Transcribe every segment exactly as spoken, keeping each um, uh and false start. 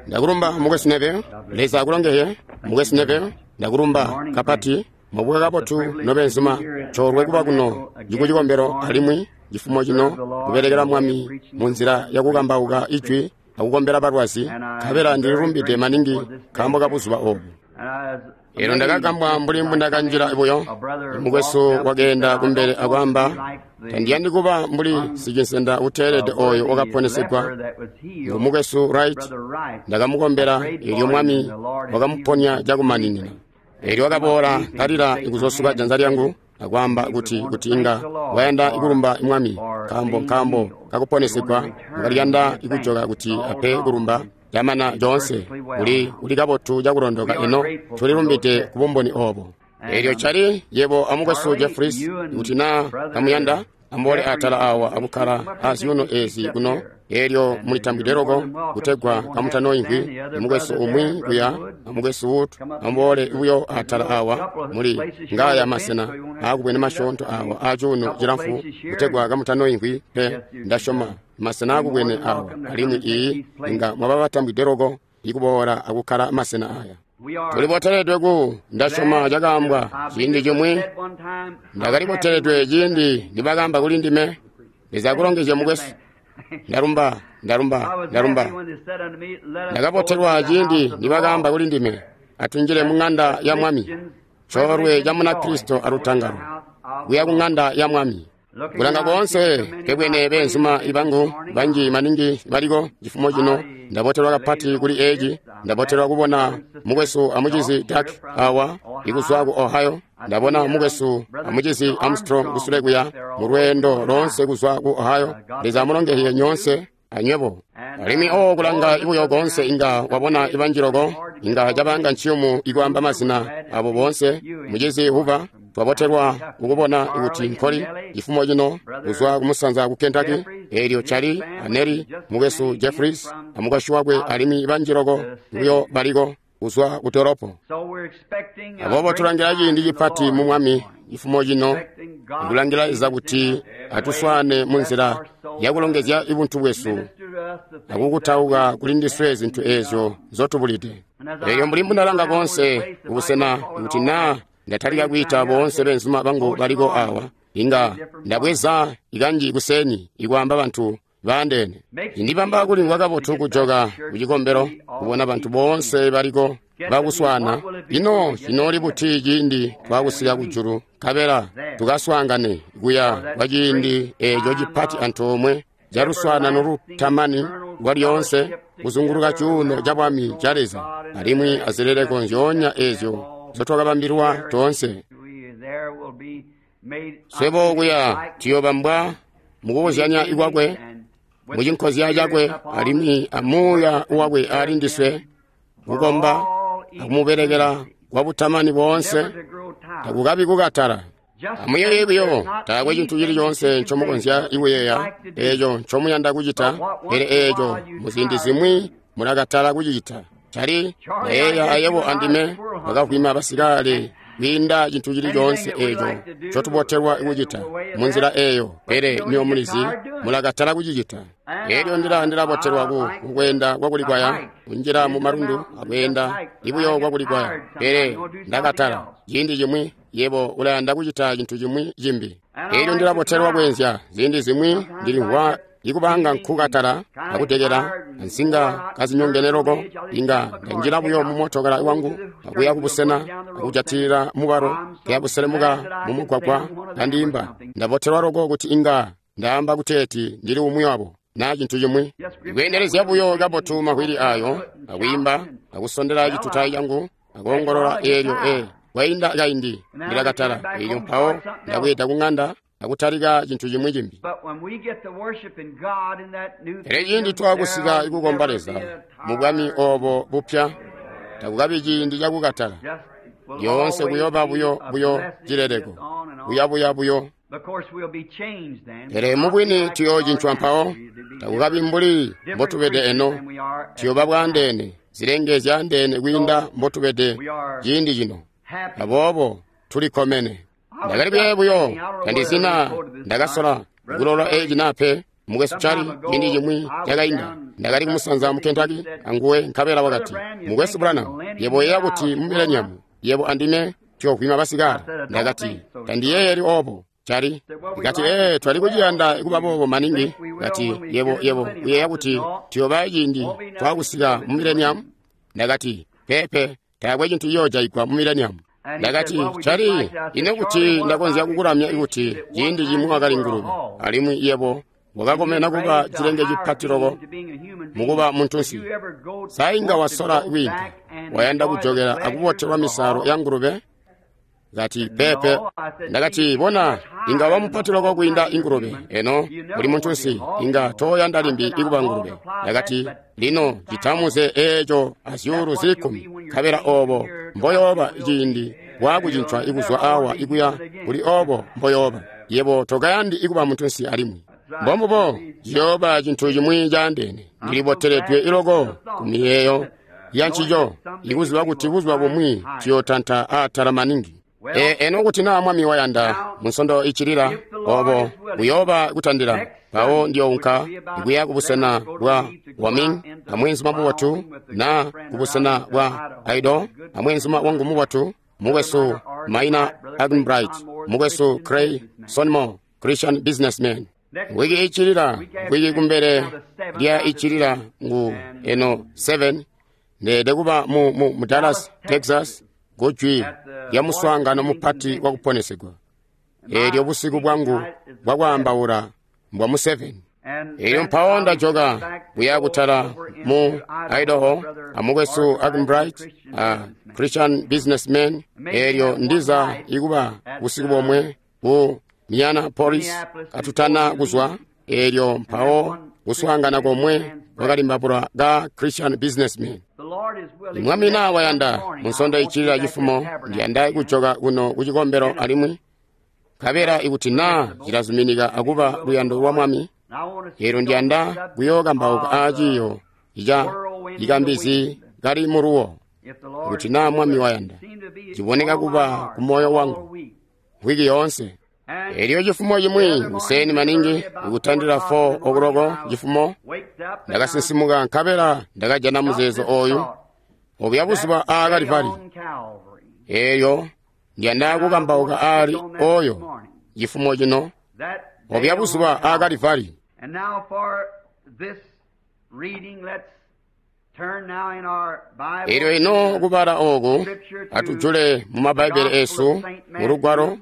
Ndakulumba mukwesu Neville. Leza akulongezye mukwesu Neville. Ndakulumba kapati mwabuka kabotu nobenzuma. Coolwe kuba kuno kucikombelo alimwi cifumo cino kubelekela Mwami munzila yakukambauka ijwi akukombela balwazi, nkabela ndililumbide maningi nkaambo kabuzuba obu. Elo ndakagambwa mbuli mbundakanjila buyo. Mukwesu wakeenda kumbele akwaamba, tandiyandi kuba mbuli sicinsenda uteelede oyo wakaponesegwa. Ngu mukwesu Wright. Ndakamukombela, eelyo Mwami wakamuponya cakumaninina. Eelyo wakaboola kalila ikuzosuka janza lyangu akwaamba kuti kuti inga wayanda ikulumba Mwami nkaambo nkaambo kakuponesegwa, wakaliyanda ikujoka kuti ape kulumba. Yamana coonse uli uli kabotu cakulondoka. Eno tulilumbide kubumboni obo. Eelyo cali yebo amukwesu Jeffries, kuti naa kamuyanda amboole atala awa akukkala azyuuno ezi kuno. Eelyo mulitambwide loko kutegwa kamutanoimvwi. Mukwesu umwi kuya amukwesu Wood amboole buyo atala awa. Muli ngaya masena aakubwene masyoonto awa acuuno cilamfu kutegwa kamutanoimvwi pe. Ndasyoma masena aakubwene awa, alimwi iyi inga mwaba batambwide loko ikuboola akukkala masena aya. Tuliboteledwe ku ndasyoma cakaambwa ciindi cimwi. Ndakaliboteledwe ciindi nibakaamba kuli ndime. Leza akulongezye mukwesu. Ndalumba, ndalumba, ndalumba. Ndakabotelwa ciindi nibakaamba kuli ndime, atunjile mu ng'anda ya Mwami. Coolwe ca Munakristo alutangalo kuya ku ng'anda ya Mwami. Kulanga koonse kebwene beenzuma ibangu banji maningi baliko cifumo cino. Ndabotelwa kapati kuli eci. Ndabotelwa kubona mukwesu amucizi Dak awa ikuzwa ku Ohio. Ndabona mukwesu amucizi Armstrong kusule kuya mu lweendo loonse kuzwa ku Ohio. Leza amulongezye nyoonse anywebo. Alimwi o kulanga ibuyo koonse inga wabona ibanji loko, inga cabanga nciyumu ikwaamba mazina abo boonse. Mucizi Hoover, twabotelwa kukubona kuti nkoli cifumo cino kuzwa kumusanza ku Kentucky. Eelyo cali aneri mukwesu Jeffries amukwasyi wakwe, alimwi banji loko buyo baliko kuzwa ku dolopo. Aboobo tulangila ciindi cipati mu Mwami cifumo cino, kulangila Leza kuti atuswaane munzila yakulongezya ibuntu bwesu akukutauka kuli ndiswe zintu eezyo nzotubulide. Eelyo mbuli mbundalanga koonse kubusena kuti naa ndatalika kwiita boonse beenzuma bangu baliko awa, inga ndabweza ikanji kuseni ikwaamba bantu baandeene. Indibamba kulimvwa kabotu kujoka kucikombelo kubona bantu boonse baliko bakuswaana. Ino cinooli buti ciindi twakusika kujulu, nkabela tukaswaangane kuya kwa ciindi eeco cipati antoomwe caluswaanano lutamani lwalyoonse kuzunguluka cuuno ca Bwami ca Leza, alimwi azileleko nzyoonya eezyo nzotwakabambilwa toonse. Swebo kuya tuyoobambwa mukubuzyanya ikwakwe, mucinkozya cakwe, alimwi amuuya wakwe ali ndiswe, kukomba akumubelekela kwa butamani boonse, takukabi kukatala. Amuyeeye buyo, taakwe cintu cili coonse ncomukonzya ikuyeeya eeco ncomuyanda kucita, pele eeco muziindi zimwi mulakatala kucicita. Cali nayeeya ayebo andime bakavwima basikale kwiinda cintu cili coonse eeco ncotubotelwa kucita munzila eeyo, pele nyo mulizi mulakatala kucicita. Eelyo ndila ndilabotelwa ku kukweenda kwakulikwaya, kunjila mu malundu akweenda ibuyo kwakulikwaya, pele ndakatala. Ciindi cimwi yebo ulayanda kucita cintu cimwi cimbi. Eelyo ndilabotelwa kweenzya. Ziindi zimwi ndilimvwa ikubanga nkukatala akutekela ansinga kazinyongene loko, inga ndanjila buyo mumotokala wangu akuya kubusena akujatilila mubalo kuya buselemuka mumugwagwa kandiyimba. Ndabotelwa loko kuti inga ndaamba kuteeti ndili umwi wabo naa cintu cimwi. Ikweendelezya buyo kabotu mawili ayo akuyimba akusondela citutayi cangu akuongolola eelyo e kwainda kaindi ndilakatala. Eelyo mpawo ndabweeda kung'anda akutalika cintu cimwi cimbi. Pele ciindi twakusika ikukomba Leza mu bwami obo bupya, takukabi ciindi cakukatala. Lyoonse kuyooba buyo buyo cileleko, buyabuya buyo. Pele mubwini tuyoocincwa mpawo, takukabi mbuli mbotubede eno. Tuyooba bwaandeene, zilenge zyaandeene kwiinda mbotubede ciindi cino. Aboobo tulikkomene. Ndakali kuyeeya buyo, tandizina ndakasola kulola eci naa pe. Mukwesu Charlie, ciindi cimwi cakainda, Ndakali kumusanza mu Kentucky anguwe, nkabela wakati, Mukwesu Branham, yebo uyeeya kuti mu mileniamu yebo andime tuyovwima basikale? Ndakati, tandiyeeyeli obo, Cali. Kati, ee, twali kuciyanda kuba boobo maningi. Kati, yebo yebo uyeeya kuti tuyooba ciindi twakusika mu mileniamu? Ndakati, peepe, taakwe cintu ciyoojayigwa mu mileniamu. Ndakati, Cali, ino kuti ndakonzya kukulamya ikuti ciindi cimwi wakali ngulube, alimwi yebo wakakomena kuba cilenge cipati loko mukuba muntunsi. Sa inga wasola kwiinka, wayanda kujokela akubotelwa misalo ya ngulube? Kati, peepe. Ndakati, bona, inga waba mupati loko kwiinda ingulube. Eno uli muntunsi, inga tooyanda limbi ikuba ngulube. Ndakati, lino citamuze eeco azyuulu zili kkumi, nkabela obo mboyooba ciindi waakucincwa ikuzwa awa ikuya kuli obo mboyooba. Yebo tokayandi ikuba muntunsi alimwi. Mbombubo, ciyooba cintu cimwi caandeene. Ndiliboteledwe iloko ku miyeeyo ya ncico, ikuziba kuti buzuba bumwi tuyootanta aatala maningi. E, eno kuti naa Mwami wayanda, munsondo iccilila obo buyooba kutandila, mpawo ndiyounka ikuya kubusena bwa Wyoming amweenzuma mubotu, na kubusena bwa Idaho amweenzuma wangu mubotu, mukwesu Maina Arganbright, mukwesu Cray Sonmo, Christian businessman. Wiki iccilila, wiki kumbele lya iccilila ngu eno seven, ndeede kuba mu, mu, mu Dallas, Texas, kujwi lya muswaangano mupati wa kuponesegwa. Eelyo busiku bwangu bwakwaambaula mbwa mu seven. Eelyo mpawo ndajoka kuya kutala mu Idaho amukwesu Arganbright, a Christian businessman. Eelyo ndiza ikuba busiku bomwe ku Minneapolis katutana kuzwa. Eelyo mpawo kuswaangana komwe kwakalimbabula ka Christian businessman. Mwami naa wayanda, munsondo iccilila cifumo ndiyanda kujoka kuno kucikombelo alimwi, nkabela ikuti naa cilazuminika akuba luyando lwa Mwami, eelyo ndiyanda kuyookambauka aaciiyo ica ikambizi kali muluwo. Ikuti naa Mwami wayanda, ciboneka kuba ku moyo wangu wiki yoonse. Eelyo cifumo cimwi kuseni maningi ikutandila four o'clock cifumo, ndakasinsimuka nkabela ndakajana muzeezo oyu obuya buzuba aa Kalivali. Eelyo ndiyanda kukambauka aali oyo cifumo cino, obuya buzuba aa Kalivali. Eelyo ino kubala oku atujule mu Mabbaibele esu mu lugwalo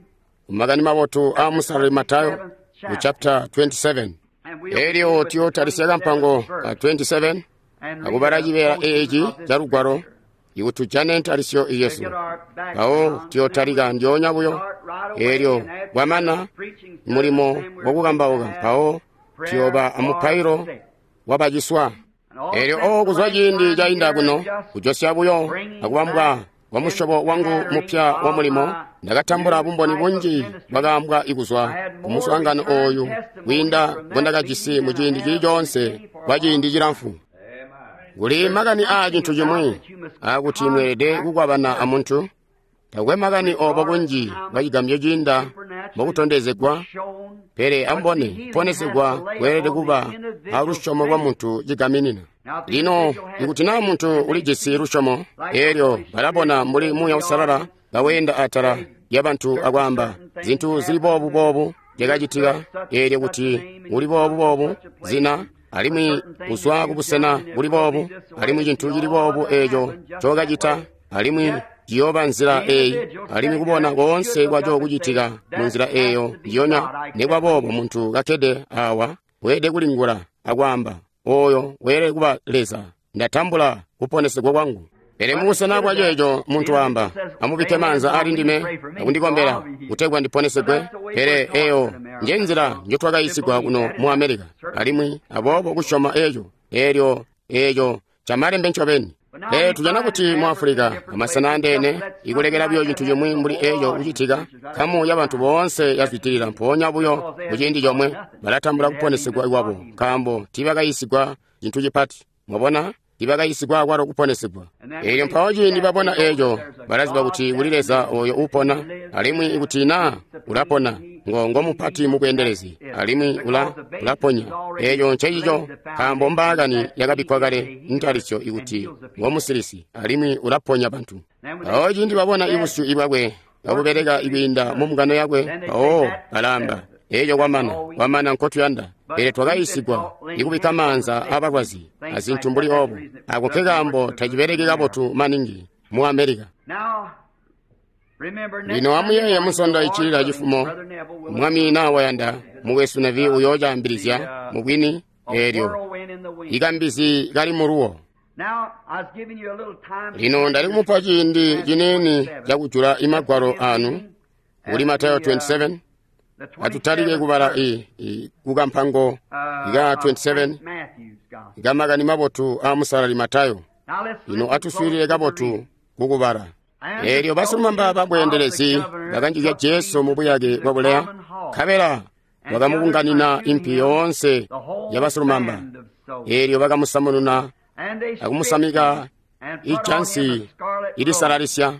Makani Mabotu a Musalali Matayo mu chapter twenty-seven. Eelyo tuyootalisya kampango ka twenty-seven akubala cibeela eeci ca lugwalo ikuti tujane ntalisyo yesu. Mpawo tuyootalika ndyoonya buyo. Eelyo bwamana mulimo wakukambauka, mpawo tuyooba amupailo wabaciswa. Eelyo o kuzwa ciindi cainda kuno kujosya buyo akubambwa kwa musyobo wangu mupya wa mulimo, ndakatambula bumboni bunji bwakaambwa ikuzwa ku muswaangano ooyu kwiinda mbondakajisi mu ciindi cili coonse kwa ciindi cilamfu. Kuli makani aa cintu cimwi aakuti mweelede kukwabana amuntu. Takwe makani obo kunji bwa cigambyo ciinda mbokutondezegwa, pele ambone kuponesegwa kweelede kuba alusyomo lwa muntu cigaminina. Lino ikuti naa muntu ulijisi lusyomo, eelyo balabona mbuli Muuya Uusalala kaweenda atala lyabantu akwaamba zintu zili boobu boobu zyakacitika, eelyo kuti uli boobu boobu zina, alimwi kuzwa kubusena buli boobu, alimwi cintu cili boobu eeco ncokacita, alimwi ciyooba nzila eeyi, alimwi kubona koonse kwaco kucitika mu nzila eeyo njiyonya. Nekwa boobo muntu kakkede awa weelede kulingula akwaamba, oyo weelede kuba Leza, ndatambula kuponesegwa kwangu. Pele mubusena bwa ceeco muntu waamba, amubikke maanza ali ndime akundikombela kutegwa ndiponesegwe. Pele eyo nje nzila njotwakayiisigwa kuno mu Amerika, alimwi aboobo kusyoma eeco, eelyo eeco camalembe ncobeni. Pele tujana kuti mu Afulika amasena andeene ikulekela buyo cintu cimwi mbuli eeco kucitika, nkamu yabantu boonse yazwidilila mpoonya buyo muciindi comwe balatambula kuponesegwa kwabo, nkaambo tiibakayiisigwa cintu cipati. Mwabona, tiibakayiisigwa akwalo kuponesegwa. Eelyo mpawo ciindi babona eeco, balaziba kuti kuli Leza oyo uupona, alimwi ikuti naa ulapona, ngo ngo mupati mubweendelezi alimwi ula ulaponya. Eeco ncencico nkaambo mbaakani yakabikkwa kale ntalisyo ikuti ngo musilisi alimwi ulaponya bantu. Mpawo ciindi babona ibusyu ibwakwe kabubeleka ikwiinda mu mbungano yakwe, mpawo balaamba, eeco kwamana, kwamana nkotuyanda. Pele twakayiisigwa ikubikka maanza aabalwazi azintu mbuli oobo. Ako nkekaambo tacibeleki kabotu maningi mu America. Lino amuyeeye Munsondo iccilila cifumo, Mwami naa wayanda, mukwesu Neville uyoocaambilizya mubwini eelyo ikambizi kali muluwo. Lino ndali kumupa ciindi ciniini cakujula imagwalo anu kuli Matayo makumi abili asabeni. Atutalike kubala i, i kukampango ika makumi abili asabeni ikamakani mabotu aa Musalali Matayo. Lino atuswiilile kabotu kukubala. Eelyo basilumamba babweendelezi bakanjizya Jesu mu buyake bwa buleya, nkabela bakamubunganina impi yoonse yabasilumamba. Eelyo bakamusamununa akumusamika ijansi ilisalalisya.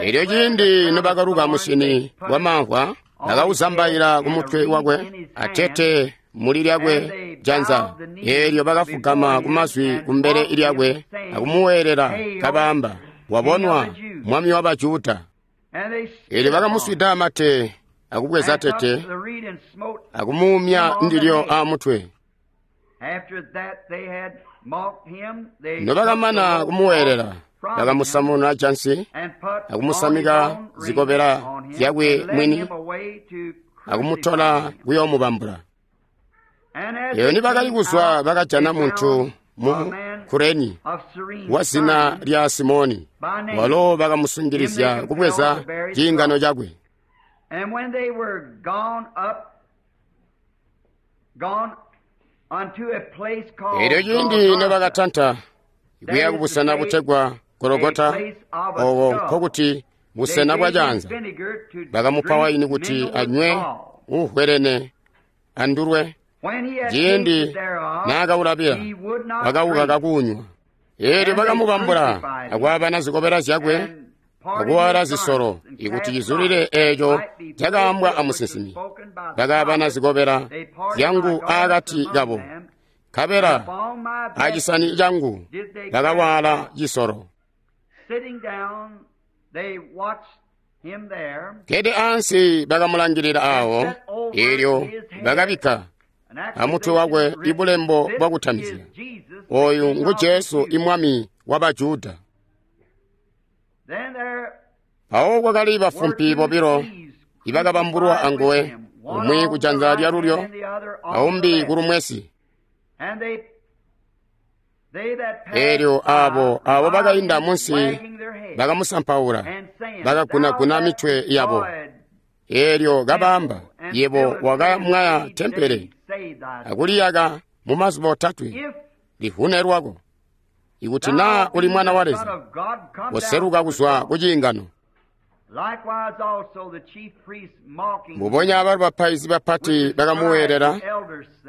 Eelyo ciindi nobakaluka musyini wamamvwa, bakawuzambaila kumutwe wakwe atete muli lyakwe janza. Eelyo bakafugama kumazwi kumbele lyakwe akumuweelela kabaamba, wabonwa Mwami wa Bajuda. Eelyo bakamuswida mate akubweza tete akumuumya ndilyo aamutwe. Nobakamana kumuweelela, bakamusamuna jansi akumusamika zikobela zyakwe mwini akumutola kuyoomubambula. Eyo nibakali kuzwa bakajana muntu mu Kureni wa zina lya Simoni, walo bakamusungilizya kubweza ciingano cakwe. Eelyo ciindi nobakatanta kuya kubusena butegwa Gologota, obo nkokuti busena bwa janza, bakamupa waini kuti anywe uuhwelene andulwe. Ciindi naakaulabila, wakawukaka kuunywa. Eelyo bakamubambula akwaabana zikobela zyakwe akuwaala zisolo ikuti cizulile eeco cakaambwa amusinsimi. Bakaabana zikobela zyangu aakati kabo, nkabela acisani cangu bakawaala cisolo. Kede ansi bakamulangilila aawo, eelyo bakabikka amutwe wakwe ibulembo bwakutamizya, oyu ngu Jesu imwami wa Bajuda. Mpawo kwakali bafumpi bobilo ibakabambulwa anguwe, umwi kujanza lyalulyo aumbi kulumwesi. Eelyo aabo abo bakainda munsi bakamusampaula, bakagunaguna mitwe yabo. Eelyo kabaamba, yebo wakamwaya tempele akuliyaka mumazuba otatwe, livune lwako. Ikuti naa uli mwana wa Leza, woseluka kuzwa ku ciingano. Mbubonya abalo bapaizi bapati bakamuweelela,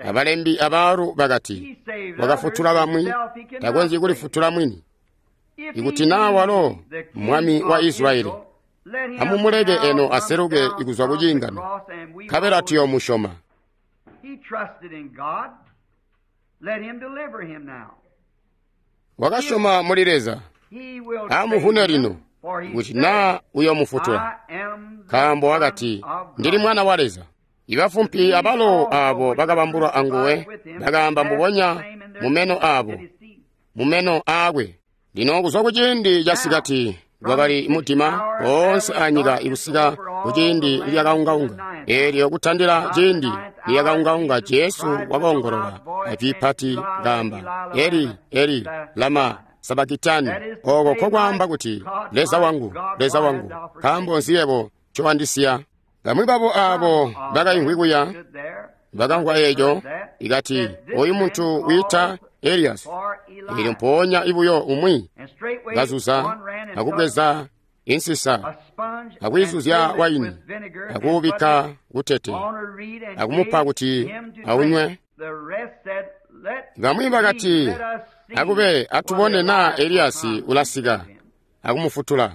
abalembi abaalu bakati, wakafutula bamwi, takonzyi kulifutula mwini. Ikuti naa walo mwami wa Israyeli, amumuleke eno aseluke kuzwa ku ciingano, nkabela tuyoomusyoma. Wakasyoma muli Leza, amuvune lino, kuti naa uyoomufutula, nkaambo wakati, ndili mwana wa Leza. Ibafumpi abalo aabo bakabambulwa anguwe bakaamba mbubonya mumeno aabo, mumeno aakwe. Lino kuzwa kuciindi casikati kwakali mudima oonse anyika ikusika kuciindi lyakaungaunga. Eelyo kutandila ciindi lyakaungaunga, Jesu wakoongolola ajwi pati kaamba, Eli, Eli, lama sabakitani, oko nkokwaamba kuti, Leza wangu, Leza wangu, nkaambo nzi yebo ncowandisiya? Bamwi babo aabo bakaimvwi kuya bakamvwa eeco, ikati, oyu muntu wiita Eliyasi. Eelyo mpoonya ibuyo umwi kazuza akubweza insisa akuyizuzya waini akuubikka kutete akumupa kuti aunywe. Bamwi bakati, akube atubone naa Eliyasi ulasika akumufutula.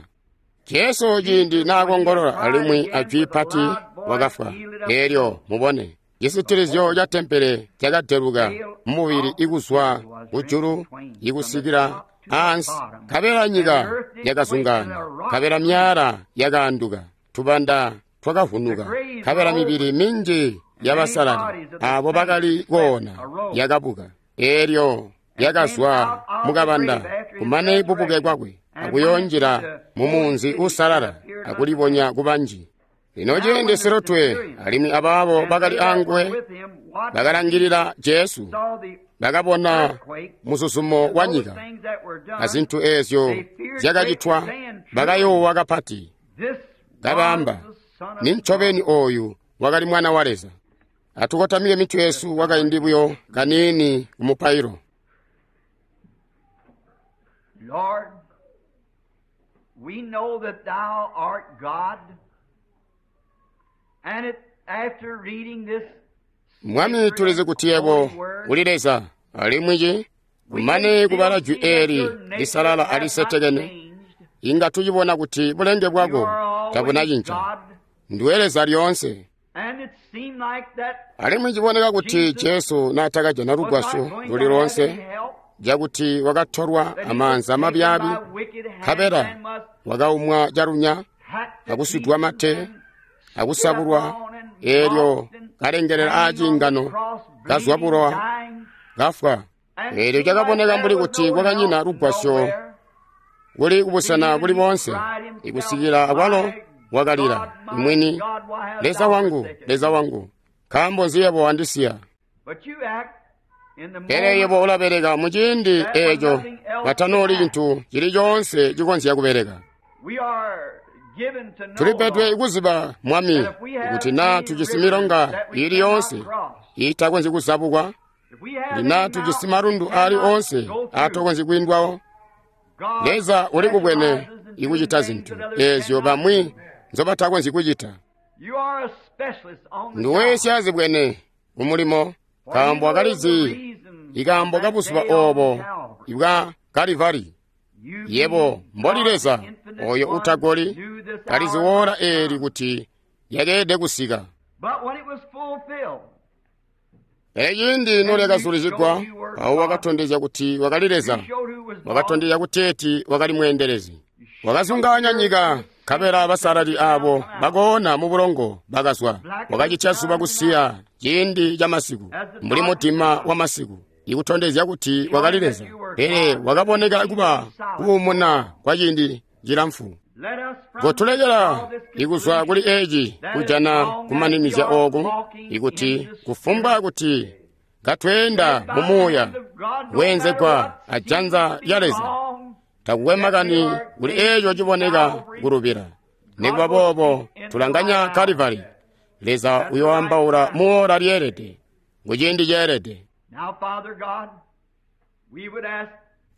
Jesu ciindi naakongolola alimwi ajwi pati wakafwa. Elyo mubone cisitilizyo ca tempele cakadeluka mubili ikuzwa kujulu ikusikila ansi, nkabela nyika yakazungaana, nkabela myaala yakaanduka, tubanda twakavunuka, nkabela mibili minji yabasalali abo bakali koona yakabuka. Elyo yakazwa mukabanda kumane bubuke kwakwe akuyonjila mumunzi uusalala akulibonya kubanji. Lino ciindi silutwe alimwi abaabo bakali anguwe bakalangilila Jesu, bakabona muzuzumo wa nyika azintu eezyo zyakacitwa, bakayoowa kapati, kabaamba, "Nincobeni ooyu wakali Mwana wa Leza." Atukotamike mitwe yesu kwakaindi buyo kaniini kumupailo. Lord, we know that thou art God, and it, after reading this Mwami, tulizi kuti yebo uli Leza, alimwi ci kumane kubala jwi eli lisalala alisetekene, inga tucibona kuti bulenge bwako tabunacinca. Ndiwe Leza lyoonse. And it seemed like that Alimwi ciboneka kuti Jesu naatakajana was lugwasyo not going luli to have lonse, any help, cakuti wakatolwa that he was amaanza taken mabyaabi, by wicked hands nkabela and was wakaumwa calunya, hacked to akuswidwa pieces mate, and akusabulwa, eelyo kalengelela aacingano, kazwa bulowa, kafwa. Eelyo cakaboneka mbuli kuti kwakanyina lugwasyo kuli kubusena buli boonse, ikusikila akwalo wakalila mwini, "Leza wangu, Leza wangu, nkaambo nzi yebo wandisiya?" Pele yebo ulabeleka muciindi eeco patanooli cintu cili coonse cikonzya kubeleka. Tulipedwe kuziba, Mwami, kuti naa tujisi milonga ili yoonse iitakonzyi kuzabukwa, kuti naa tujisi malundu aali oonse aatakonzyi kwiindwawo, Leza uli kubwene ikucita zintu eezyo bamwi nzobatakonzyi kucita. Nduwe syazibwene kumulimo, nkaambo wakalizi ikaambo kabuzuba oobo bwa Kalivari. Yebo mboli Leza oyo utagoli, kalizi woola eeli kuti lyakeelede kusika. Pele ciindi nolyakazulizigwa, mpawo wakatondezya kuti wakali Leza, wakatondezya kuteeti wakali mweendelezi. Wakazungaanya nyika, nkabela basalali aabo bakoona mu bulongo bakazwa. Wakacitya zuba kusiya ciindi ca masiku, mbuli mudima wa masiku, ikutondezya kuti wakali Leza. Pele wakaboneka kuba kuumuna kwa ciindi cilamfu. Kotulekela ikuzwa kuli eeci kujana kumaninizya ooku, ikuti kufumbwa kuti katweenda mu muuya weenzegwa ajanza lya Leza, takukwe makani kuli eeco ciboneka kulubila. Nikuba boobo tulanganya Kalivari. Leza uyoambaula muola lyeelede, kuciindi ceelede.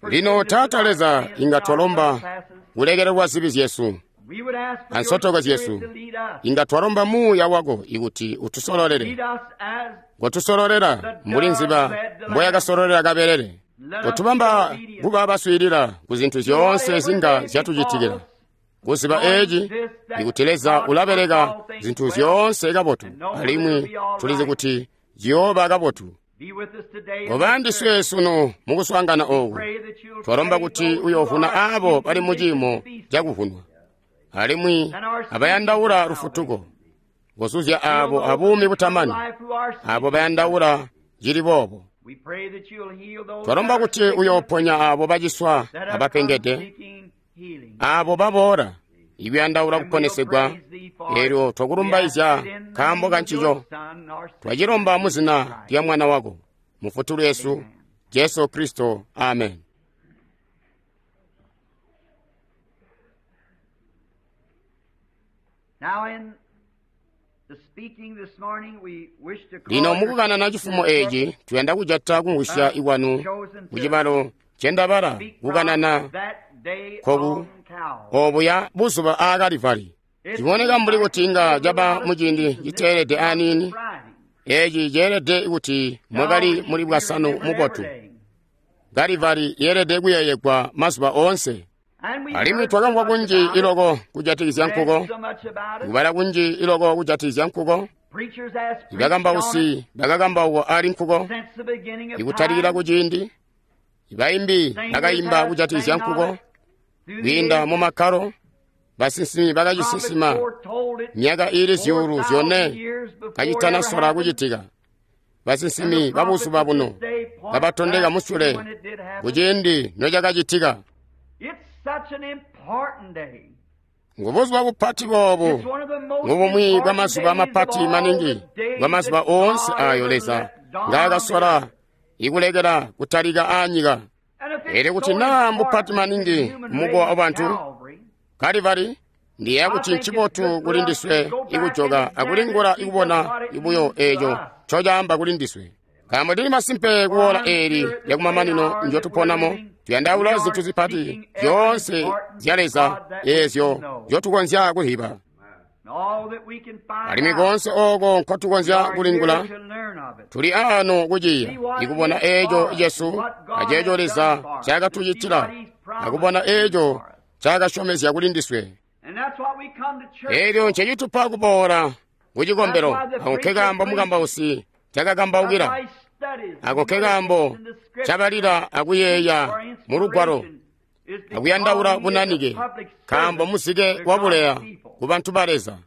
Lino Taata Leza, inga twalomba kulekelelwa zibi zyesu ansotoko zyesu, inga twalomba muuya wako ikuti utusololele. Kotusololela mbuli nziba mboyakasololela kabelele. Kotubamba kuba baswiilila ku zintu zyoonse zinga zyatucitikila. Kuziba eeci ikuti Leza ulabeleka zintu zyoonse kabotu, alimwi tulizi kuti ziyooba kabotu. Koba ndiswe sunu mukuswaangana ooku. Twalomba kuti uyoovuna aabo bali muciimo cakuvunwa, alimwi abayandaula lufutuko. Kozuzya aabo abuumi butamani, aabo bayandaula cili boobo. Twalomba kuti uyooponya aabo baciswa abapengede, aabo baboola ikuyandaula kuponesegwa. Eelyo twakulumbaizya nkaambo kancico. Twacilomba muzina lya Mwana wako, Mufutuli wesu, Jesu Kristo. Amen. Lino mukukanana cifumo eeci, tuyanda kujata kumvwisya ikwanu kucibalo cendabala kukanana koku obuya buzuba aa Kalivari. Ciboneka mbuli kuti inga caba muciindi citeelede aniini. Eeci ceelede kuti mwakali muli bwasanu mubotu. Kalivari yeelede kuyeeyegwa mazuba oonse. Alimwi twakamvwa kunji iloko kujatikizya nkuko, kubala kunji iloko kujatikizya nkuko. Ibakambausi bakakambauka ali nkuko ikutalikila kuciindi. Ibaimbi bakaimba kujatikizya nkuko kwiinda mu makkalo. Basinsimi bakacisinsima myaka iili zyuulu zyone kacitanasola kucitika. Basinsimi babuzuba buno babatondeka musule kuciindi nocakacitika. Ngubuzuba bupati boobu, ngubumwi bwamazuba mapati maningi bwamazuba oonse ayo Leza ngaakasola ikulekela kutalika aanyika. Elyo kuti naa mbupati maningi kumukowa wabantu, Kalivari ndiyeeya kuti ncibotu kuli ndiswe ikujoka akulingula ikubona ibuyo eeco ncocaamba kuli ndiswe. Nkaambo tili masimpe kuola eeli lyakumamanino njotuponamo, tuyandaula zintu zipati zyoonse zya Leza eezyo nzyotukonzya kuziba. Alimwi koonse ooko nkotukonzya kulingula, tuli aano kuciya ikubona eeco Yesu aceeco Leza ncaakatucitila, akubona eeco ncaakasyomezya kuli ndiswe. Eelyo ncecitupa kuboola kucikombelo, ako nkekaambo mukambausi ncaakakambaukila, ako nkekaambo ncabalila akuyeeya mu Lugwalo akuyandaula bunanike, nkaambo muzike wabuleya ku bantu ba Leza.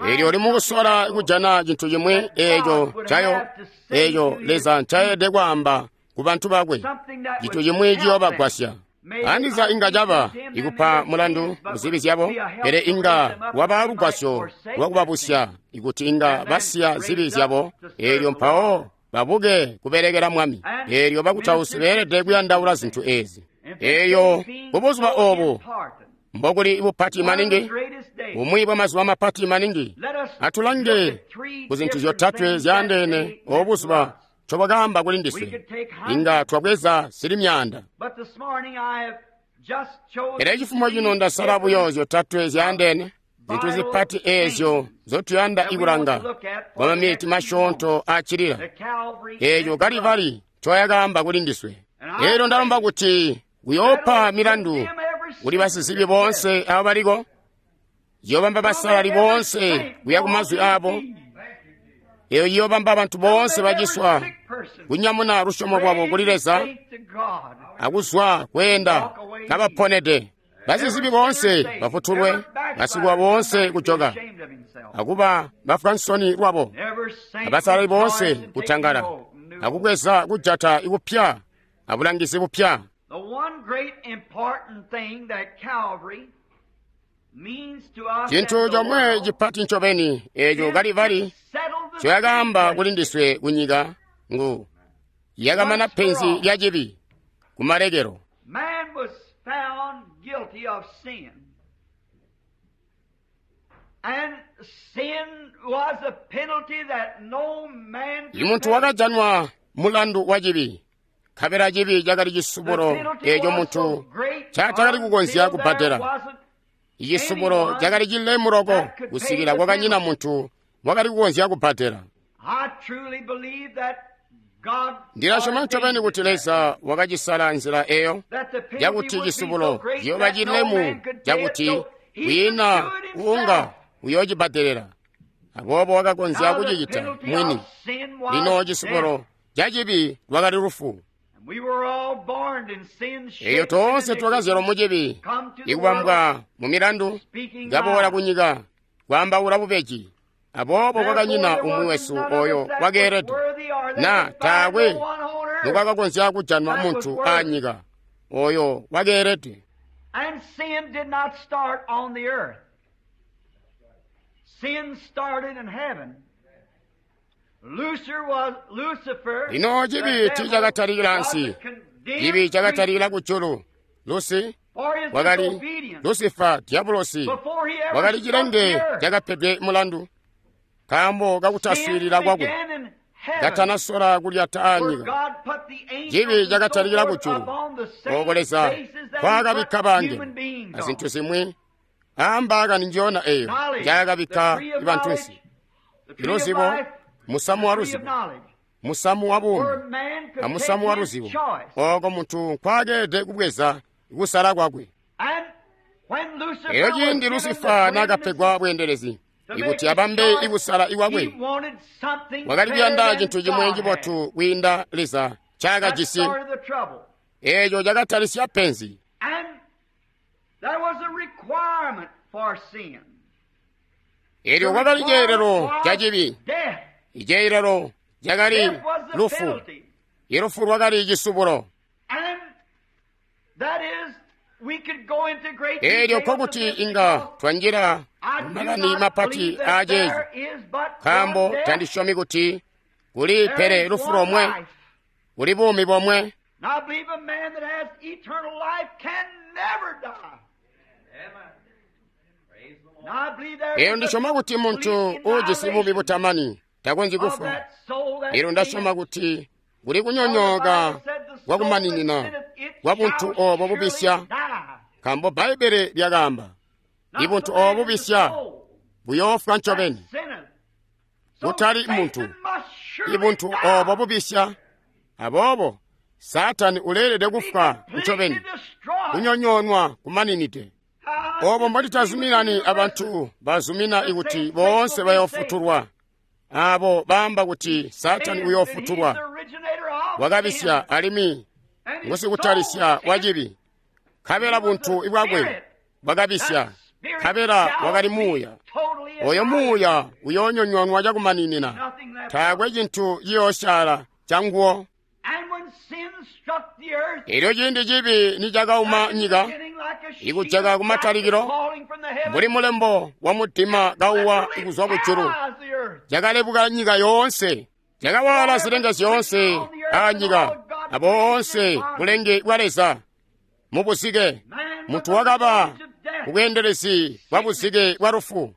Eelyo uli mukusola kujana cintu cimwi eeco cayo eeco Leza ncaelede kwaamba ku bantu bakwe, cintu cimwi ciyoobagwasya. Andiza inga caba ikupa mulandu muzibi zyabo, pele inga waba lugwasyo lwakubabusya ikuti inga basiya zibi zyabo, eelyo mpawo babuke kubelekela Mwami. Eelyo bakutausi beelede kuyandaula zintu eezi. Eeyo kubuzuba oobu mbokuli bupati maningi, bumwi bwamazuba mapati maningi. Atulange ku zintu zyotatwe zyaandeene obu buzuba ncobwakaamba kuli ndiswe. Inga twabweza zili myaanda, pele cifumo cino ndasala buyo zyotatwe zyaandeene, zintu zipati eezyo nzotuyanda ikulanga kwa maminiti masyoonto accilila, eeco Kalivari ncoyakaamba kuli ndiswe. Eelyo ndalomba kuti kuyoopa milandu kuli basizibi boonse abo baliko, ciyoobamba basalali boonse kuya ku mazwi aabo. Eyo ciyoobamba bantu boonse baciswa kunyamuna lusyomo lwabo kuli Leza akuzwa kweenda kabaponede. Basizibi boonse bafutulwe, basikuwa boonse kujoka akuba bafwa nsoni lwabo, abasalali boonse kutangala akubweza kujata ikupya abulangizi bupya. Cintu comwe cipati ncobeni eeco Kalivari ncoyakaamba kuli ndiswe kunyika ngu yakamana penzi lya cibi kumalekelo. Imuntu wakajanwa mulandu wa cibi, nkabela cibi cakali cisubulo eeco muntu ncatakali kukonzya kubbadela. Icisubulo cakali cilemu loko kusikila kwakanyina muntu wakali kukonzya kubbadela. Ndilasyoma ncobeni kuti Leza wakacisala nzila eyo yakuti cisubulo ciyooba cilemu cakuti kwiina uunga uyoocibbadelela, aboobo wakakonzya kucicita mwini. Lino cisubulo ca cibi lwakali lufu. Eyo toonse twakazyalwa mu cibi, ikubambwa mu milandu, kaboola kunyika kwaambaula bubeji. Aboobo kwakanyina umwi wesu oyo wakeelede, na taakwe nokwakakonzya kujanwa muntu aanyika oyo wakeelede. Lino cibi tiicakatalikila ansi, cibi cakatalikila kujulu. Lusi wakali Lusifa Diabulosi, wakali cilenge cakapedwe mulandu nkaambo kakutaswiilila kwakwe, katanasola kulyata aanyika. Cibi cakatalikila kujulu, ooko Leza nkwaakabikka bangelo azintu zimwi aambaakani njiyona eyo njaakabikka bantunsi. Iluzibo, musamu wa luzibo, musamu wa buumi, amusamu wa luzibo, ooko muntu nkwaakeelede kubweza kusala kwakwe. Elyo ciindi Lusifa naakapegwa bweendelezi ikuti abambe ikusala ikwakwe, wakali kuyanda cintu cimwe cibotu kwiinda Leza ncaakajisi. Eeco cakatalisya penzi. Elyo kwakali ceelelo ca cibi. Iceelelo cakali lufu. Ilufu lwakali cisubulo. Elyo nkokuti inga twanjila mumakani mapati aaceeci, nkaambo tandisyomi kuti kuli pele lufu lomwe, kuli buumi bomwe. Elyo ndisyoma kuti muntu uujisi buumi butamani takonzyi kufwa. Elyo ndasyoma kuti kuli kunyonyooka kwakumaninina kwa buntu oobo bubisya, nkaambo Bbaibbele lyakaamba, ibuntu oobo bubisya buyoofwa ncobeni, kutali muntu. Ibuntu oobo bubisya, aboobo Saatani uleelede kufwa ncobeni, kunyonyoonwa kumaninide. Oobo mbotitazuminani abantu bazumina ikuti boonse bayoofutulwa, aabo baamba kuti Saatani uyoofutulwa, wakabisya alimwi ngusikutalisya wacibi, nkabela buntu bwakwe bwakabisya, nkabela wakali muuya. Oyo muuya uyoonyonyoonwa cakumaninina, taakwe cintu ciyoosyaala canguwo. Elyo ciindi cibi nicakauma nyika, ikujaka kumatalikilo, mbuli mulembo wa mudima kauwa kuzwa kujulu, cakalebuka nyika yoonse, cakawala zilenge zyoonse aanyika, aboonse bulenge bwa Leza mubuzike. Muntu wakaba kubweendelezi bwa buzike bwa lufu,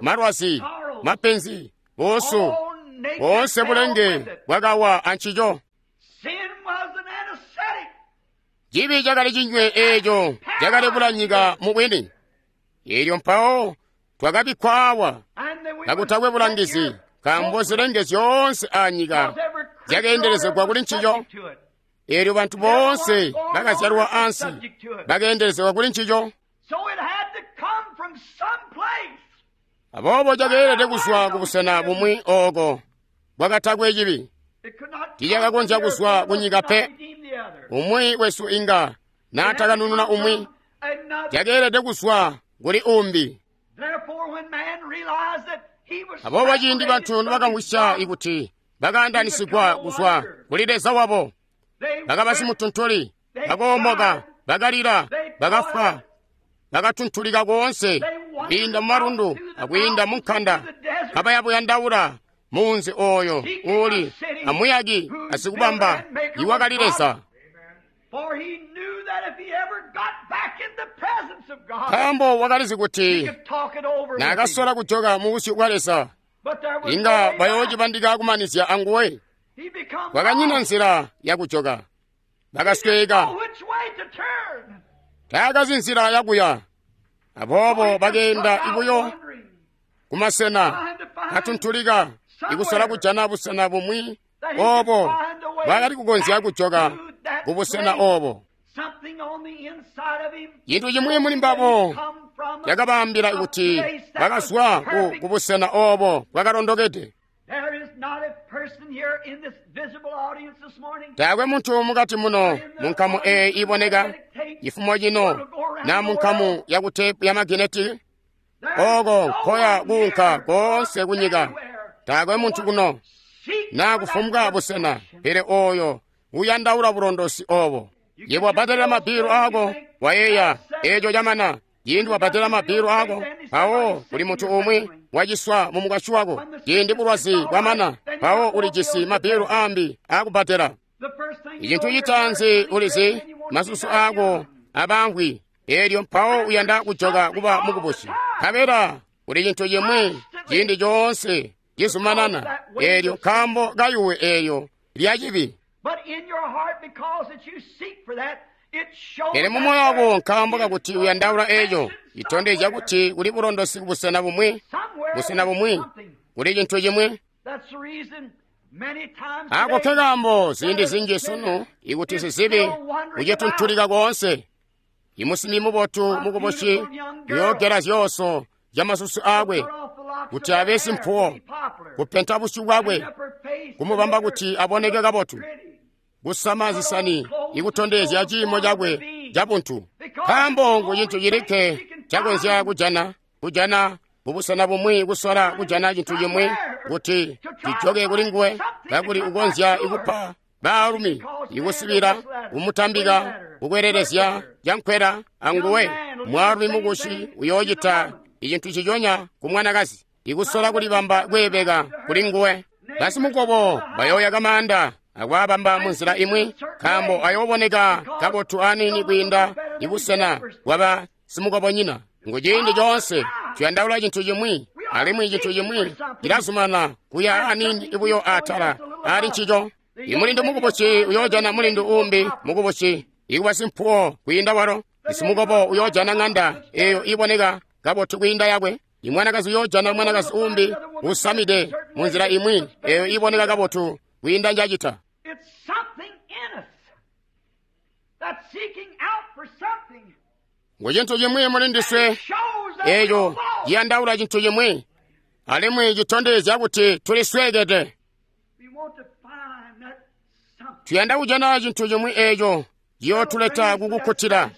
malwazi, mapenzi, buusu, boonse bulenge bwakawa ancico. Cibi cakali cinywe eeco cakalebula nyika mubwini. Elyo mpawo twakabikkwa awa kakutakwe bulangizi, nkaambo zilenge zyoonse aanyika zyakeendelezegwa kuli ncico. Elyo bantu boonse bakazyalwa ansi bakeendelezegwa kuli ncico. Aboobo cakeelede kuzwa kubusena bumwi ooko bwakatakwe cibi. Tiicakakonzya kuzwa kunyika pe. Umwi wesu inga naatakanununa umwi, cakeelede kuzwa kuli umbi. Aboobo ciindi bantu nibakamvwisya ikuti bakaandanisigwa kuzwa kuli Leza wabo, bakaba simutuntuli, bakoomoka, bakalila, bakafwa, bakatuntulika koonse kwiinda mumalundu akwiinda munkanda, kabayabuyandaula muunzi ooyo uuli amuyaki asikubamba iwakali Leza. Nkaambo wakalizi kuti naakasola kujoka mubusyu bwa Leza, inga bayoocibandika kumanizya anguwe. Kwakanyina nzila yakujoka, bakasweeka, taakazi nzila yakuya. Aboobo bakeenda ibuyo kumasena katuntulika, ikusola kujana busena bumwi oobo bwakali kukonzya kujoka kubusena oobo. Cintu cimwi muli mbabo cakabaambila kuti bakazwa ku busena oobo bwakalondokede. Taakwe muntu mukati muno munkamu eeyi iboneka cifumo cino na munkamu yakutepu ya magineti ooko nkoya kuunka koonse kunyika. Taakwe muntu kuno na kufumbwa busena, pele ooyo uyandaula bulondosi oobo. Yebo wabhadalila mabilu aako, wayeeya eeco camana. Ciindi wabhadalila mabilu aako, mpawo kuli muntu umwi waciswa mumukwasyi wako. Ciindi bulwazi bwamana, mpawo ulijisi mabilu aambi aakubhadela. Icintu citaanzi ulizi, masusu aako abamvwi, eelyo mpawo uyanda kujoka kuba mukubusi. Nkabela kuli cintu cimwi ciindi coonse cizumanana, eelyo nkaambo kayuwe eelyo lya cibi. Pele mumoyo wako nkaambo kakuti uyandaula eeco, itondezya kuti kuli bulondosi kubusena bumwi, busena bumwi, kuli cintu cimwi. Ako ke kaambo ziindi zinji sunu ikuti sizibi ucituntulika koonse, Imusimbi mubotu mukubusi uyoogela zyooso zyamasusu aakwe kuti abe simpuwo, kupenta busyu bwakwe, kumubamba kuti aboneke kabotu, kusama zisani ikutondezya ciimo cakwe cabuntu. Nkaambo ngu cintu cilikke cakonzya kujana, kujana mubusena bumwi kusola kujana cintu cimwi kuti cijoke kuli nguwe, kakuli ukonzya ikupa baalumi ikusibila, kumutambika, kukwelelezya cankwela anguwe. Mwaalumi mukushi uyoocita icintu ciconya ku mwanakazi, ikusola kulibamba kweebeka kuli nguwe. Basimukobo bayooyaka maanda akwaabamba munzila imwi, nkaambo ayooboneka kabotu aniini kwiinda ibusena bwaba simukobonyina. Ngu ciindi coonse tuyandaula cintu cimwi, alimwi cintu cimwi cilazumana kuya aniini buyo atala ali ncico. Imulindu mukubusi uyoojana mulindu uumbi mukubusi ikuba simpuwo kwiinda walo. Isimukobo uyoojana ŋanda eeyo iboneka kabotu kwiinda yakwe. Imwanakazi uyoojana mwanakazi uumbi usamide munzila imwi eeyo iboneka kabotu kwiinda njacita. Ngu cintu cimwi mulindiswe eeco ciyandaula cintu cimwi, alimwi citondezya kuti tulisweekede. Tuyanda kujana cintu cimwi eeco ciyootuleta kukukkutila,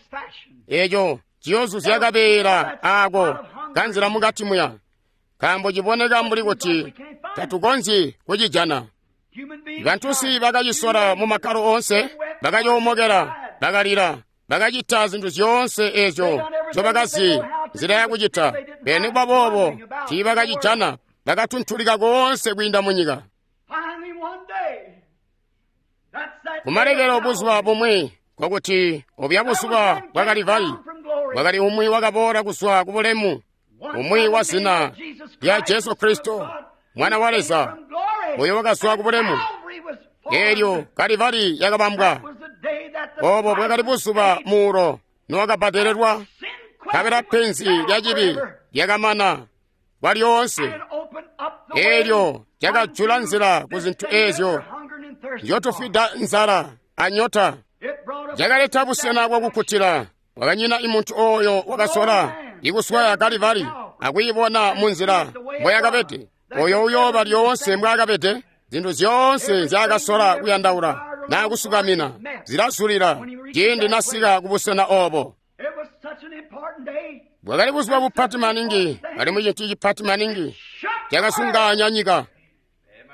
eeco ciyoozuzya kabeela aako kanzila mukati muya, nkaambo ciboneka mbuli kuti tatukonzyi kucijana. Bantusi bakacisola mu makkalo oonse, bakacoomokela, bakalila, bakacita zintu zyoonse eezyo nzyobakazi nzila yakucita. Pele nikuba boobo tiibakacijana, bakatuntulika koonse kwiinda munyika. Kumalekelo buzuba bumwi, nkokuti obya buzuba bwa Kalivari, bwakali umwi wakaboola kuzwa ku bulemu, umwi wa zina lya Jesu Kristo, Mwana wa Leza, oyo wakazwa ku bulemu. Eelyo Kalivari yakabambwa. Obo bwakali buzuba muulo nowakabbadelelwa, nkabela penzi lya cibi lyakamana kwalyoonse. Eelyo lyakajula nzila ku zintu eezyo nzyotufwida nzala anyota. Lyakaleta busena bwakukkutila. Wakanyina imuntu ooyo wakasola ikuswaya Kalivari akuyibona munzila mboyakabede. Oyo uyooba lyoonse mbwaakabede. Zintu zyoonse nzyaakasola kuyandaula naa kusukamina zilazulila ciindi nasika kubusena oobo. Bwakali buzuba bupati maningi, alimwi cintu cipati maningi cakasunganya nyika,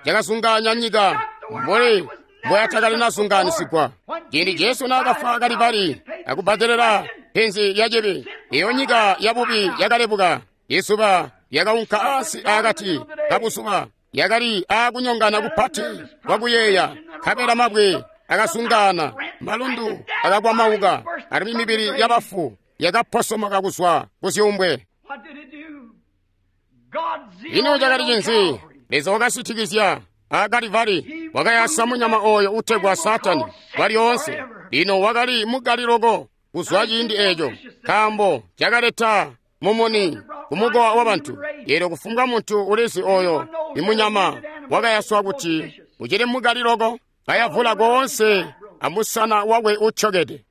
cakasunganya nyika mbuli mboyatakali nasunganisigwa. Ciindi Jesu naakafwa Kalivari akubbadelela penzi lya cibi, eyo nyika yabubi yakalebuka. Izuba lyakaunka ansi akati kabuzuba, yakali aakunyongana kupati kwakuyeeya, nkabela mabwe akasungana, malundu akakwamauka, alimwi mibili yabafu yakaposomoka kuzwa kuzyuumbwe. Ino cakali cinzi? Leza wakasitikizya a Kalivari, wakayasa munyama oyo utegwa Saatani kwalyoonse. Lino wakali mukali loko kuzwa ciindi eeco, nkaambo cakaleta mumuni kumukowa wabantu. Eelyo kufumbwa muntu ulizi oyo imunyama wakayaswa kuti ucili mukali loko, kayavula koonse amusana wakwe utyokede.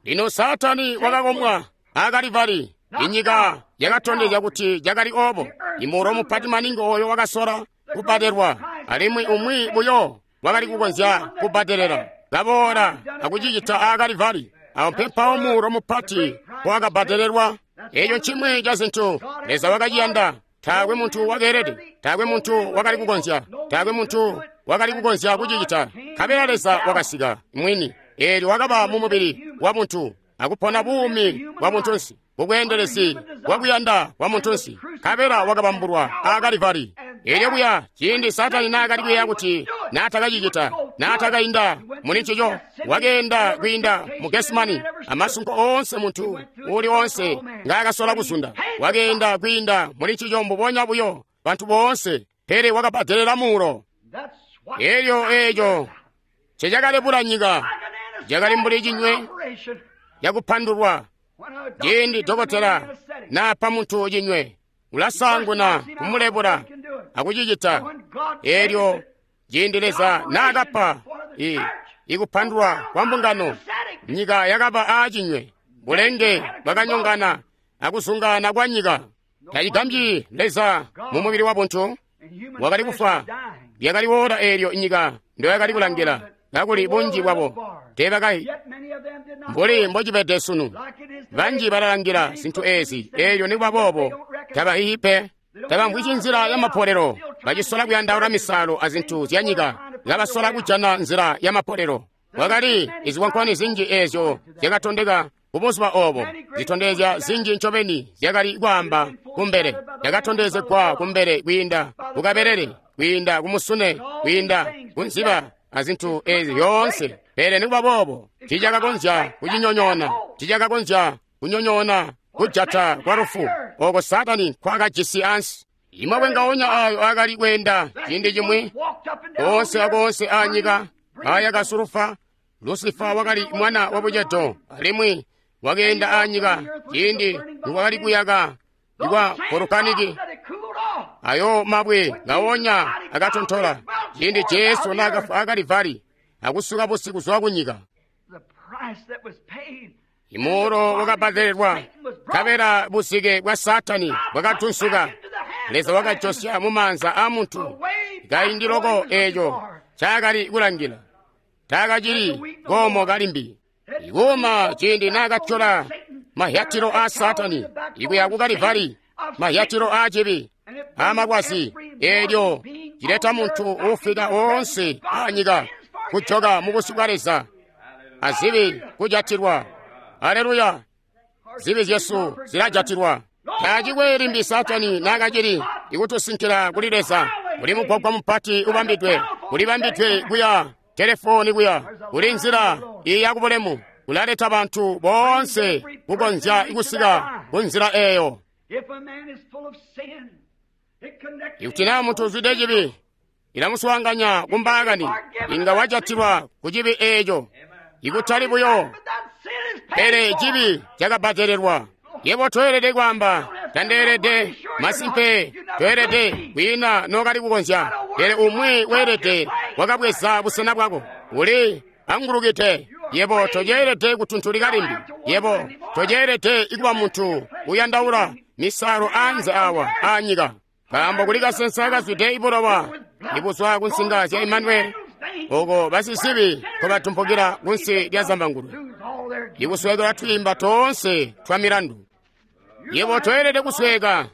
Lino Saatani wakakomwa a Kalivari. Inyika yakatondezya kuti cakali oobo. Imuulo mupati maningi oyo wakasola kubbadelwa, alimwi umwi buyo wakali kukonzya kubbadelela, kaboola akucicita a Kalivari. Awo mpempawo muulo mupati wakabbadelelwa. Eeco ncimwi ca zintu Leza wakaciyanda. Taakwe muntu wakeelede, taakwe muntu wakali kukonzya, taakwe muntu wakali kukonzya kucicita. Nkabela Leza wakasika mwini, eelyo wakaba mu mubili wa muntu akupona buumi bwa muntunsi kubweendelezi bwakuyanda kwa muntunsi, nkabela wakabambulwa a Kalivari. Eelyo kuya ciindi Saatani naakali kuyeeya kuti naatakacicita, naatakainda muli ncico, wakeenda kwiinda mu Gesimani amasunko oonse muntu uuli oonse ngaakasola kuzunda. Wakeenda kwiinda muli ncico mbubonya buyo bantu boonse, pele wakabbadelela muulo. Eelyo eeco ncecakalebula nyika, cakali mbuli cinywe cakupandulwa. Ciindi dokotela naapa muntu cinywe, ulasaanguna kumulebula akucicita. Eelyo ciindi Leza naakapa ikupandulwa kwa mbungano, nyika yakaba aacinywe. Bulenge bwakanyongana akuzungaana kwa nyika. Tacigambyi Leza mu mubili wa buntu wakali kufwa. Lyakali woola eelyo nyika ndoyakali kulangila, kakuli bunji bwabo teebakayi. Mbuli mbocibede sunu, banji balalangila zintu eezi, eelyo nikuba boobo tabahihi pe. Tabamvwisyi nzila ya mapolelo, bacisola kuyandaula misalo azintu zya nyika, kabasola kujana nzila ya mapolelo. Kwakali izikwankwani zinji eezyo zyakatondeka kubuzuba oobo, zitondezya zinji ncobeni zyakali kwaamba kumbele, zyakatondezegwa kumbele kwiinda kukabelele, kwiinda kumusune, kwiinda kunziba azintu eezi zyoonse. Pele nikuba boobo tiicakakonzya kucinyonyoona, tiicakakonzya kunyonyoona kujata kwa lufu ooko Saatani nkwaakajisi ansi. Imabwe ngaonya aayo aakali kweenda ciindi cimwi koonse akoonse aanyika aayaka sulufa. Lusifa wakali mwana wa bucedo alimwi wakeenda aanyika ciindi nikwakali kuyaka ikwa volukaniki. Ayo mabwe ngaonya akatontola ciindi Jesu naakafwa aKalivari akusuka busi kuzwa kunyika. Imuulo wakabbadelelwa, nkabela busike bwa Saatani bwakatunsuka. Leza wakajosya mumaanza aamuntu kaindi loko eeco ncaakali kulangila. Taakacili koomo kalimbi. Ikuuma ciindi naakatyola mahyatilo aa Saatani ikuya ku Kalivari, mahyatilo aa cibi aamalwazi, eelyo cileta muntu uufika woonse aanyika kujoka mubusyu bwa Leza azibi kujatilwa. Aleluya! Zibi zyesu zilajatilwa. Taacikwe limbi Saatani naakacili ikutusinkila kuli Leza. Kuli mugwagwa mupati ubambidwe, kulibambidwe kuya telefoni kuya, kuli nzila iya kubulemu, kulaleta bantu boonse kukonzya kusika ku nzila eeyo. Ikuti naa muntu uzwide cibi, ilamuswaanganya kumbaakani, inga wajatilwa ku cibi eeco. Ikutali buyo, pele cibi cakabbadelelwa. Yebo toelede kwaamba, tandeelede, masimpe toelede, kwiina nookali kukonzya. Pele umwi weelede wakabweza busena bwako. Uli angulukide. Yebo toceelede kutuntulika limbi. Yebo toceelede ikuba muntu uyandaula misalo aanze awa aanyika. Nkaambo kuli kasensa kazwide ibulowa ibuzwa ku nsinga zya Imanueli, oko basizibi nkobatumpukila kunsi lya zambangulwe, ikuswekela twiimba toonse twa milandu. Yebo toelede kusweka.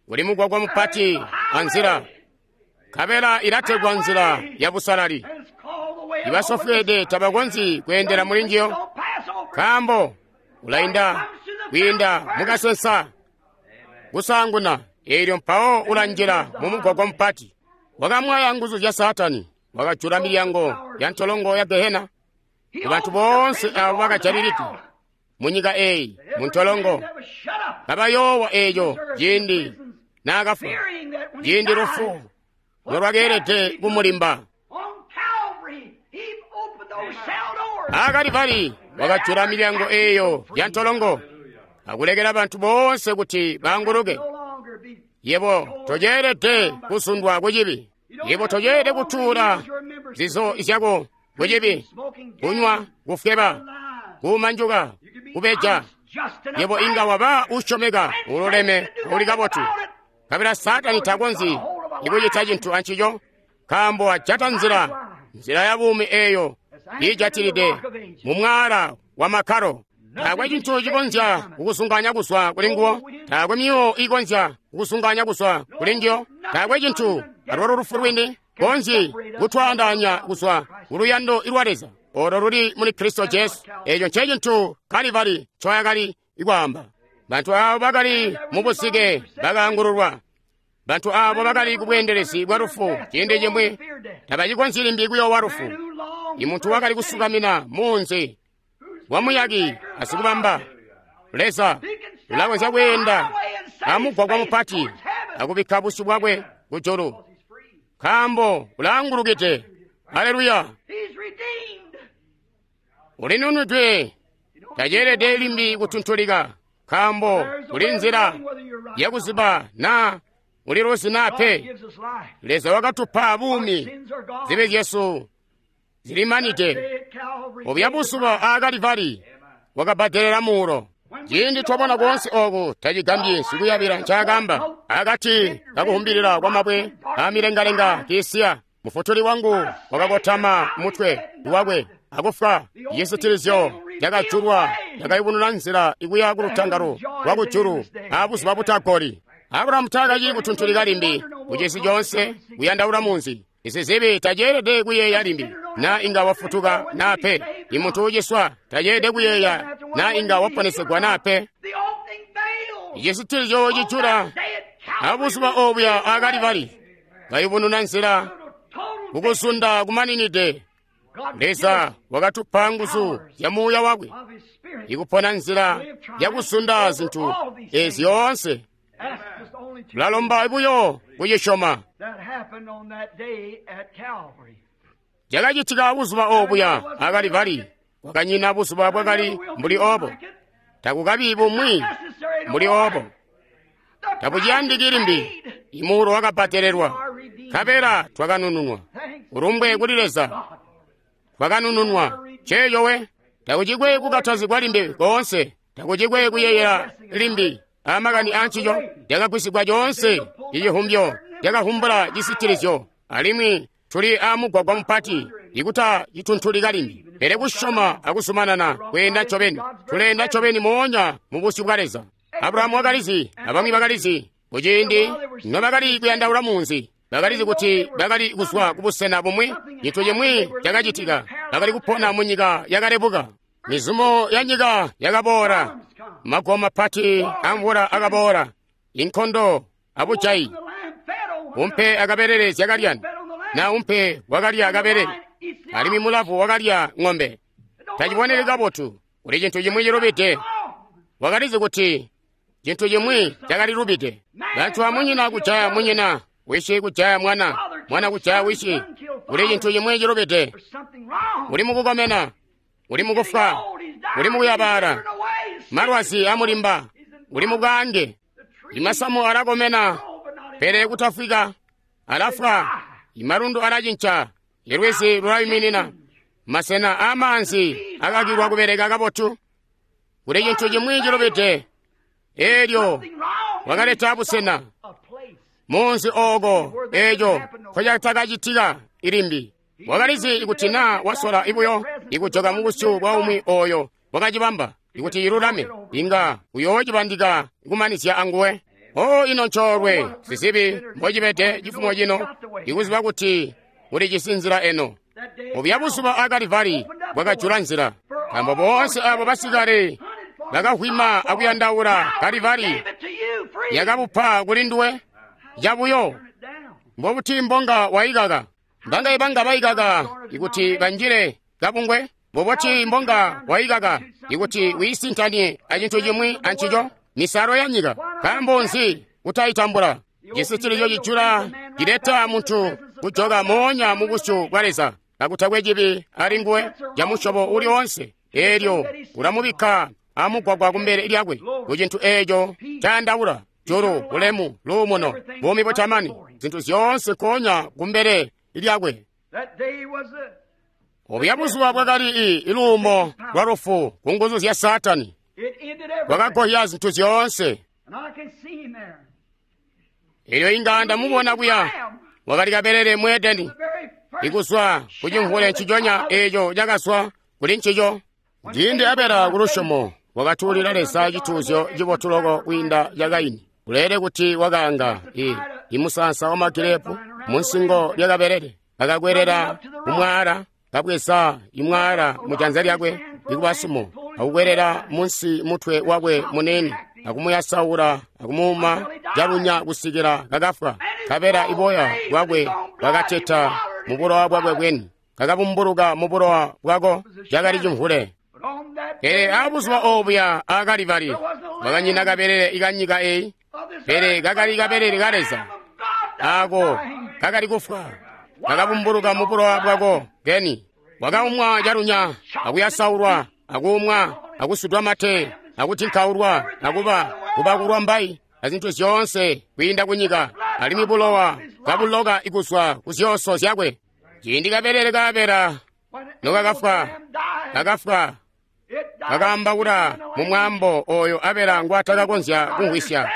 Uli mugwagwa mupati anzila, nkabela ilategwa nzila ya busalali. Ibasofweede tabakonzyi kweendela muli njiyo, nkaambo ulainda kwiinda mukasensa kusaanguna, eelyo mpawo ulanjila mumugwagwa mupati. Wakamwaya nguzu zya Saatani, wakajula milyango ya ntolongo ya Gehena kubantu boonse aabo bakajalilidwe munyika eeyi muntolongo, kabayoowa eeco ciindi naakafwa, ciindi lufu nolwakeelede kumulimba. AaKalivari wakajula milyango eeyo ya ntolongo akulekela bantu boonse kuti baanguluke. Yebo toceelede kusundwa kucibi. Yebo toceelede kutuula zizo zyako kucibi, kunywa, kufweba, kuumanjuka, kubeja. Yebo inga waba usyomeka, ululeme, uli kabotu, nkabela Saatani takonzyi ikucita cintu ancico, nkaambo ajata nzila, nzila ya buumi eeyo iijatilide mu mwaala wa makkalo. Taakwe cintu cikonzya kukusunganya kuzwa kuli nguwo. Taakwe myuwo iikonzya kukusunganya kuzwa kuli njiyo. Taakwe cintu alwalo lufu lwini konzyi kutwaandaanya kuzwa kuluyando lwa Leza olo luli muli Kristo Jesu. Eeco nce cintu Kalivari ncoyakali kwaamba. Bantu aabo bakali mu busike bakaangululwa. Bantu aabo bakali ku bweendelezi bwa lufu ciindi cimwi tabacikonzyi limbi kuyoowa lufu. Imuntu wakali kusukamina muunzi wamuyaki asikubamba Leza ulakonzya kweenda amugwagwa mupati akubikka busyu bwakwe kujulu, nkaambo ulaangulukide. Aleluya! Ulinunudwe, taceelede limbi kutuntulika, nkaambo kuli nzila yakuziba naa uliluzi naa pe. Leza wakatupa buumi, zibi zyesu zilimanide. Obya buzuba aa Kalivari wakabbadelela muulo. Ciindi twabona koonse oku tacigambyi sikuyabila ncaakamba akati kakuhumbilila kwa mabwe amilengalenga kiisiya. Mufutuli wangu wakakotama mutwe wakwe akufwa. Cisitilizyo cakajulwa cakayubununa nzila ikuya kulutangalo lwakujulu abuzuba butagoli. Abulahamu taakacili kutuntulika limbi kucisi coonse kuyandaula munzi. Isizibi taceelede kuyeeya limbi na inga wafutuka na pe. Imuntu uciswa taceelede kuyeeya na inga waponesegwa na pe. Icisitilizyo cijula abuzuba obuya akalibali kayubununa nzila kukuzunda kumaninide. Leza wakatupa nguzu zya muuya wakwe ikupona nzila yakuzunda zintu ezi zyoonse. Tulalomba buyo kucisyoma. Cakacitika buzuba obuya akalivali. Kwakanyina buzuba bwakali mbuli obo. Takukabi bumwi mbuli obo. Tabuciyandiki limbi. Imuulo wakabbadelelwa, nkabela twakanununwa. Ulumbwe kuli Leza, twakanununwa. Ceeyo we. Takucikwe kukatazigwa limbi koonse. Takucikwe kuyeeyela limbi amakani ancico. Cakagwisigwa coonse icihumbyo cakahumbula cisitilizyo, alimwi tuli amugwagwa mupati ikuta cituntulika limbi, pele kusyoma akuzumanana kweenda ncobeni. Tuleenda ncobeni moonya mu busyu bwa Leza. Abulahamu wakalizi, abamwi bakalizi kuciindi nobakali kuyandaula munzi. Bakalizi kuti bakali kuzwa kubusena bumwi, cintu cimwi cakacitika. Bakali kupona mu nyika yakalebuka. Mizumo ya nyika yakaboola, maguwo mapati amvula akaboola, inkondo abujayi. Umpe akabelele zyakalyana, na umpe wakalya akabelele, alimwi mulavu wakalya ng'ombe. Taciboneki kabotu, kuli cintu cimwi cilubide. Wakalizi kuti cintu cimwi cakalilubide. Bantu amunyina kujaya munyina, wishi kujaya mwana, mwana kujaya wishi. Kuli cintu cimwi cilubide. Uli mukukomena, uli mukufwa, uli mukuyabala, malwazi amulimba, uli mubwaange. Imasamu alakomena, pele kutafwika, alafwa. Imalundu alacinca, ilwizi lulayuminina. Masena amaanzi akakilwa kubeleka kabotu. Kuli cintu cimwi cilubide. Eelyo wakaleta busena munzi ooko eeco nkocatakacitika ilimbi. Wakalizi ikuti naa wasola ibuyo ikujoka mubusyu bwa umwi oyo wakacibamba ikuti ilulame, inga uyoocibandika kumanizya anguwe. O ino ncoolwe sizibi mbocibede cifumo cino ikuziba kuti ulijisi nzila eno. Obuya buzuba akalivali bwakajula nzila, nkaambo boonse abo basikale bakahwima akuyandaula Kalivali yakabupa kuli nduwe cabuyo. Mbobuti mbonga waikaka? Mbanga ibanga baikaka ikuti banjile kabungwe? Mbobuti mbonga waikaka ikuti wiisintanie acintu cimwi ancico? Misalo ya nyika. Nkaambo nzi kutayitambula? Cisitilizyo cijula cileta muntu kujoka moonya mu busyu bwa Leza kakutakwe cibi ali nguwe ca musyobo uli oonse. Eelyo ulamubikka amugwagwa kumbele lyakwe ku cintu eeco cayandaula julu, bulemu, luumuno, buumi butamani, zintu zyoonse nkoonya kumbele lyakwe. Obuya buzuba bwakali iluumo lwa lufu ku nguzu zya Saatani. Bwakagohya zintu zyoonse. Elyo inga ndamubona kuya wakali kabelele mu Edeni, ikuzwa ku cimvule nciconya eeco cakazwa kuli ncico. Ciindi Abela ku lusyomo wakatuulila Leza cituuzyo cibotu loko kwiinda ca Kaini. Uleele kuti wakaanga i imusaansa wa magirepu munsingo lya kabelele, akakwelela kumwaala, kabweza imwaala mu janza lyakwe likuba sumo, akukwelela munsi mutwe wakwe munene, akumuyasaula, akumuuma calunya kusikila kakafwa. Kabela iboya bwakwe bwakateta mu bulowa bwakwe bweni, kakabumbuluka mu bulowa bwako, cakali cimvule. Pele abuzuba obuya akalivali bwakanyina kabelele ikanyika eyi, pele kakali kabelele ka Leza ako kakali kufwa, kakabumbuluka mu bulowa bwako keni. Wakaumwa calunya, akuyasaulwa, akuumwa, akusudwa mate, akutinkaulwa, akuba kubakulwa mbayi, azintu zyoonse kwiinda kunyika, alimwi bulowa kabuloka ikuzwa ku zyooso zyakwe. Ciindi kabelele ka Abela nokakafwa, kakafwa, Kakaambaula mu mwaambo oyo Abela ngwatakakonzya kumvwisya.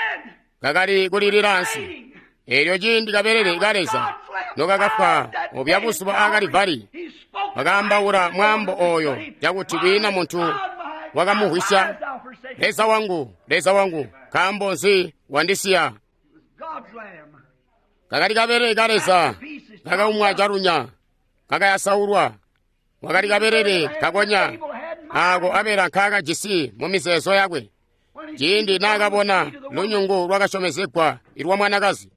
Kakali kulilila ansi. Eelyo ciindi kabelele ka Leza nokakafwa obya buzuba a Kalivari, bakaambaula mwaambo oyo cakuti kwiina muntu wakamumvwisya. Leza wangu, Leza wangu, nkaambo nzi wandisiya? Kakali kabelele ka Leza kakaumwa calunya, kakayasaulwa. Wakali kabelele kakonya aako Abela nkaakajisi mu mizeezo yakwe ciindi naakabona lunyungu lwakasyomezegwa ilwa mwanakazi.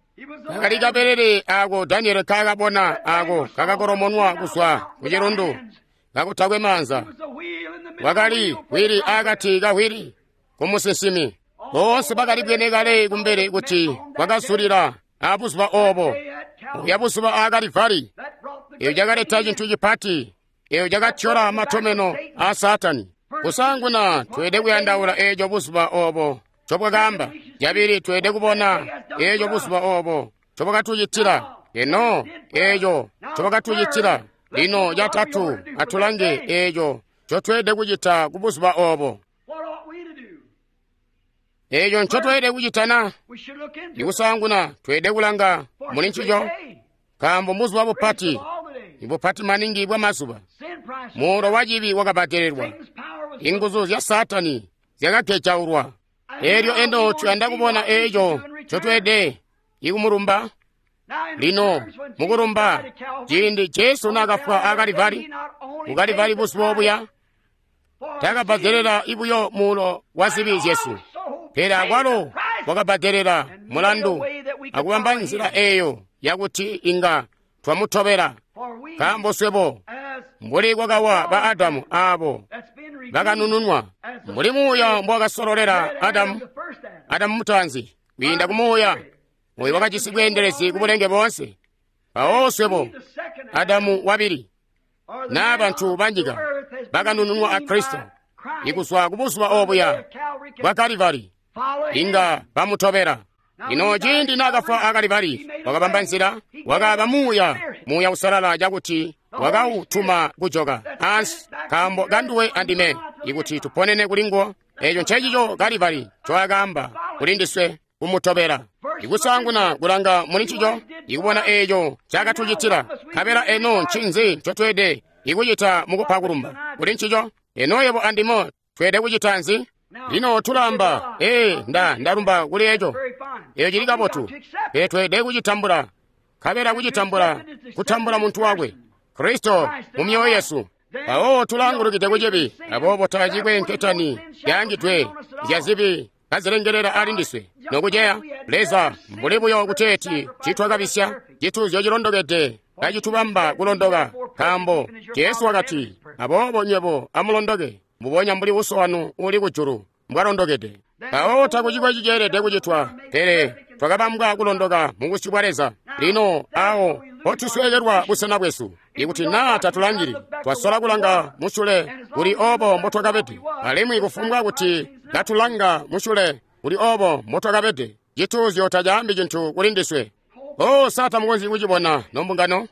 Kakali kabelele aako Daniele nkaakabona aako kakakolomonwa kuzwa ku cilundu kakutakwe maanza. Wakali wili akati kawili kumusinsimi. Boonse bakali bwene kale kumbele kuti kwakazulila abuzuba obo, obuya buzuba a Kalivari. Eyo cakaleta cintu cipati, eyo cakatyola matomeno a Saatani. Kusaanguna tweelede kuyandaula eeco buzuba obo ncobwakaamba. Cabili, tweelede kubona eeco buzuba obo ncobwakatucitila. Eno eeco ncobwakatucitila. Lino catatu, atulange eeco ncotweelede kucita ku buzuba obo. Eeco ncotweelede kucita na? Ikusaanguna tweelede kulanga muli ncico, nkaambo mbuzuba bupati, ibupati maningi bwa mazuba. Muulo wa cibi wakabbadelelwa, inguzu zya Saatani zyakagejaulwa. Eelyo eno tuyanda kubona eeco ncotweelede ikumulumba. Lino mukulumba, ciindi Jesu naakafwa a Kalivari, ku Kalivari buzuba obuya, taakabbadelela ibuyo muulo wa zibi zyesu, pele akwalo wakabbadelela mulandu akubamba nzila eeyo yakuti inga twamutobela. Nkaambo swebo mbuli kwakawa ba Adamu aabo bakanununwa, mbuli muuya mbowakasololela Adamu, Adamu mutaanzi, kwiinda ku muuya oyo wakajisi bweendelezi ku bulenge boonse. Mpawo swebo Adamu wabili, naa bantu banyika bakanununwa a Kristo, ikuzwa ku buzuba obuya bwa Kalivari, inga bamutobela. Lino ciindi naakafwa a Kalivari, wakabamba nzila, wakaaba muuya, muuya usalala cakuti wakautuma kujoka ansi nkaambo kanduwe andime, ikuti tuponene kulinguwo. Eeco ncecico Kalivari ncoakaamba kuli ndiswe kumutobela. Ikusaanguna kulanga muli ncico, ikubona eeco ncaakatucitila. Nkabela eno ncinzi ncotweelede ikucita mukupa kulumba kuli ncico? Eno yebo andime tweelede kucita nzi? Lino tulamba, ee, nda ndalumba kuli eco. Eco cili kabotu, pele tweelede kucitambula. Nkabela kucitambula, kutambula muntu wakwe, Kristo mu myoyo yesu. Mpawo tulangulukide kucibi, aboobo tacikwe nketani yaangidwe zya zibi kazilengelela ali ndiswe. Nokuceya, Leza mbuli buyo kuteeti citwakabisya, cituuzyo cilondokede kacitubamba kulondoka, nkaambo Jesu wakati, aboobo nywebo amulondoke, mbubonya mbuli Uso wanu uli kujulu mbwalondokede. Mpawo takucikwe ciceelede kucitwa, pele twakabambwa kulondoka mu busyu bwa Leza. Lino awo mpotusweekelwa busena bwesu, ikuti naa tatulangili, twasola kulanga musyule kuli obo mbotwakabede, alimwi kufumbwa kuti katulanga musyule kuli obo mbotwakabede, cituuzyo tacaambi cintu kuli ndiswe. O, sa tamukonzyi kucibona nombungano?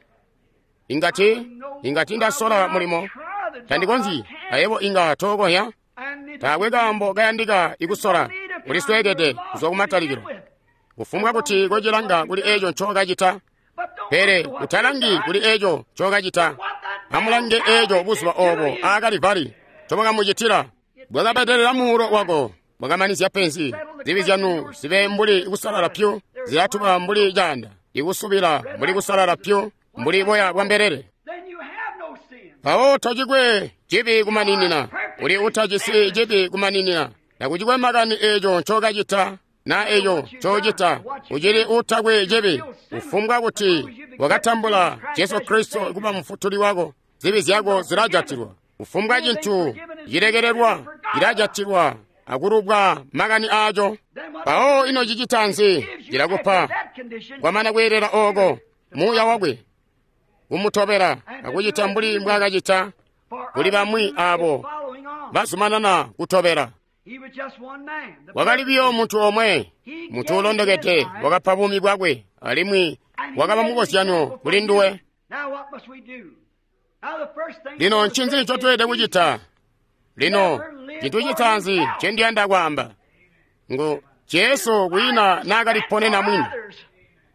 Ingati ingati ndasola mulimo, tandikonzyi, ayebo inga tookohya. Taakwe kaambo kayandika ikusola, ulisweekede kuzwa kumatalikilo. Kufumbwa kuti kocilanga kuli eeco ncokacita, pele utalangi kuli eeco ncokacita. Amulange eeco buzuba obo a Kalivari ncobakamucitila. Bwakabbadelela muulo wako, bwakamanizya penzi. Zibi zyanu zibe mbuli kusalala pyu, zilatuba mbuli caanda, ikusubila mbuli kusalala pyu, mbuli boya bwa mbelele. Mpawo tocikwe cibi kumaninina, uli utajisi cibi kumaninina. Takucikwe makani eeco ncokacita na eeco ncocita, ucili utakwe cibi. Kufumbwa kuti wakatambula Jesu Kristo kuba mufutuli wako, zibi zyako zilajatilwa. Kufumbwa cintu cilekelelwa cilajatilwa akulubwa makani aaco. Mpawo ino cicita nzi? Cilakupa kwamana kweelela ooko muuya wakwe kumutobela akucita mbuli mbwaakacita kuli bamwi aabo bazumanana kutobela. Wakali biyo muntu omwe, muntu ulondokede, wakapa buumi bwakwe alimwi wakaba mukozyano kuli nduwe. Lino ncinzi ncotweelede kucita? Lino cintu citaanzi ncendiyanda kwaamba ngu Jesu kwiina naakaliponena mwini.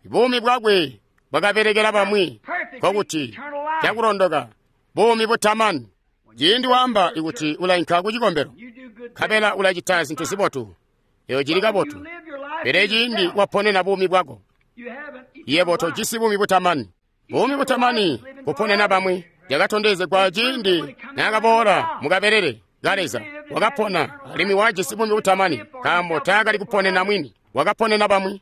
Buumi bwakwe bwakabelekela bamwi, nkokuti cakulondoka buumi butamani. Ciindi waamba ikuti ulainka ku cikombelo nkabela ulacita zintu zibotu, eyo cili kabotu. Pele ciindi waponena buumi bwako, yebo tojisi buumi butamani. Buumi butamani kuponena bamwi yakatondezegwa ciindi naakaboola mukabelele ka Leza. Wakapona alimwi wajisi buumi butamani nkaambo taakali kuponena mwini, wakaponena bamwi.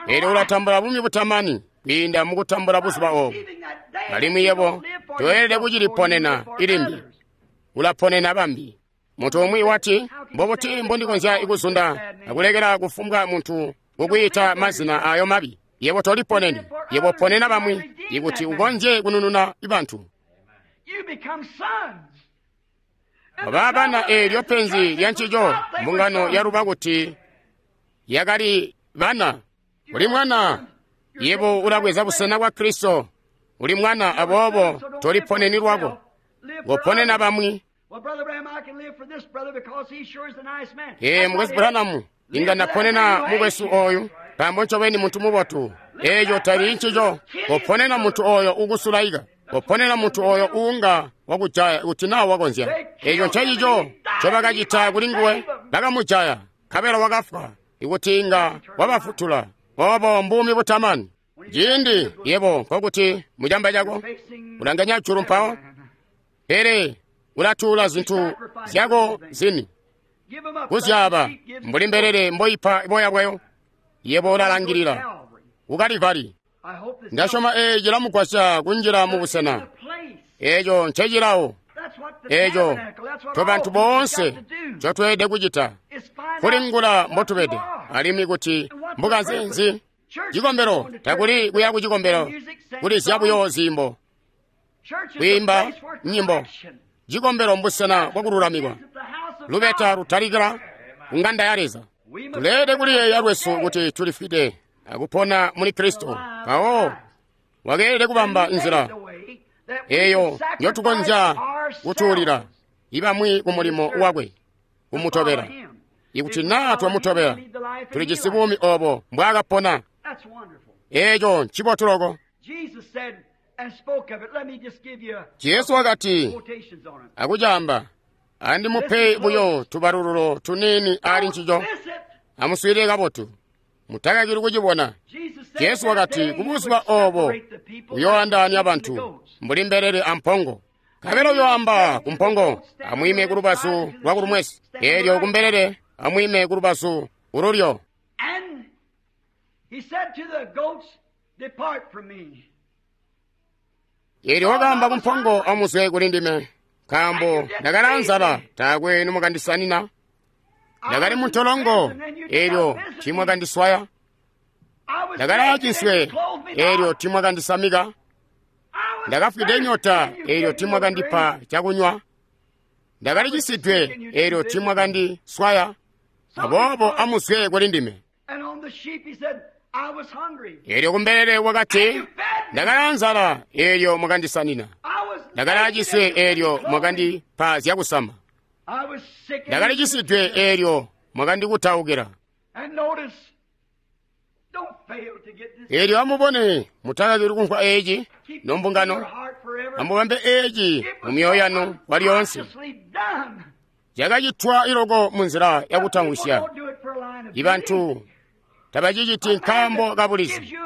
Eelyo ulatambula buumi butamani kwiinda mukutambula buzuba oobu. Alimwi yebo toyelede kuciliponena ilimbi, ulaponena bambi. Muntu umwi wati, mbobuti mbondikonzya kuzunda akulekela kufumbwa muntu kukwiita mazina ayo mabi? Yebo toliponeni, yebo ponena bamwi ikuti ukonzye kunununa bantu. Baba bana eelyo penzi lya ncico mbungano yaluba kuti yakali bana. Uli mwana, yebo ulabweza busena bwa Kristo. Uli mwana, aboobo toliponeni lwako, ngoponena bamwi. Ee, mukwesu Branham, inga naponena mukwesu oyu nkaambo ncobeni muntu mubotu. Eeco tali ncico. Koponena muntu oyo ukusulaika, koponena muntu oyo uunga wakujaya kuti naa wakonzya. Eeco ncencico ncobakacita kuli nguwe, bakamujaya nkabela wakafwa ikuti inga wabafutula. Obo mbuumi butamani. Ciindi yebo nkokuti mucamba cako ulanganya julu mpawo, pele ulatuula zintu zyako zini kuzyaaba mbuli mbelele mboipa boya bwayo. Yebo ulalangilila ku Kalivari. Ndasyoma eeci cilamugwasya kunjila mu busena. Eeco ncecilawo. Eeco tobantu boonse ncotweelede kucita, kulingula mbotubede alimwi kuti mbukanze nzi. Cikombelo takuli kuya ku cikombelo kulizya buyo ziimbo, kwiimba nyimbo. Cikombelo mbusena bwakululamikwa. Lubeta lutalikila ku ng'anda ya Leza. Tuleelede kuliyeeya lwesu kuti tulifwide akupona muli Kristo. Mpawo wakeelede kubamba nzila eyo njotukonzya kutuulila ibamwi ku mulimo wakwe kumutobela. Ikuti naa twamutobela, tulijisi buumi obo mbwaakapona. Eeco ncibotu loko. Jesu wakati akucaamba, andimupe buyo tubalululo tuniini ali ncico. Amuswiilile kabotu, mutakakili kucibona. Jesu wakati kubuzuba obo uyooandaanya bantu mbuli mbelele ampongo. Nkabela uyooamba kumpongo, amwiime kulubazu lwakulumwesi, eelyo kumbelele amwiime kulubazu kululyo. Eelyo wakaamba kumpongo, amuzwe kuli ndime, nkaambo ndakali nzala, taakwe nimukandisanina. Ndakali muntolongo, eelyo tiimwakandiswaya. Ndakali aaciswe, eelyo tiimwakandisamika. Ndakafwide nyota, eelyo tiimwakandipa cakunywa. Ndakali cisidwe, eelyo tiimwakandiswaya. Aboobo amuzwe kuli ndime. Eelyo kumbelele wakati, ndakali nzala, eelyo mwakandisanina. Ndakali aaciswe, eelyo mwakandipa zyakusama. Ndakali cisidwe, eelyo mwakandikutaukila. Eelyo amubone, mutakakili kumvwa eeci nombungano. Amubambe eeci mu myoyo yanu kwalyoonse. Cakacitwa iloko munzila yakutamwisya. Ibantu tabaciciti nkaambo kabulizi.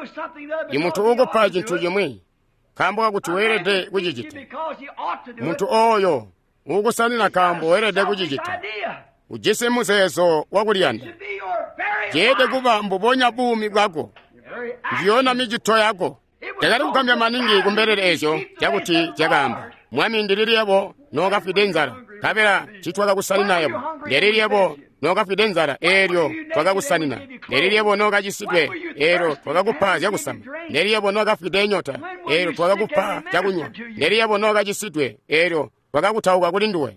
Imuntu uukupa cintu cimwi nkaambo kakuti weelede kucicita. Muntu ooyo uukusanina nkaambo weelede kucicita, ujisi muzeezo wakuliyanda. Ceelede kuba mbubonya buumi bwako, njiyona micito yako. Cakali kugambya maningi kumbelele eezyo cakuti cakaamba, Mwami, ndilili yebo nookafwide nzala, nkabela ncitwakakusanina yebo? Ndilili yebo nookafwide nzala, eelyo twakakusanina? Ndilili yebo nookacisidwe, eelyo twakakupa zyakusama? Ndilili yebo nookafwide nyota, eelyo twakakupa cakunywa? Ndilili yebo nookacisidwe, eelyo twakakutauka kuli nduwe?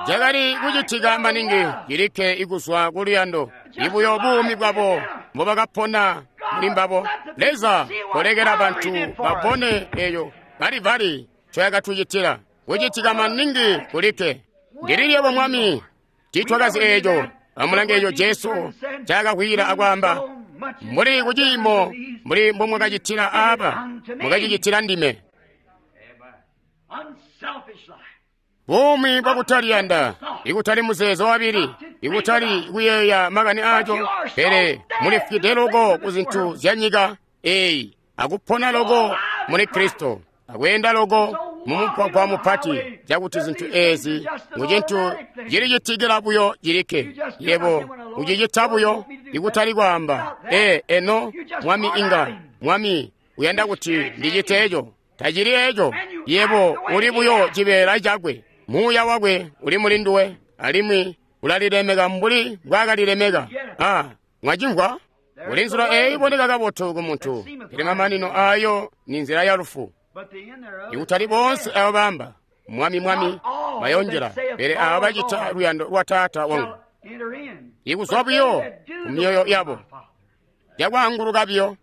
Cakali kucitika maningi cilikke ikuzwa kuluyando, ibuyo buumi bwabo mbobakapona muli mbabo. Leza kolekela bantu babone eyo Kalivari ncoyakatucitila. Kucitika maningi kulikke. Ndilili Mwami tiitwakazi eeco. Amulange eeco Jesu ncaakakwila akwaamba, mbuli kuciimo mbuli mbomwakacitila aaba, mwakacicitila ndime. Buumi bwakutaliyanda, ikutali muzeezo wabili, ikutali kuyeeya makani aaco, pele mulifwide loko ku zintu zya nyika eeyi, akupona loko muli Kristo, akweenda loko mumugwagwa mupati, cakuti zintu eezi ngucintu cilicitikila buyo cilikke. Yebo ucicita buyo, ikutali kwaamba, ee, eno Mwami inga, Mwami uyanda kuti ndicite eco. Tacili eco. Yebo uli buyo cibeela cakwe. Muuya wakwe uli muli nduwe, alimwi ulalilemeka mbuli mbwaakalilemeka. Ah, mwacimvwa? Kuli nzila eeyi iboneka kabotu ku muntu, pele mamanino aayo ni nzila ya lufu. Ikutali boonse abo baamba, Mwami, Mwami, bayonjela, pele abo bacita luyando lwa Taata wangu. Ikuzwa buyo ku myoyo yabo, yakwaanguluka buyo.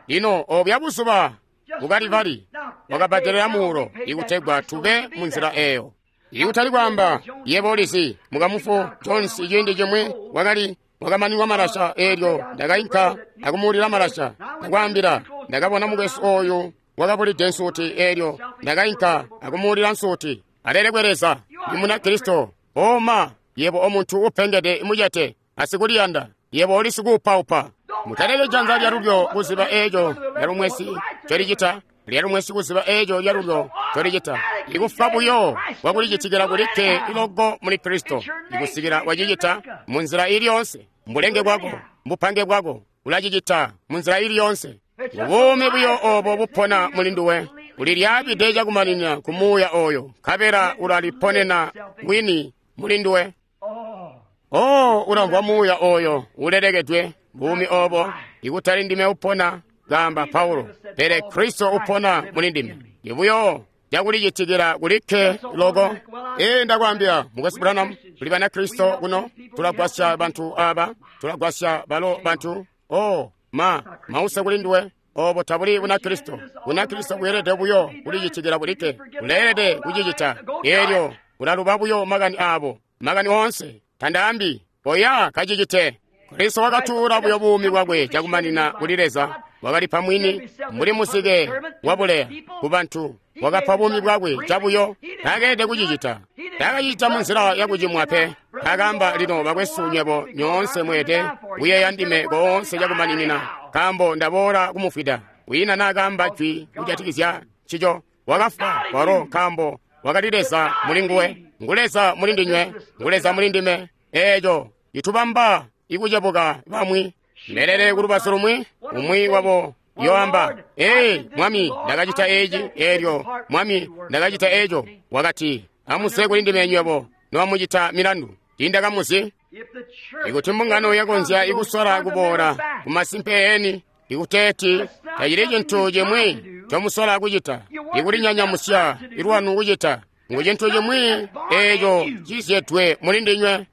Lino obya buzuba ku Kalivari wakabbadelela muulo ikutegwa tube mu nzila eeyo. Ikutali kwaamba, yebo ulizi, mukamufu Jones ciindi cimwi wakali wakamanilwa malasha, eelyo ndakainka akumuulila malasha. Ndakwaambila, ndakabona mukwesu ooyu wakabulide nsuti, eelyo ndakainka akumuulila nsuti. Alelekwe Leza, ndi Munakristo. Oma, yebo omuntu upengede mucete, asikuliyanda, yebo uli sikuupaupa. Mutaleke janza lyalulyo kuziba eeco lyalumwesi ncolicita, lyalumwesi kuziba eeco lyalulyo ncolicita. Ikufa buyo kwakulicitikila kulikke iloko muli Kristo, ikusikila wacicita mu nzila ili yoonse. Mbulenge bwako, mbupange bwako, ulacicita mu nzila ili yoonse. Buumi buyo oobo bupona muli nduwe, ulilyaabide cakumanina ku muuya ooyo, nkabela ulaliponena wini muli nduwe. Oh, ulamvwa muuya ooyo ulelekedwe, buumi oobo, ikutali ndime upona, kaamba Paulo, pele Kristo upona muli ndime. Ibuyo cakulicitikila kulikke loko. Ee, ndakwaambila, Mukwesu Branham, tuli Banakristo kuno, tulagwasya bantu aaba, tulagwasya balo bantu. Oh, ma, mause kuli nduwe. Obo tabuli Bunakristo. Bunakristo bweelede buyo kulicitikila kulikke. Uleelede kucicita. Eelyo ulaluba buyo makani aabo, makani oonse. Tandaambi, oya kacicite. Kristo wakatuula buyo buumi bwakwe cakumanina kuli Leza, wakalipa mwini mbuli muzike wabuleya ku bantu, wakapa buumi bwakwe cabuyo. Taakeelede kucicita. Taakacicita munzila yakucimwa pe. Taakaamba, lino bakwesu nywebo nyoonse mweelede kuyeeya ndime koonse cakumaninina, nkaambo ndaboola kumufwida. Wiina naakaamba jwi kujatikizya ncico. Wakafwa walo nkaambo wakali Leza muli nguwe. Ngu Leza muli ndinywe, ngu Leza muli ndime. Eeco citubamba ikucebuka bamwi. Mbelele kulubazu lumwi, umwi wabo yoamba, ee, Mwami, ndakacita eeci, eelyo, Mwami, ndakacita eeco. Wakati, amuse kuli ndime nywebo nobamucita milandu. Tiindakamuzi. Ikuti mbungano yakonzya ikusola kuboola kumasimpe eeni, ikuteeti tacili cintu cimwi ncomusola kucita, ikulinyanyamusya ilwanu kucita, ngu cintu cimwi eeco cizyedwe muli ndinywe.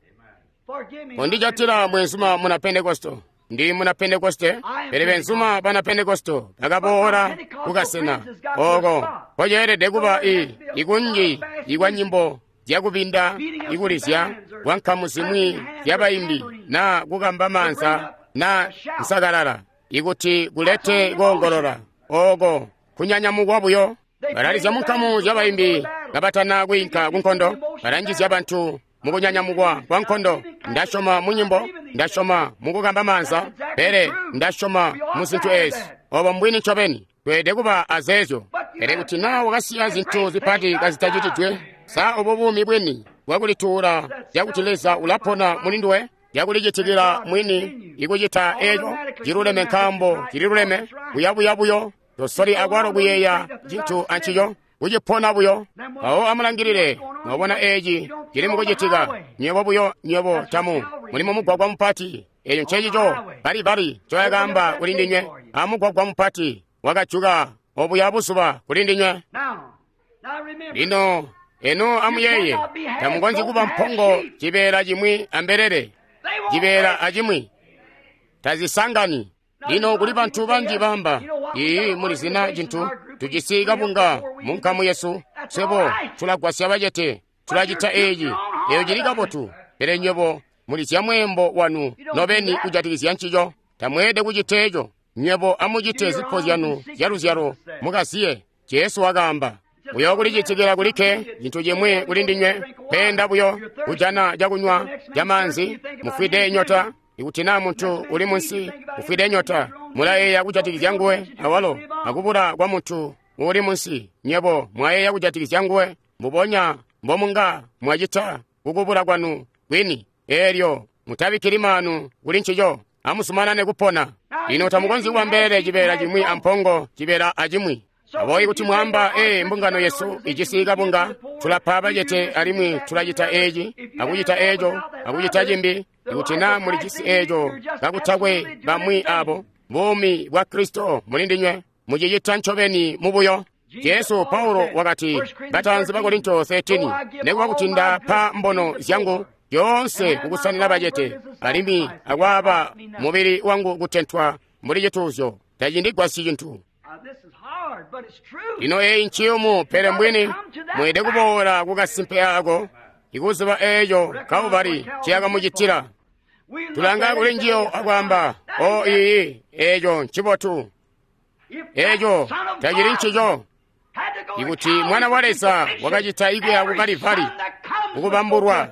Kondijatila mwenzuma muna Pentekosto. Ndi muna Pentekoste, pele benzuma bana Pentekosto bakaboola kukasena oko koceelede kuba i ikunji ikwa nyimbo zyakubinda, ikulizya kwa nkamu zimwi zyabaimbi, na kukamba maanza na nsakalala, ikuti kulete koongolola oko kunyanyamukwa buyo. Balalizya munkamu zyabaimbi kabatana kwiinka kunkondo, balanjizya bantu mukunyanyamukwa kwa nkondo. Ndasyoma mu nyimbo, ndasyoma mukukamba maanza, pele ndasyoma mu zintu eezi. Obo mbwini ncobeni, tweelede kuba azeezyo. Pele kuti naa wakasiya zintu zipati kazitacitidwe, sa obo buumi bwini bwakulituula zyakuti Leza ulapona muli nduwe, zyakulicitikila mwini ikucita eeco ciluleme nkaambo cililuleme, kuyabuya buyo, tosoli akwalo kuyeeya cintu ancico, kucipona buyo. Mpawo amulangilile, mwabona eeci cili mukucitika. Nywebo buyo, nywebo tamu muli mumugwagwa mupati. Eeco ncecico Kalivari ncoyakaamba kuli ndinywe. Amugwagwa mupati wakajuka obuya buzuba kuli ndinywe. Lino eno amuyeeye, tamukonzyi kuba mpongo cibeela cimwi ambelele, cibeela acimwi tazisangani. Lino kuli bantu banji baamba, ii, muli zina cintu, tujisi kabunga mu nkamu yesu, Swebo tulagwasya bacete, tulacita eeci, eyo cili kabotu. Pele nywebo mulizya mweembo wanu nobeni kujatikizya ncico. Tamweelede kucita eco. Nywebo amucite zipo zyanu zyaluzyalo mukaziye. Jesu wakaamba, buyo kulicitikila kulikke cintu cimwi kuli ndinywe, kweenda buyo kujana cakunywa camaanzi, mufwide nyota. Ikuti naa muntu uli munsi ufwide nyota, mulayeeya kujatikizya nguwe awalo akubula kwa muntu uuli munsi. Nywebo mwayeeya kujatikizya nguwe mbubonya mbomunga mwacita kukubula kwanu kwini. Eelyo mutabikkili maanu kuli ncico, amuzumanane kupona. Lino tamukonzyi kuba mbelele cibeela cimwi ampongo cibeela acimwi. Aboobo kuti mwaamba, ee, mbungano yesu ijisi kabunga, tulapa bacete alimwi tulacita eeci, akucita eeco, akucita cimbi. Ikuti naa mulijisi eeco kakutakwe bamwi abo, buumi bwa Kristo muli ndinywe, mucicita ncobeni mubuyo. Jesu Paulo wakati, bataanzi ba Korinto thirteen, nekuba kuti ndapa mbono zyangu zyoonse kukusanina bacete, alimwi akwaaba mubili wangu kutentwa mbuli cituuzyo, tacindigwasyi cintu. Lino eyi nciyumu, pele mbwini mweelede kuboola kukasimpe ako, ikuziba eeco Kalvari nciyakamucitila. Tulanga kuli njiyo akwaamba, o iyi, eeco ncibotu. Eeco tacili ncico. Ikuti Mwana wa Leza wakacita ikuya ku Kalivari kukubambulwa,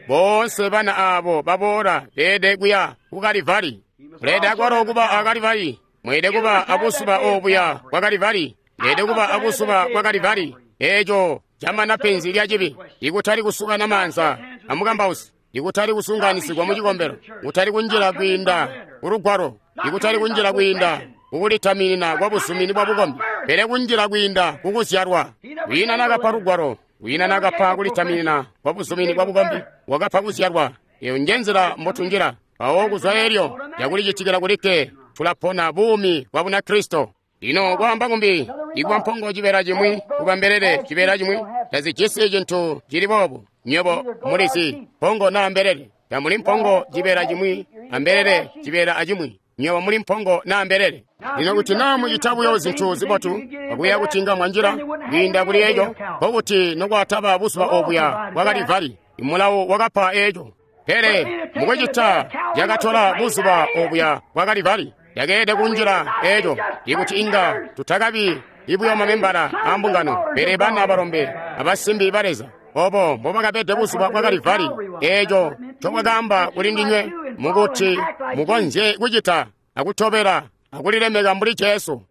boonse bana aabo baboola beelede kuya ku Kalivari. Muleelede akwalo kuba a Kalivari. Mweelede kuba abuzuba obuya bwa Kalivari. Mweelede kuba abuzuba bwa Kalivari. Eeco camana penzi lya cibi, ikutali kusukana maanza amukambausi, ikutali kusunganisigwa mu cikombelo, kutali kunjila kwiinda kulugwalo, ikutali kunjila kwiinda kukulitaminina kwa busumini bwa bukombi, pele kunjila kwiinda kukuzyalwa. Kwiina nakapa lugwalo, kwiina nakapa kulitaminina kwa busumini bwa bukombi, wakapa kuzyalwa. Eyo njenzila mbotunjila. Mpawo kuzwa elyo yakulicitikila kulikke, tulapona buumi bwa Bunakristo. Lino kwaamba kumbi, ikuba mpongo cibeela cimwi, kuba mbelele cibeela cimwi, tazijisi cintu cili boobu. Nywebo mulizi mpongo naa mbelele. Tamuli mpongo cibeela cimwi ambelele cibeela acimwi. Nywebo muli mpongo naa mbelele. Lino kuti naa mucita buyo zintu zibotu, akuya kuti nga mwanjila kwiinda kuli eco, nkokuti nokwataba buzuba obuya bwa Kalivari, imulawo wakapa eco. Pele mukucita yakatola buzuba obuya bwa Kalivari, yakeelede kunjila eco, ikuti inga tutakabi ibuyo mamembala a mbungano, pele bana balombe abasimbi ba Leza. Obo mbobakabede buzuba bwa Kalivari, eco ncobwakaamba kuli ndinywe, mukuti mukonzye kucita akutobela akulilemeka mbuli Jesu.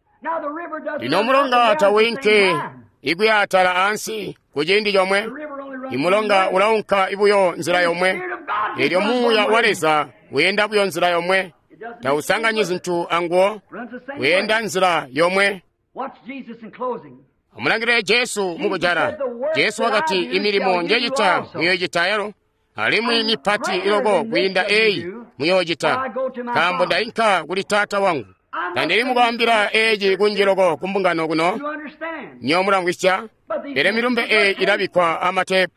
Lino mulonga tawinki ikuya atala ansi kuciindi comwe. Imulonga ulaunka ibuyo nzila yomwe. Eelyo Muuya wa Leza weenda buyo nzila yomwe. Tausanganyi zintu anguwo, weenda nzila yomwe. Amulangilile Jesu mukujala. Jesu wakati, imilimo njecita muyoocita yalo, alimwi mipati iloko kwiinda eyi muyoocita, nkaambo ndainka kuli Taata wangu. Tandili mukwaambila eeci kunji loko kumbungano kuno, nyo mulamvwisya, pele milumbe eyi ilabikkwa amatepu.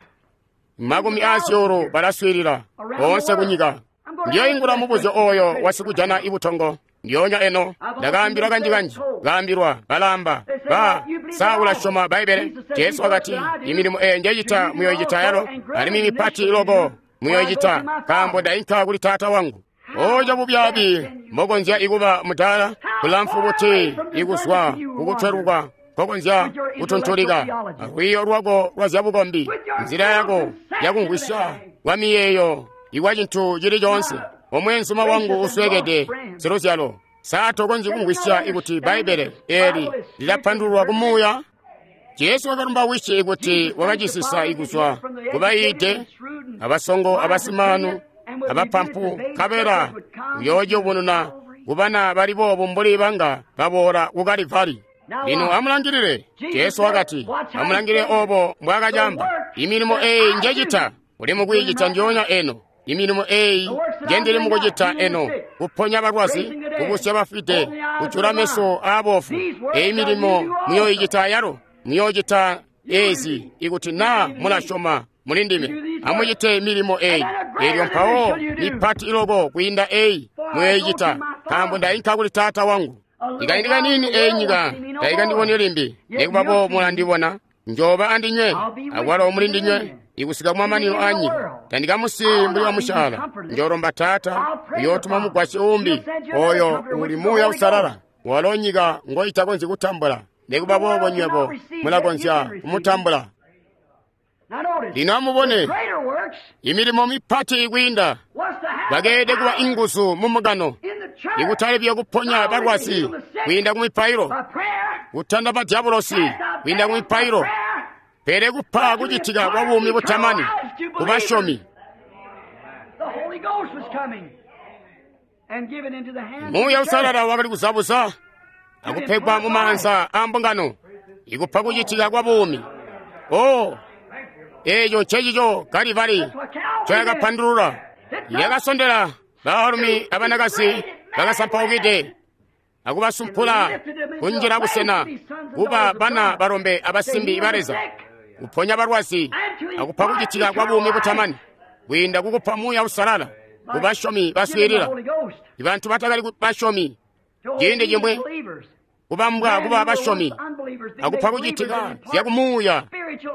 Makumi aazyuulu balaswiilila boonse kunyika. Ndiyoingula mubuzyo oyo wasikujana ibutongo. Ndiyoonya eno ndakaambilwa kanji-kanji, kaambilwa balaamba, ba sa ulasyoma Bbaibbele? Jesu wakati, imilimo eyi njecita muyoicita yalo, alimwi mipati loko muyoicita, nkaambo ndainka kuli Taata wangu. Oco bubyaabi mbokonzya ikuba mudaala, kulamfu buti ikuzwa kukutweluka nkokonzya kutuntulika alwiiyo lwako lwa zyabukombi, nzila yako yakumvwisya kwa miyeeyo ikwa cintu cili coonse. Omweenzuma wangu uswekede siluzyalo, sa tokonzyi kumvwisya ikuti Bbaibbele eeli lilapandululwa kumuuya? Jesu wakalumba Wisi ikuti wakacisisa ikuzwa kubayiide, abasongo, abasimaanu, abapampu, nkabela uyoociyubununa kubana bali boobu mbuli banga baboola ku Kalivari. Lino amulangilile, Jesu wakati, amulangilile obo mbwaakacaamba, imilimo eyi njecita, uli mukwiicita njoonya eno. Imilimo eyi njendili mukucita eno, kuponya balwazi, kubusya bafwide, kujula meso aabofu. Eyi milimo muyoicita yalo, muyoocita ezi ikuti naa mulasyoma muli ndime. Amucite milimo eyi, eelyo mpawo mipati iloko kwiinda eyi muyoicita, nkaambo ndainka kuli Taata wangu. Ikaindi kaniini eyi nyika taikandiboni limbi, nekuba boobo mulandibona, Njooba andinywe, akwalo muli ndinywe, ikusika kumamanino a nyika. Tandikamusiyi mbuli wamusyaala. Njoolomba Taata, uyootuma mugwasyi uumbi, oyo uli Muuya Uusalala, walo nyika ngoitakonzyi kutambula. Nikuba boobo nywebo mulakonzya kumutambula. Lino amubone imilimo mipati kwiinda bakeelede kuba inguzu mumugano, ikutali buyo kuponya balwazi kwiinda ku mipailo, kutanda badyabulosi kwiinda ku mipailo, pele kupa kucitika kwa buumi butamani ku basyomi. Muuya Uusalala wakali kuzabuza akupegwa mumaanza a mbungano, ikupa kucitika kwa buumi. Oh, eeco ncecico Kalivari ncoyakapandulula. Yakasondela baalumi abanakazi bakasampaukide akubasumpula kunjila busena kuba bana balombe abasimbi ba Leza, kuponya balwazi akupa kucitika kwa buumi butamani kwiinda kukupa Muuya Uusalala ku basyomi baswiilila. Ibantu batakali basyomi ciindi cimwi kubambwa kuba basyomi akupa kucitika zyakumuuya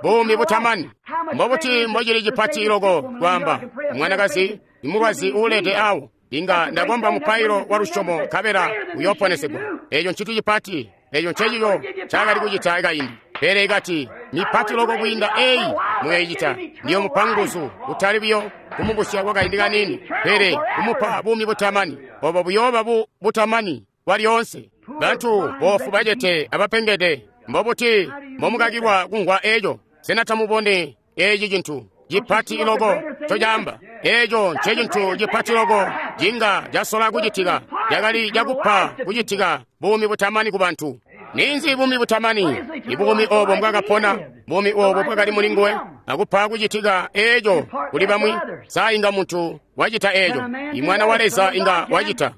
buumi butamani. Mbobuti mbocili cipati loko kwaamba mwanakazi imulwazi uulede awo, inga ndakomba mupailo wa lusyomo nkabela uyooponesegwa. Eeco ncintu cipati. Eeco ncecico ncaakali kucita kaindi. Pele ikati mipati loko kwiinda eyi muyoicita, ndiyomupa nguzu, kutali buyo kumubusya kwakaindi kaniini, pele kumupa buumi butamani. Obo buyooba bu butamani bwalyoonse. Bantu boofu bacete abapengede, mbobuti mbomukakilwa kumvwa eeco? Sena tamubone eeci cintu cipati loko ncocaamba? Eeco ncecintu cipati loko cinga casola kucitika, cakali cakupa kucitika buumi butamani ku bantu. Ninzi buumi butamani? Ibuumi oobo mbwakapona, buumi oobo bwakali muli nguwe, akupa kucitika eeco kuli bamwi. Sa inga muntu wacita eeco? Imwana wa Leza inga wacita.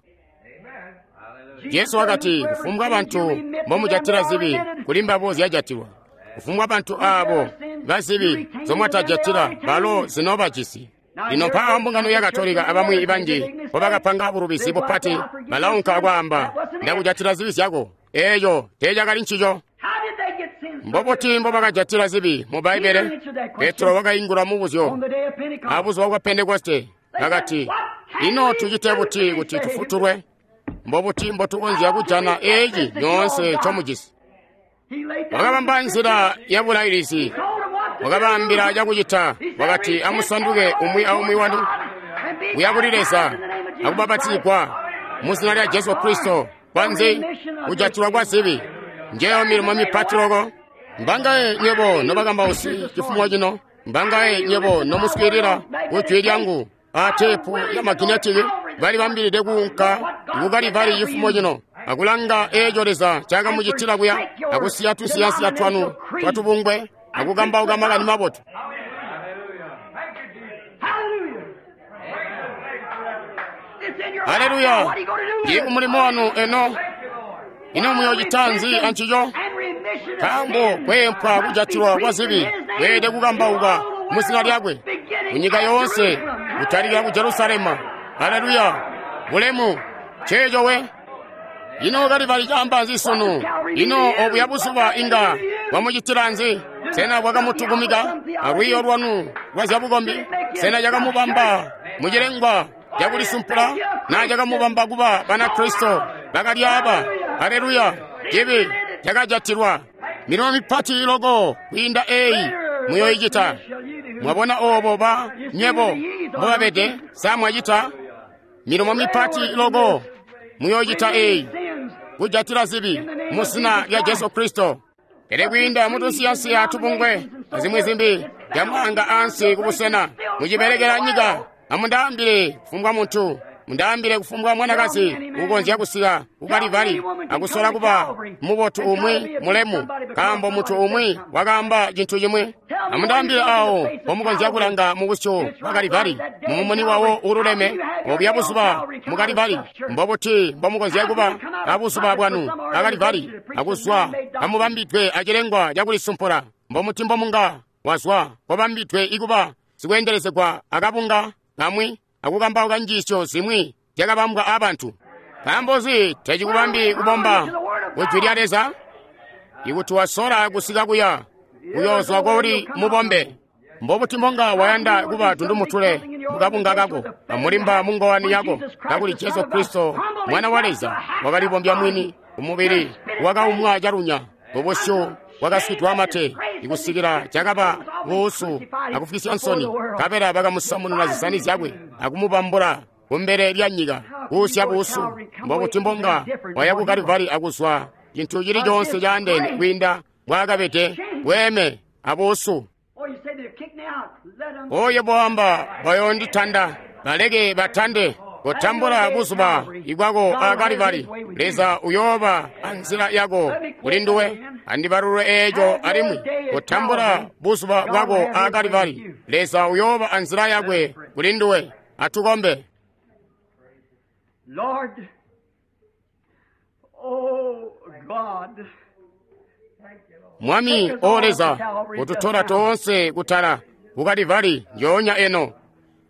Jesu wakati, kufumbwa bantu mbomujatila zibi, kuli mbabo zyajatilwa. Kufumbwa bantu aabo bazibi zomwatajatila, balo zinoobajisi. Lino mpaawa mbungano ya Katolika abamwi banji mbobakapanga bulubizi bupati, balaunka akwaamba, ndakujatila zibi zyako. Eeco teecakali ncico. Mbobuti mbobakajatila zibi mu Bbaibbele? Petro wakaingula mubuzyo abuzuba bwa Pentekoste, bakati, ino tucite buti kuti tufutulwe? Mbobuti mbotukonzya kujana eeci nyoonse ncomujisi? Wakabamba nzila ya bulailisi, wakabaambila cakucita. Wakati, amusanduke umwi aumwi wanu kuya kuli Leza akubapatizigwa muzina lya Jesu Kristo kwanzi kujatilwa kwa zibi. Njeyo milimo mipati loko. Mbangaye nywebo nobakambausi cifumo cino, mbangaye nywebo nomuswiilila ku jwi lyangu a teepu ya maginetiki balibambilide kuunka ku Kalivari cifumo cino akulanga eeco Leza ncaakamucitila kuya, akusiya tusiyansiya twanu twatubungwe akukambauka makani mabotu. Haleluya! Ndi umulimo wanu eno. Ino muyoocita nzi ancico? Nkaambo kweempwa kujatilwa kwa zibi kweelede kukambauka muzina lyakwe kunyika yoonse, kutalikila ku Jerusalema. Haleluya! Bulemu! Nceeco we. Ino Kalivari caamba nzi sunu? Ino obuya buzuba inga bwamucitila nzi? Sena bwakamutukumika alwiiyo lwanu lwa zyabukombi? Sena cakamubamba mucilengwa cakulisumpula? Na cakamubamba kuba Banakristo bakalyaaba? Haleluya! Cibi cakajatilwa. Milimo mipati loko kwiinda eyi muyoicita. Mwabona oobo ba nywebo mbobabede? Sa mwacita milimo mipati loko muyoocita eyi, kujatila zibi muzina lya Jesu Kristo. Pele kwiinda mutunsiyansiya tubungwe azimwi zimbi zyamwaanga ansi kubusena mucibelekela nyika. Amundaambile kufumbwa muntu, mundaambile kufumbwa mwanakazi ukonzya kusika ku Kalivari akusola kuba mubotu umwi mulemu, nkaambo muntu umwi wakaamba cintu cimwi. Amundaambile awo mpomukonzya kulanga mubusyu bwa Kalivari, mumumuni wawo uululeme obuya buzuba mu Kalivari. Mbobuti mbomukonzya kuba abuzuba bwanu a Kalivari akuzwa amubambidwe acilengwa cakulisumpula? Mbomuti mbomunga wazwa kobambidwe ikuba sikweendelezegwa akabunga kamwi akukambauka njiisyo zimwi zyakabambwa abantu. Nkaambo nzi tecikubambi kubomba ku jwi lya Leza? Ikuti wasola kusika kuya, Uyoozwa koli mubombe. Mbobuti mbonga wayanda kuba tundumutule mukabunga kako amulimba mungowani yako, kakuli Jesu Kristo mwana wa Leza wakalibombya mwini umubili wakaumwa calunya, ubusyu bwakaswidwa amate ikusikila cakaba buusu akufwisya nsoni, nkabela bakamusamununa zisani zyakwe akumubambula kumbele lya nyika kuusya buusu. Mbobuti mbonga waya ku Kalivari akuzwa cintu cili coonse caandeene kwiinda mbwaakabede bweeme abuusu. Oyo bwamba bayonditanda, baleke batande. Kotambula buzuba ibwako a Kalivari. Leza uyooba anzila yako kuli nduwe. Andibalulwe eeco alimwi. Kotambula buzuba bwako a Kalivari. Leza uyooba anzila yakwe kuli nduwe. Atukombe. Lord, oh God, Mwami o Leza, kututola toonse kutala ku Kalivari njoonya eno.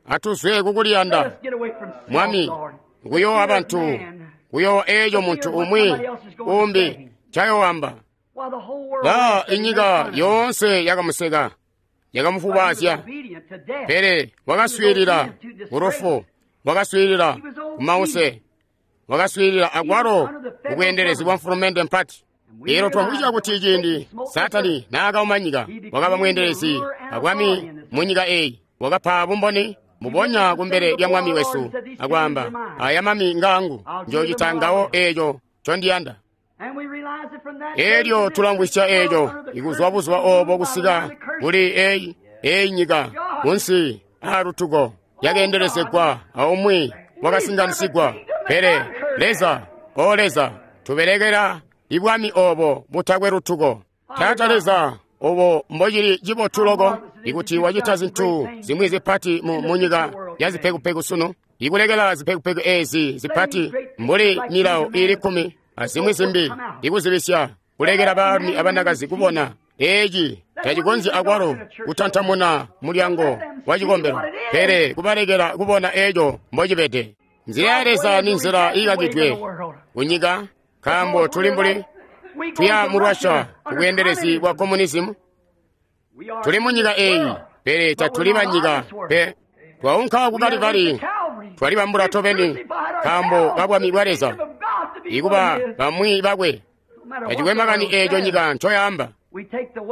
Atuzwe kukuliyanda. let us get away from self, Mwami, Lord. kuyoowa bantu, kuyoowa eeco muntu umwi umbi ncayoowamba. While the whole world La laughed at him, inyika made fun of him. yoonse yakamuseka, But he was yakamufubazya, obedient to death. pele wakaswiilila kulufu, wakaswiilila kumause, wakaswiilila akwalo kubweendelezi bwa mfulumende mpati. Elo twamvwisya kuti ciindi Satani naakauma nyika, wakaba mweendelezi abwami mu nyika eyi, wakapa bumboni mubonya kumbele lya mwami wesu akwaamba, aya mami ngaangu, njoocita ngawo eeco ncondiyanda. And we realize that from that day Elyo to this, tulamvwisya eeco under the ikuzwa curse buzuba of the obo kusika kuli eyi eyi nyika kunsi aalutuko yakeendelezegwa aumwi wakasinganisigwa. Pele Leza, o Leza, tubelekela ibwami obo butakwe lutuko. Taata Leza, obo mbocili cibotu loko ikuti wacita zintu zimwi zipati mu, mu nyika ya zipekupeku sunu, ikulekela zipekupeku ezi zipati mbuli milawo iili kkumi azimwi zimbi ikuzibisya kulekela baalumi abanakazi kubona eci tacikonzyi akwalo kutantamuna mulyango wa cikombelo, pele kubalekela kubona eco mbocibede. Nzila ya Leza ni nzila iikakidwe kunyika, nkaambo tuli mbuli We go tuya to mu Russia Russia kubweendelezi bwa komunizimu. We are Tuli mu nyika eyi, pele tatuli banyika pe. Twaunka ku Kalivari, twalibambula tobeni nkaambo ka bwami bwa Leza, ikuba bamwi bakwe. Tacikwe makani eeco nyika ncoyaamba.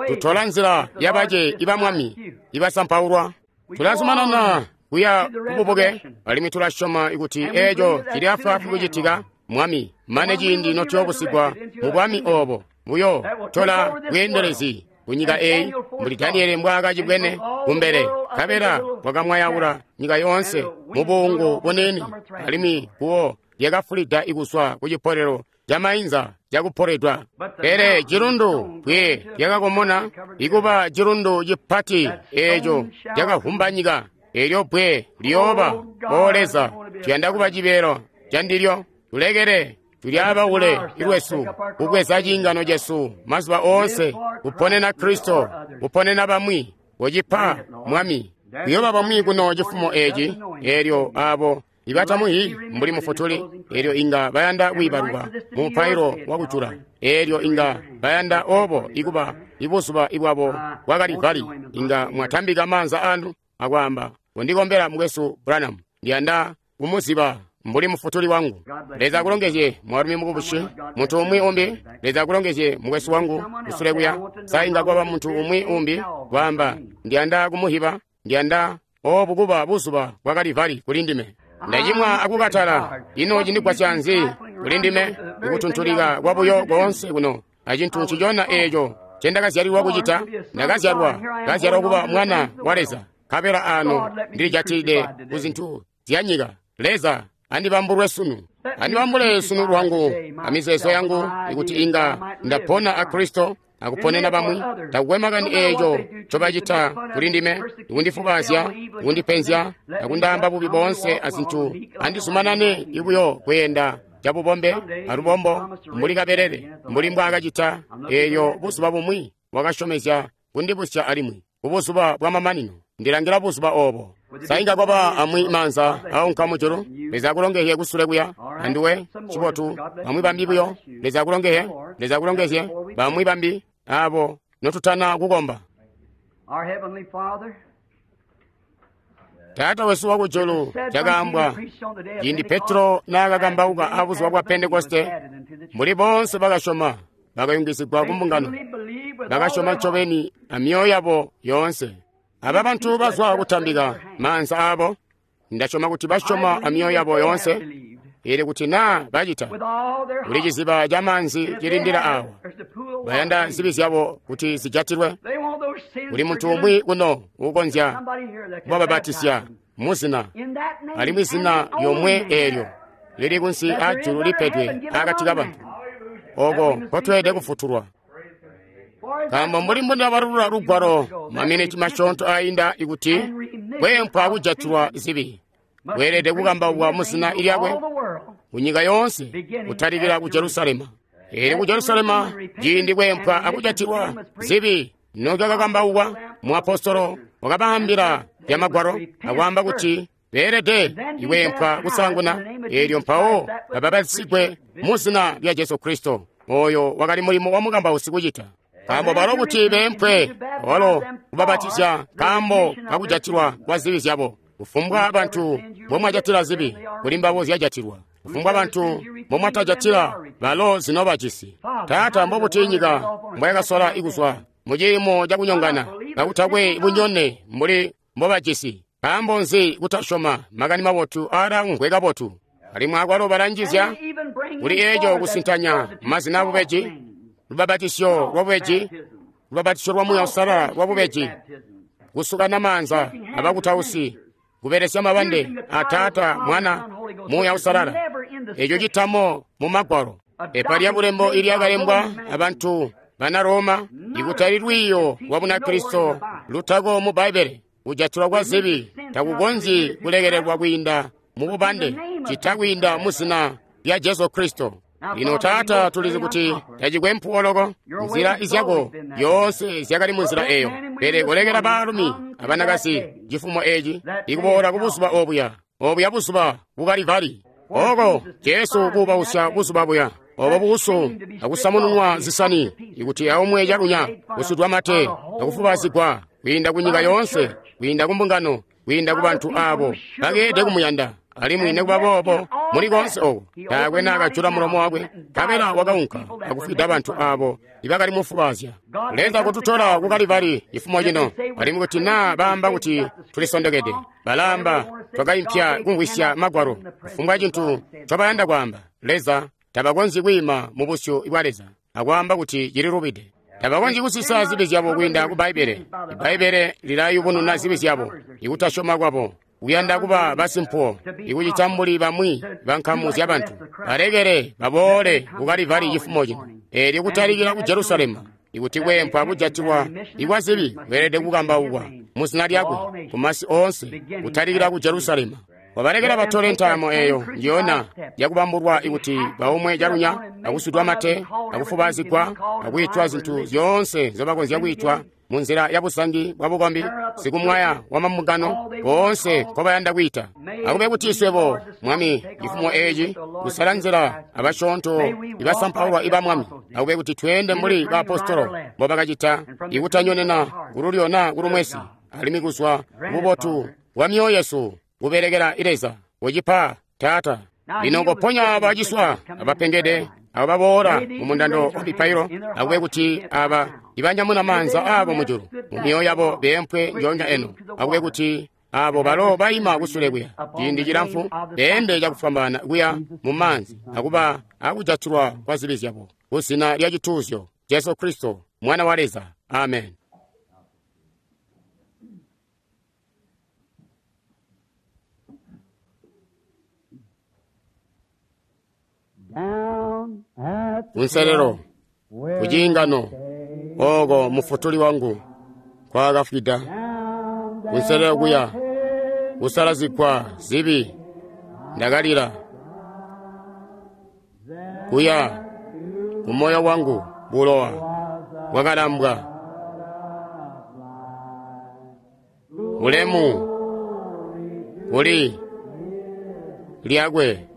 Tutola nzila yabace ibamwami ibasampaulwa. Tulazumanana kuya kububuke, alimwi tulasyoma kuti eeco cili afwaafwi kucitika, Mwami, mane ciindi notuyoobusigwa mu bwami obo buyo tola bweendelezi kunyika eyi, mbuli Daniele mbwaakacibwene kumbele, nkabela bwakamwayaula nyika yoonse mu buungu buniini, alimwi kuwo lyakafulida ikuzwa ku cipolelo camainza cakupoledwa. Pele cilundu bwe lyakakomona ikuba cilundu cipati eeco cakavumba nyika. Eelyo bwe liyooba, O Leza, tuyanda kuba cibeelo candilyo. Tulekele tulyabaule ilwesu kubweza ciingano cesu mazuba oonse, kuponena Kristo, kuponena bamwi. Kocipa, Mwami. Kuyooba bamwi kuno cifumo eci, eelyo abo ibatamuhi mbuli mufutuli, eelyo inga bayanda kwiibaluka mu mupailo wakujula, eelyo inga bayanda obo ikuba ibuzuba ibwabo bwa Kalivari, inga mwatambika maanza anu akwaamba, kundikombela mukwesu Branham, ndiyanda kumuziba mbuli mufutuli wangu. Leza akulongezye mwaalumi mukubusi, muntu umwi umbi. Leza akulongezye mukwesu wangu kusule kuya. Sa inga kwaba muntu umwi umbi kwaamba, ndiyanda kumuhiba, ndiyanda obu kuba buzuba bwa Kalivari kuli ndime. Ndacimwa akukatala, ino cindigwasya nzi kuli ndime ikutuntulika kwabuyo koonse kuno acintu ncicona eeco ncendakazyalilwa kucita? Ndakazyalwa, kazyalwa kuba mwana wa Leza, nkabela ano ndilijatilide ku zintu zya nyika. Leza andibambulwe sunu, andibambule sunu lwangu amizeezo yangu, ikuti inga ndapona a Kristo akuponena bamwi. Takukwe makani eeco ncobacita kuli ndime, ikundifubazya, ikundipenzya, akundaamba bubi boonse azintu. Andizumanane ibuyo kweenda cabubombe alubombo mbuli kabelele, mbuli mbwaakacita eelyo buzuba bumwi wakasyomezya kundibusya alimwi kubuzuba bwamamanino. Ndilangila buzuba obo. Sainga kwaba amwi maanza aunka mujulu. Leza akulongezye kusule kuya anduwe cibotu. Bamwi bambi buyo. Leza akulongezye. Leza akulongezye. Bamwi bambi abo notutana kukomba. Our Heavenly Father, Taata wesu wakujulu, cakaambwa ciindi Petro naakakambauka abuzuba bwa Pentekoste, mbuli boonse bakasyoma bakayungizigwa kumbungano, bakasyoma ncobeni amyoyo yabo yoonse. Aba bantu bazwa kutambika maanza aabo, ndasyoma kuti basyoma amyoyo yabo yoonse, ili kuti naa bacita kuli ciziba ca maanzi cilindila awa, bayanda zibi zyabo kuti zijatilwe. Kuli muntu umwi kuno uukonzya kubababatisya muzina, alimwi zina lyomwe eelyo lili kunsi aajulu lipedwe akati kabantu, oko nkotweelede kufutulwa. Nkaambo mbuli mbundabalulula lugwalo maminiti masyoonto ainda ikuti kweempwa kujatilwa zibi kweelede kukambaukwa muzina lyakwe kunyika yoonse, kutalikila ku Jerusalema. Eelyo ku Jerusalema ciindi kweempwa akujatilwa zibi nokyakakambaukwa, muapostolo wakabaambila bya Magwalo akwaamba kuti beelede ikweempwa kusaanguna, eelyo mpawo babapatisigwe muzina lya Jesu Kristo. Oyo wakali mulimo wa mukambausi kucita. Nkaambo balo kuti beempwe, walo kubabatizya nkaambo kakujatilwa kwa zibi zyabo. Kufumbwa bantu mbomwajatila zibi, kuli mbabo zyajatilwa. Kufumbwa bantu mbomwatajatila, balo zinobajisi. Taata, mbobuti nyika mbwayakasola kuzwa muciimo cakunyongana kakutakwe bunyone mbuli mbobajisi? Nkaambo nzi kutasyoma makani mabotu aalamvwe kabotu? Alimwi akwalo balanjizya kuli eeco kusintanya mazina abubeji, lubabatisyo lwabubeji, lubabatisyo lwa Muuya Uusalala lwabubeji, kusukana maanza abakutausi, kubelesya mabande a Taata, Mwana, Muuya Uusalala. Eco citamo mu Magwalo. Pepa lya bulembo ilyakalembwa abantu bana Roma, ikutali lwiiyo lwa Bunakristo lutako mu Bbaibbele. Kujatilwa kwa zibi takukonzyi kulekelelwa kwiinda mu bubande, cita kwiinda mu zina lya Jesu Kristo. Lino Taata, tulizi kuti tacikwe mpuwo loko, nzila izyako yoonse zyakali mu nzila eyo. Pele kulekela baalumi abanakazi cifumo eci ikuboola ku buzuba obuya, obuya buzuba ku Kalivali, oko Jesu kuubausya buzuba buya, obo buusu akusamununwa zisani, ikuti aumwe calunya, kusudwa mate, akufubazigwa kwiinda ku nyika yoonse, kwiinda ku mbungano, kwiinda ku bantu abo bakeede kumuyanda. Alimwi nikuba boobo muli koonse oko taakwe naakajula mulomo wakwe, nkabela wakaunka akufwida bantu abo ibakali mufubazya. Leza kututola ku Kalivali cifumo cino, alimwi kuti naa baamba kuti tulisondokede, balaamba twakaimpya kumvwisya Magwalo. Kufumbwa cintu ncobayanda kwaamba, Leza tabakonzyi kwiima mu busyu bwa Leza akwaamba kuti cililubide. Tabakonzyi kusisa zibi zyabo kwiinda ku Bbaibbele. Ibbaibbele lilayubununa zibi zyabo, ikutasyoma kwabo, kuyanda kuba basimpuwo, ikucita mbuli bamwi bankamu zyabantu. Balekele baboole ku Kalivali cifumo cino, eelyo kutalikila ku Jerusalema, ikuti kweempwa kujatilwa ikwa zibi kweelede kukambaukwa muzina lyakwe kumasi oonse, kutalikila ku Jerusalema. Wabalekela batole ntaamo eyo njiyona yakubambulwa ikuti baumwe calunya, akusudwa mate, akufubazigwa, akwiitwa zintu zyoonse nzobakonzya kwiitwa munzila ya busangi bwa bukombi, sikumwaya wa mambungano boonse nkobayanda kwiita. Akube kuti swebo, Mwami, cifumo eci kusala nzila abasyoonto ibasampaulwa iba Mwami. Akube kuti tweende mbuli baapostolo mbobakacita, ikutanyonena kululyo naa kulumwesi, alimwi kuzwa kububotu bwa myoyo yesu kubelekela Leza. Ucipa, Taata. Lino koponya abaciswa abapengede abo baboola mu mundando wa mipailo. Akube kuti aba ibanyamuna maanza aabo mujulu mu myoyo yabo beempwe ndyoonya eno. Akube kuti abo balo baima kusule kuya ciindi cilamfu beende cakufwambaana kuya mu maanzi akuba akujatilwa kwa zibi zyabo kuzina lya cituuzyo Jesu Kristo Mwana wa Leza. Amen. Kunselelo kuciingano oko mufutuli wangu kwakafwida, kunselelo kuya kusalazigwa zibi ndakalila, kuya kumoyo wangu bulowa bwakalambwa. Ulemu kuli lyakwe,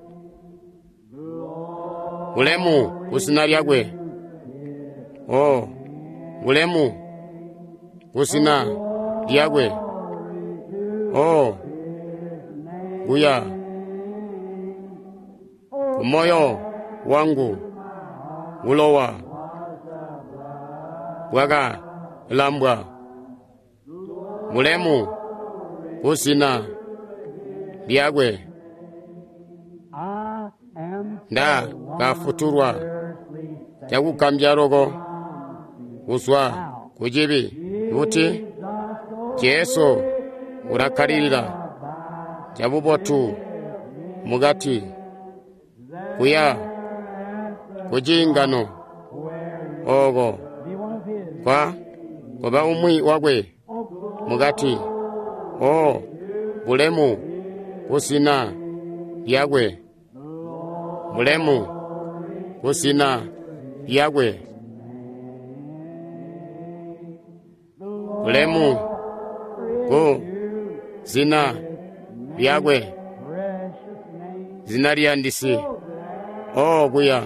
ulemu kuzina lyakwe. Oh, Bulemu kuzina lyakwe. Oh, kuya kumoyo wangu bulowa bwakalambwa. Bulemu kuzina lyakwe. I am Nda kafutulwa cakugambya loko kuzwa kucibi kuti Jesu ulakkalilila cabubotu mukati kuya kuciingano oko be one of his. kwa kuba umwi wakwe mukati. O bulemu kuzina lyakwe. Bulemu kuzina lyakwe. Bulemu ku zina lyakwe. Precious name. Zina liyandisi. O kuya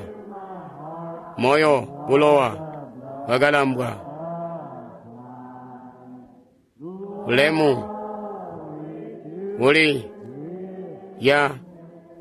moyo bulowa bwakalambwa. Bulemu uli ya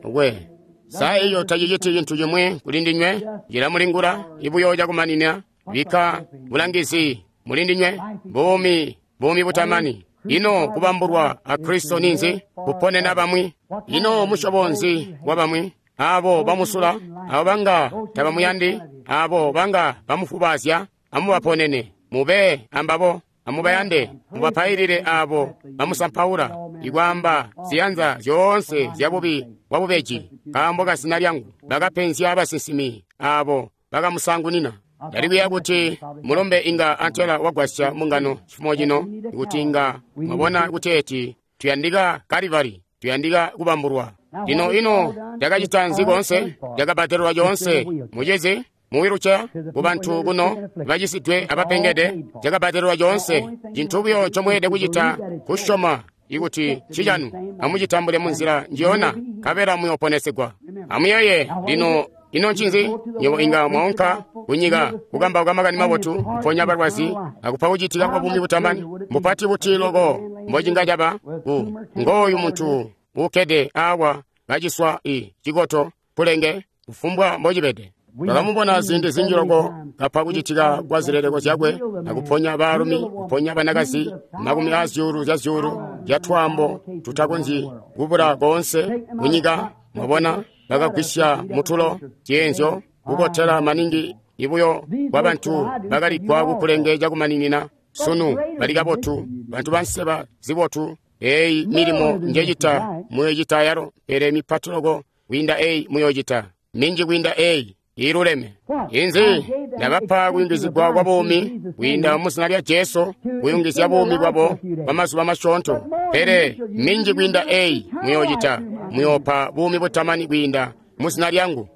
we. Sa iyo taciciti cintu cimwi kuli ndinywe cilamulingula ibuyo cakumanina bikka bulangizi muli ndinywe buumi buumi butamani. Ino kubambulwa a Kristo ninzi? Kuponena bamwi. Ino musyobo nzi wa bamwi? Abo bamusula, abo banga tabamuyandi, abo banga bamufubazya, amubaponene mube ambabo, amubayande, mubapailile abo bamusampaula, ikwaamba ziyanza zyoonse zyabubi bwabubeji nkaambo kazina lyangu. Bakapenzya basinsimi abo bakamusangunina. Ndali kuti mulombe inga antela wagwasya mungano cifumo cino, kuti inga mwabona kuteeti tuyandika Kalivari, tuyandika kubambulwa. Lino ino lyakacita nzi koonse? Lyakabbadelelwa coonse mucizi muwiluceya kubantu kuno bacisidwe abapengede. Lyakabbadelelwa coonse. Cintu buyo ncomweelede kucita kusyoma ikuti ncicanu, amucitambule munzila njiyona, nkabela muyooponesegwa. Amuyeeye lino. Ino ncinzi? Nywebo inga mwaunka kunyika kukambauka makani mabotu, kuponya balwazi, akupa kucitika kwa buumi butamani. Mupati buti loko mbocinga caba ku ngooyu muntu uukkede awa kaciswa i cikoto kulenge kufumbwa mbocibede. Bakamubona ziindi zinji loko kapa kucitika kwa zileleko zyakwe, akuponya baalumi, kuponya banakazi, makumi a zyuulu zya zyuulu zya twaambo tutakonzyi kubula koonse kunyika. Mwabona, bakagwisya mutulo zyeenzyo kubotela maningi ibuyo bwa bantu bakaligwa kukulenge cakumaninina. Sunu bali kabotu, bantu banseba zibotu. Eyi milimo njecita muyocita yalo, pele mipati loko kwiinda eyi muyocita, minji kwiinda eyi iluleme. Inzi ndabapa kuyungizigwa kwa buumi kwiinda muzina lya Jesu, kuyungizya buumi bwabo kwa mazuba masyoonto, pele minji kwiinda eyi muyocita, muyoopa buumi butamani kwiinda muzina lyangu.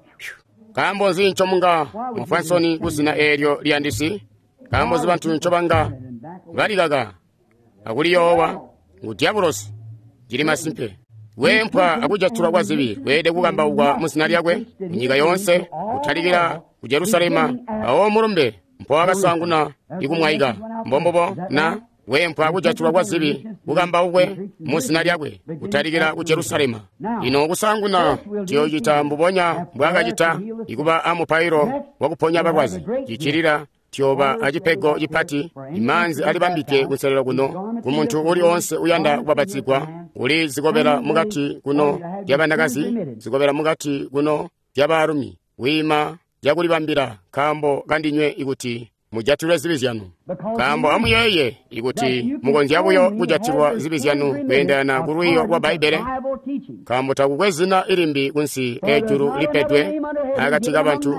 Nkaambo nzi ncomunga mwafwa nsoni kuzina eelyo liyandisi? Nkaambo nzi bantu ncobanga balikaka akuliyoowa? Ngu dyabulosi. Cili masimpe. Weempwa akujatulwa kwa zibi kweelede kukambaukwa muzina lyakwe munyika yoonse, kutalikila ku Jerusalema. Awo mulumbe mpowakasaanguna ikumwaika. Mbombubo na weempwa akujatulwa kwa zibi kukambaukwe muzina lyakwe kutalikila ku Jerusalema. Ino kusaanguna tuyoocita mbubonya mbwaakacita ikuba amupailo wakuponya balwazi. Cicilila tuyooba acipego cipati, imaanzi alibambide kunselelo kuno kumuntu uli oonse uyanda kubapatizigwa. Uli zikobela mukati kuno lyabanakazi, zikobela mukati kuno lyabaalumi, wiima lyakulibambila nkaambo kandinywe ikuti mujatilwe zibi zyanu. Nkaambo amuyeeye ikuti mukonzya buyo kujatilwa zibi zyanu kweendelana ku lwiiyo lwa Bbaibbele, nkaambo takukwe zina ilimbi kunsi ejulu lipedwe akati kabantu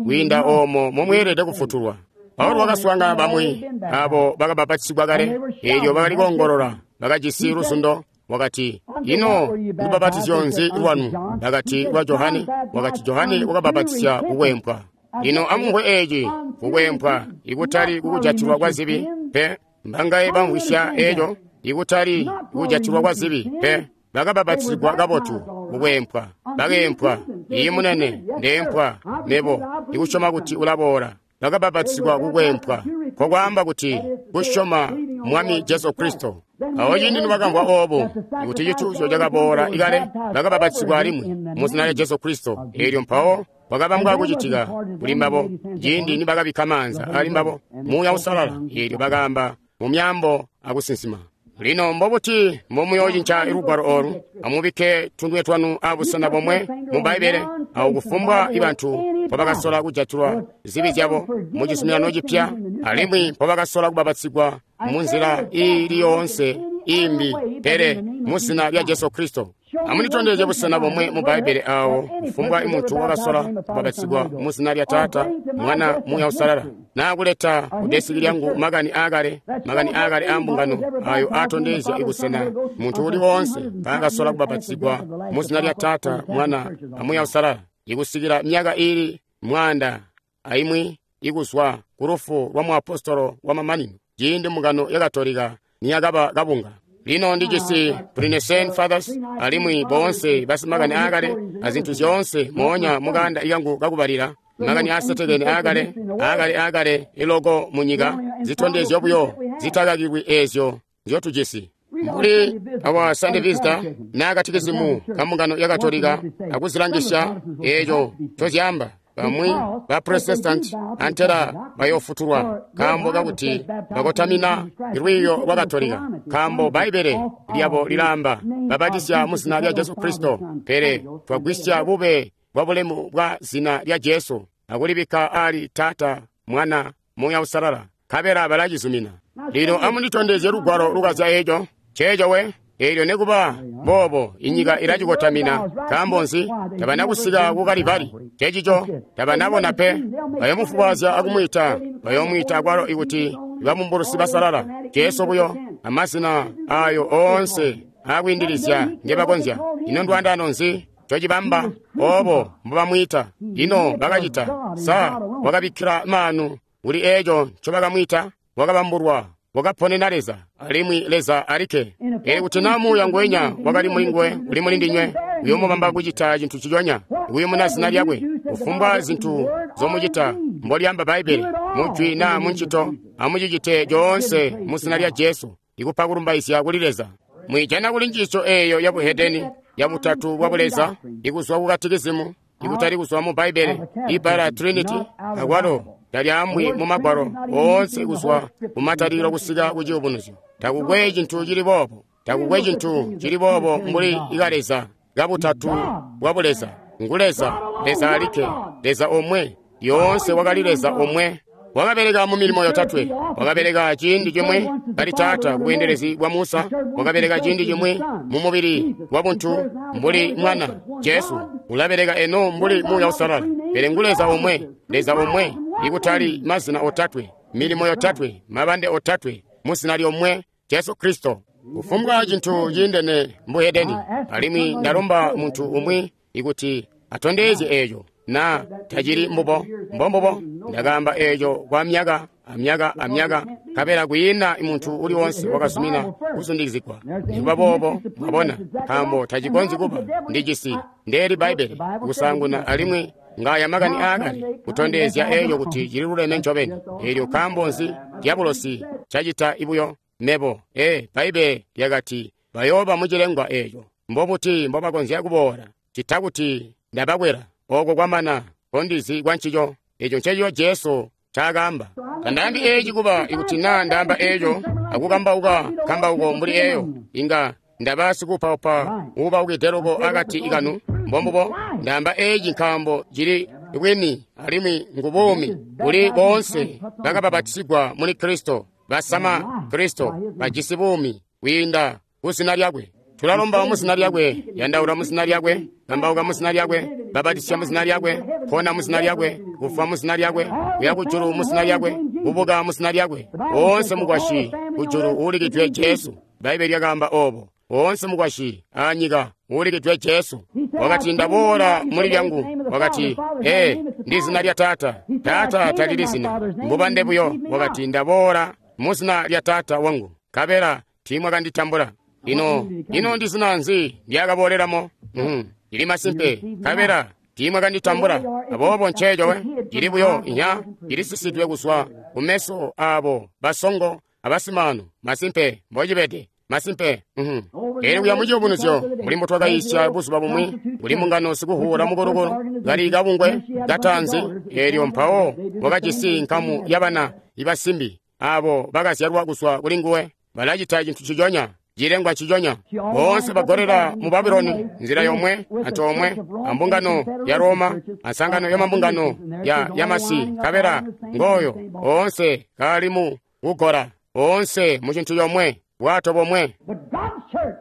kwiinda oomo momweelede kufutulwa. Paulo wakaswaangana bamwi abo bakabapatizigwa kale, eelyo bakali koongolola, bakajisi luzundo. Wakati, ino lubapatizyo nzi lwanu? Bakati, lwa Johane. Wakati, Johane wakabapatizya kukwempwa. Lino amumvwe eeci, kukwempwa ikutali kukujatilwa kwa zibi pe. Mbangaye bamvwisya eeco? Ikutali kukujatilwa kwa zibi pe. Bakabapatizigwa kabotu kukwempwa, bakeempwa. Iyi munene, ndeempwa mebo ikusyoma kuti ulaboola. Bakabapatizigwa kukwempwa, Nkokwaamba kuti kusyoma Mwami Jesu Kristo. Awo ciindi nibakamvwa oobo kuti cituuzyo cakaboola ikale, bakabapatizigwa alimwi mu zina lya Jesu Kristo. Eelyo mpawo kwakabambwa kucitika kuli mbabo ciindi nibakabikka maanza ali mbabo Muuya Uusalala, eelyo bakaamba mu myaambo akusinsima. Lino mbobuti mbomuyoocinca lugwalo oolu? Amubikke tunwe twanu abusena bomwe mu Bbaibbele awo kufumbwa bantu mpobakasola kujatilwa zibi zyabo mu Cizuminano Cipya, alimwi mpobakasola kubapatizigwa munzila iili yoonse imbi pele mu zina lya Jesu Kristo. Amunditondezye busena bomwe mu Bbaibbele awo kufumbwa muntu wakasola kubapatizigwa mu zina lya Taata, Mwana, Muuya Uusalala, naa kuleta kudesiki lyangu makani aakale, makani aakale aa mbungano ayo aatondezya ibusena muntu uli woonse mpaakasola kubapatizigwa mu zina lya Taata, Mwana, a Muuya Uusalala, ikusikila myaka iili mwaanda aimwi ikuzwa ku lufu lwa muapostolo wamamanino, ciindi mbungano ya Katolika niyakaba kabunga. Lino ndijisi Pre-Nicene Fathers alimwi boonse basimakani aakale azintu zyoonse moonya mukanda ikangu kakubalila makani aasetekene aakale aakale aakale iloko munyika zitondezyo buyo zitakakilwi eezyo nzyotujisi. Mbuli awa Sunday Visitor naa katikizimu ka mbungano ya Katolika akuzilangisya eeco ncozyaamba. Bamwi ba Protestant antela bayoofutulwa nkaambo kakuti bakotamina lwiiyo lwa Katolika, nkaambo Bbaibbele lyabo lilaamba babatisya mu zina lya Jesu Kristo, pele twagwisya bube bwa bulemu bwa zina lya Jesu akulibikka ali Taata, Mwana, Muuya Uusalala, nkabela balacizumina. Lino amunditondezye lugwalo lukazya eeco. Ceeco we. Eelyo nekuba boobo inyika ilacikotamina. Nkaambo nzi? Tabana kusika ku Kalibali. Cecico tabanabona pe. Bayomufubwaazya akumwiita, bayomwiita akwalo ikuti babumbulusi basalala. Jesu buyo amazina ayo oonse aakwiindilizya ngebakonzya. Ino ndwandano nzi ncocibamba oobo mbobamwiita? Ino bakacita sa wakabikkila maanu kuli eeco ncobakamwiita? Wakabambulwa, wakaponena Leza, alimwi Leza alikke. Pele kuti naa Muuya ngwenya wakali mulinguwe uli mulindinywe, uyoomubamba kucita cintu ciconya, ikuyumuna zina lyakwe. Kufumbwa zintu zomucita mbolyaamba Bbaibbele, mujwi naa muncito, amucicite coonse mu zina lya Jesu, ikupa kulumbaizya kuli Leza. Mwijana kuli njiisyo eeyo ya buhedeni ya butatu bwa buleza, ikuzwa ku katikizimu, ikutali kuzwa mu Bbaibbele. Ibbala Trinity akwalo talyaambwi mu Magwalo oonse kuzwa kumatalikilo kusika ku Ciyubunuzyo. Takukwe cintu cili boobo, takukwe cintu cili boobo mbuli ikaleza kabutatu bwa buleza. Ngu Leza, Leza alikke, Leza omwe, yoonse wakali Leza omwe. Wakabeleka mu milimo yotatwe. Wakabeleka ciindi cimwi kali Taata ku bweendelezi bwa Musa. Wakabeleka ciindi cimwi mu mubili wa buntu mbuli Mwana Jesu. Ulabeleka eno mbuli Muuya Uusalala. Pele ngu Leza omwe, Leza omwe, ikutali mazina otatwe, milimo yotatwe, mabande otatwe, mu zina lyomwe, Jesu Kristo. Kufumbwa cintu ciindene mbuhedeni. Alimwi ndalomba muntu umwi ikuti atondezye eeco naa tacili mbubo. Mbombubo ndakaamba eeco kwa myaka amyaka amyaka, nkabela kwiina muntu uli wonse wakazumina kuzundikizigwa. Nikuba boobo, mwabona, nkaambo tacikonzyi kuba. Ndijisi ndeeli Bbaibbele kusaanguna, alimwi ngaya makani aakale kutondezya eeco kuti cililuleme ncobeni. Eelyo nkaambo nzi dyabulosi cacita ibuyo? Mebo, ee, Bbaibbele lyakati bayooba mucilengwa eeco. Mbobuti mbobakonzya kuboola cita kuti ndabakwela? Oko kwamana kondizi kwa ncico. Eco ncencico Jesu ncaakaamba. Tandaambi eeci kuba ikuti naa ndaamba eeco akukambauka nkambauko mbuli eeyo, inga ndaba sikupaupa uubaukide loko akati kanu. Mbombubo ndaamba eeci nkaambo cili bwini alimwi ngu buumi kuli boonse bakabapatisigwa muli Kristo, basama Kristo, bajisi buumi kwiinda ku zina lyakwe. Tulalomba mu zina lyakwe, yandaula mu zina lyakwe, kambauka mu zina lyakwe, babatisya mu zina lyakwe, pona mu zina lyakwe, kufwa mu zina lyakwe, kuya kujulu mu zina lyakwe, kubuka mu zina lyakwe. Woonse mukwasyi kujulu uulikidwe Jesu. Bbaibbele lyakaamba oobo. Woonse mukwasyi aanyika uulikidwe Jesu. Wakati ndaboola muli lyangu. Wakati, ee, ndi zina lya Taata. Taata talili zina, mbubande buyo. Wakati ndaboola mu zina lya Taata wangu, nkabela tiimwakanditambula. Ino, ino ndi zina nzi ndyakabooleramo? Mm, lili masimpe, nkabela Tiimwa kanditambula. Aboobo nceeco we, cili buyo inya, cilisisidwe kuzwa kumeso aabo basongo abasimaanu. Masimpe, mbocibede. Masimpe. Mhm. Elyo kuya muciyubunuzyo, mbuli mbotwakayiisya buzuba bumwi, kuli mbungano sikuhuula mukulukulu, kali kabungwe kataanzi, elyo mpawo wakajisi nkamu yabana ibasimbi, abo bakazyalwa kuzwa kuli nguwe, balacita cintu ciconya, cilengwa ciconya. Boonse bagolela mu Babuloni nzila yomwe, antoomwe, ambungano ya Roma, ansangano ya mambungano ya yamasi, nkabela ngooyo, oonse kaali mu kugola, oonse mu cintu comwe, bwato bomwe. But God's church,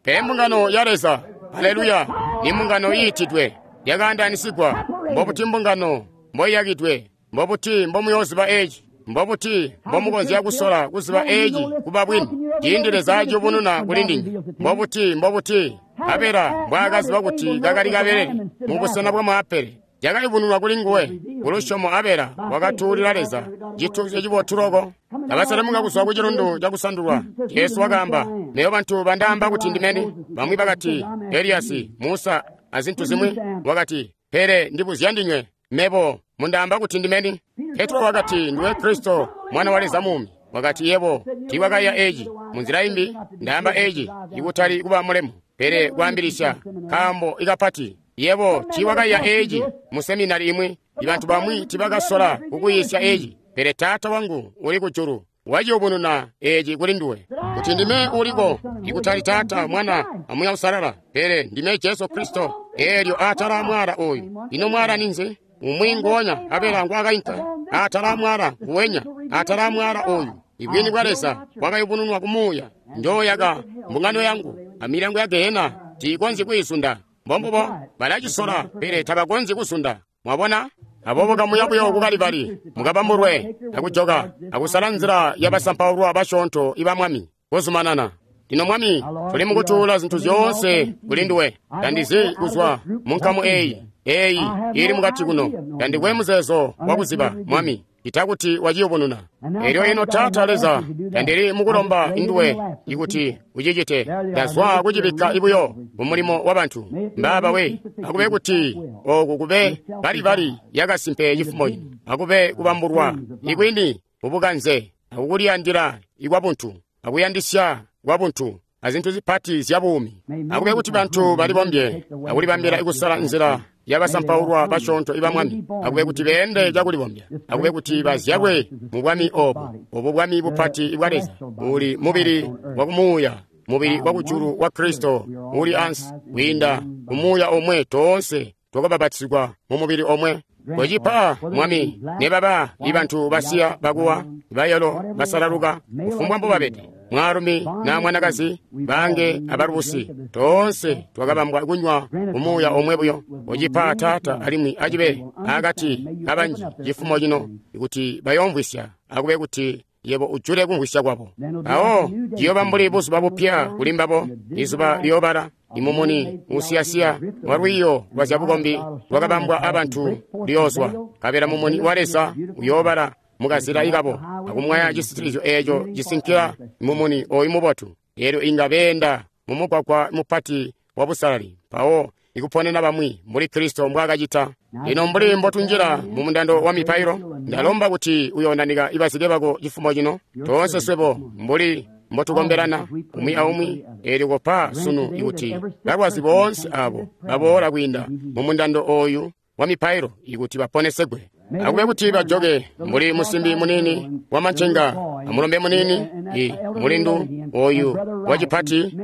Pele mbungano ya Leza, haleluya, ni mbungano iitidwe, yakaandaanisigwa. Mbobuti mbungano mboiyakidwe, mbobuti mbomuyooziba eci, mbobuti mbomukonzya kusola kuziba eci kuba bwini, ciindi Leza aciyubununa kuli ndinywe. Mbobuti, mbobuti Abela mbwaakaziba kuti kakali kabelele mu busena bwa maapele, cakayubununwa kuli nguwe. Kulusyomo Abela wakatuulila Leza cituuzyo cibotu loko. Kabaselemuka kuzwa ku cilundu cakusandulwa, Jesu wakaamba, "Neyo bantu bandaamba kuti ndimeni?" Bamwi bakati Eliyasi, Musa, azintu zimwi. Wakati, "Pele ndibuzya ndinywe, mebo mundaamba kuti ndimeni?" Petro wakati, "Ndiwe Kristo, Mwana wa Leza muumi." Wakati, "Yebo tiiwakaiya eci. Munzila imbi ndaamba eci, ikutali kuba mulemu, pele kwaambilisya kaambo ikapati. Yebo tiiwakaiya eci mu seminari imwi. Ibantu bamwi tiibakasola kukuyiisya eci, pele Taata wangu uli kujulu waciyubununa eci kuli nduwe, kuti ndime uliko, ikutali Taata, Mwana, aMuuya Uusalala, pele ndime Jesu Kristo. Eelyo atala mwala oyu." Ino mwala ninzi? Umwi nguonya Abela ngwakainka atala mwala nguwenya, atala mwala oyu ibwini bwa Leza bwakayubununwa kumuuya. Njooyaka mbungano yangu, amilyango ya gehena tiikonzyi kwiizunda. Mbombubo, balacisola, pele tabakonzyi kuzunda. Mwabona? Aboobo kamuya buyo ku Kalibali, mukabambulwe, akujoka, akusala nzila yabasampaulwa basyoonto iba Mwami. Kuzumanana. Lino Mwami, tuli mukutuula zintu zyoonse kuli nduwe. Tandizi kuzwa mu nkamu eyi, eyi ili mukati kuno. Tandikwe muzeezo wakuziba, Mwami, ita kuti waciyubununa. Elyo ino Taata Leza, tandili mukulomba nduwe ikuti ucicite. Ndazwa kucibikka ibuyo mumulimo wa bantu. Mbaaba we, akube kuti oku kube Kalibali yakasimpe cifumo cino. Akube kubambulwa ikwini mubukanze, akukuliyandila ikwabuntu, akuyandisya kwabuntu, azintu zipati zya buumi. Akube kuti bantu balibombye akulibambila ikusala nzila yabasampaulwa basyoonto iba Mwami. Akube kuti beende cakulibombya. Akube kuti bazyalwe mu bwami obu, obu bwami bupati bwa Leza, uli mubili wa kumuuya, mubili wa kujulu wa Kristo uli ansi. Kwiinda kumuuya omwe toonse twakabapatizigwa mu mubili omwe. Kocipa, Mwami, nebaba ibantu basiya bakuwa, bayelo, basalaluka, kufumbwa mbobabede, mwaalumi na mwanakazi, bange abalubusi, toonse twakabambwa kunywa umuuya omwe buyo. Kocipa, Taata, alimwi acibe akati kabanji cifumo cino, kuti bayoomvwisya. Akube kuti yebo ujule kumvwisya kwabo. Awo ciyooba mbuli buzuba bupya kuli mbabo, izuba liyoobala, imumuni usiyasiya wa lwiiyo lwa zyabukombi lwakabambwa abantu luyoozwa, nkabela mumuni wa Leza uyoobala mukazila ikabo, akumwaya cisitilizyo eeco cisinkila mumuni oyu mubotu. Eelyo inga beenda mumugwagwa mupati wa busalali, mpawo ikuponena bamwi mbuli Kristo mbwaakacita. Lino mbuli mbotunjila mu mundando wa mipailo, ndalomba kuti uyoondanika ibazike bako cifumo cino, toonse swebo mbuli mbotukombelana umwi aumwi. Eelyo kopa sunu ikuti balwazi boonse abo baboola kwiinda mu mundando oyu wa mipailo ikuti baponesegwe. Akube kuti bajoke mbuli musimbi munini wa mancenga, amulombe munini, i mulindu oyu wacipati,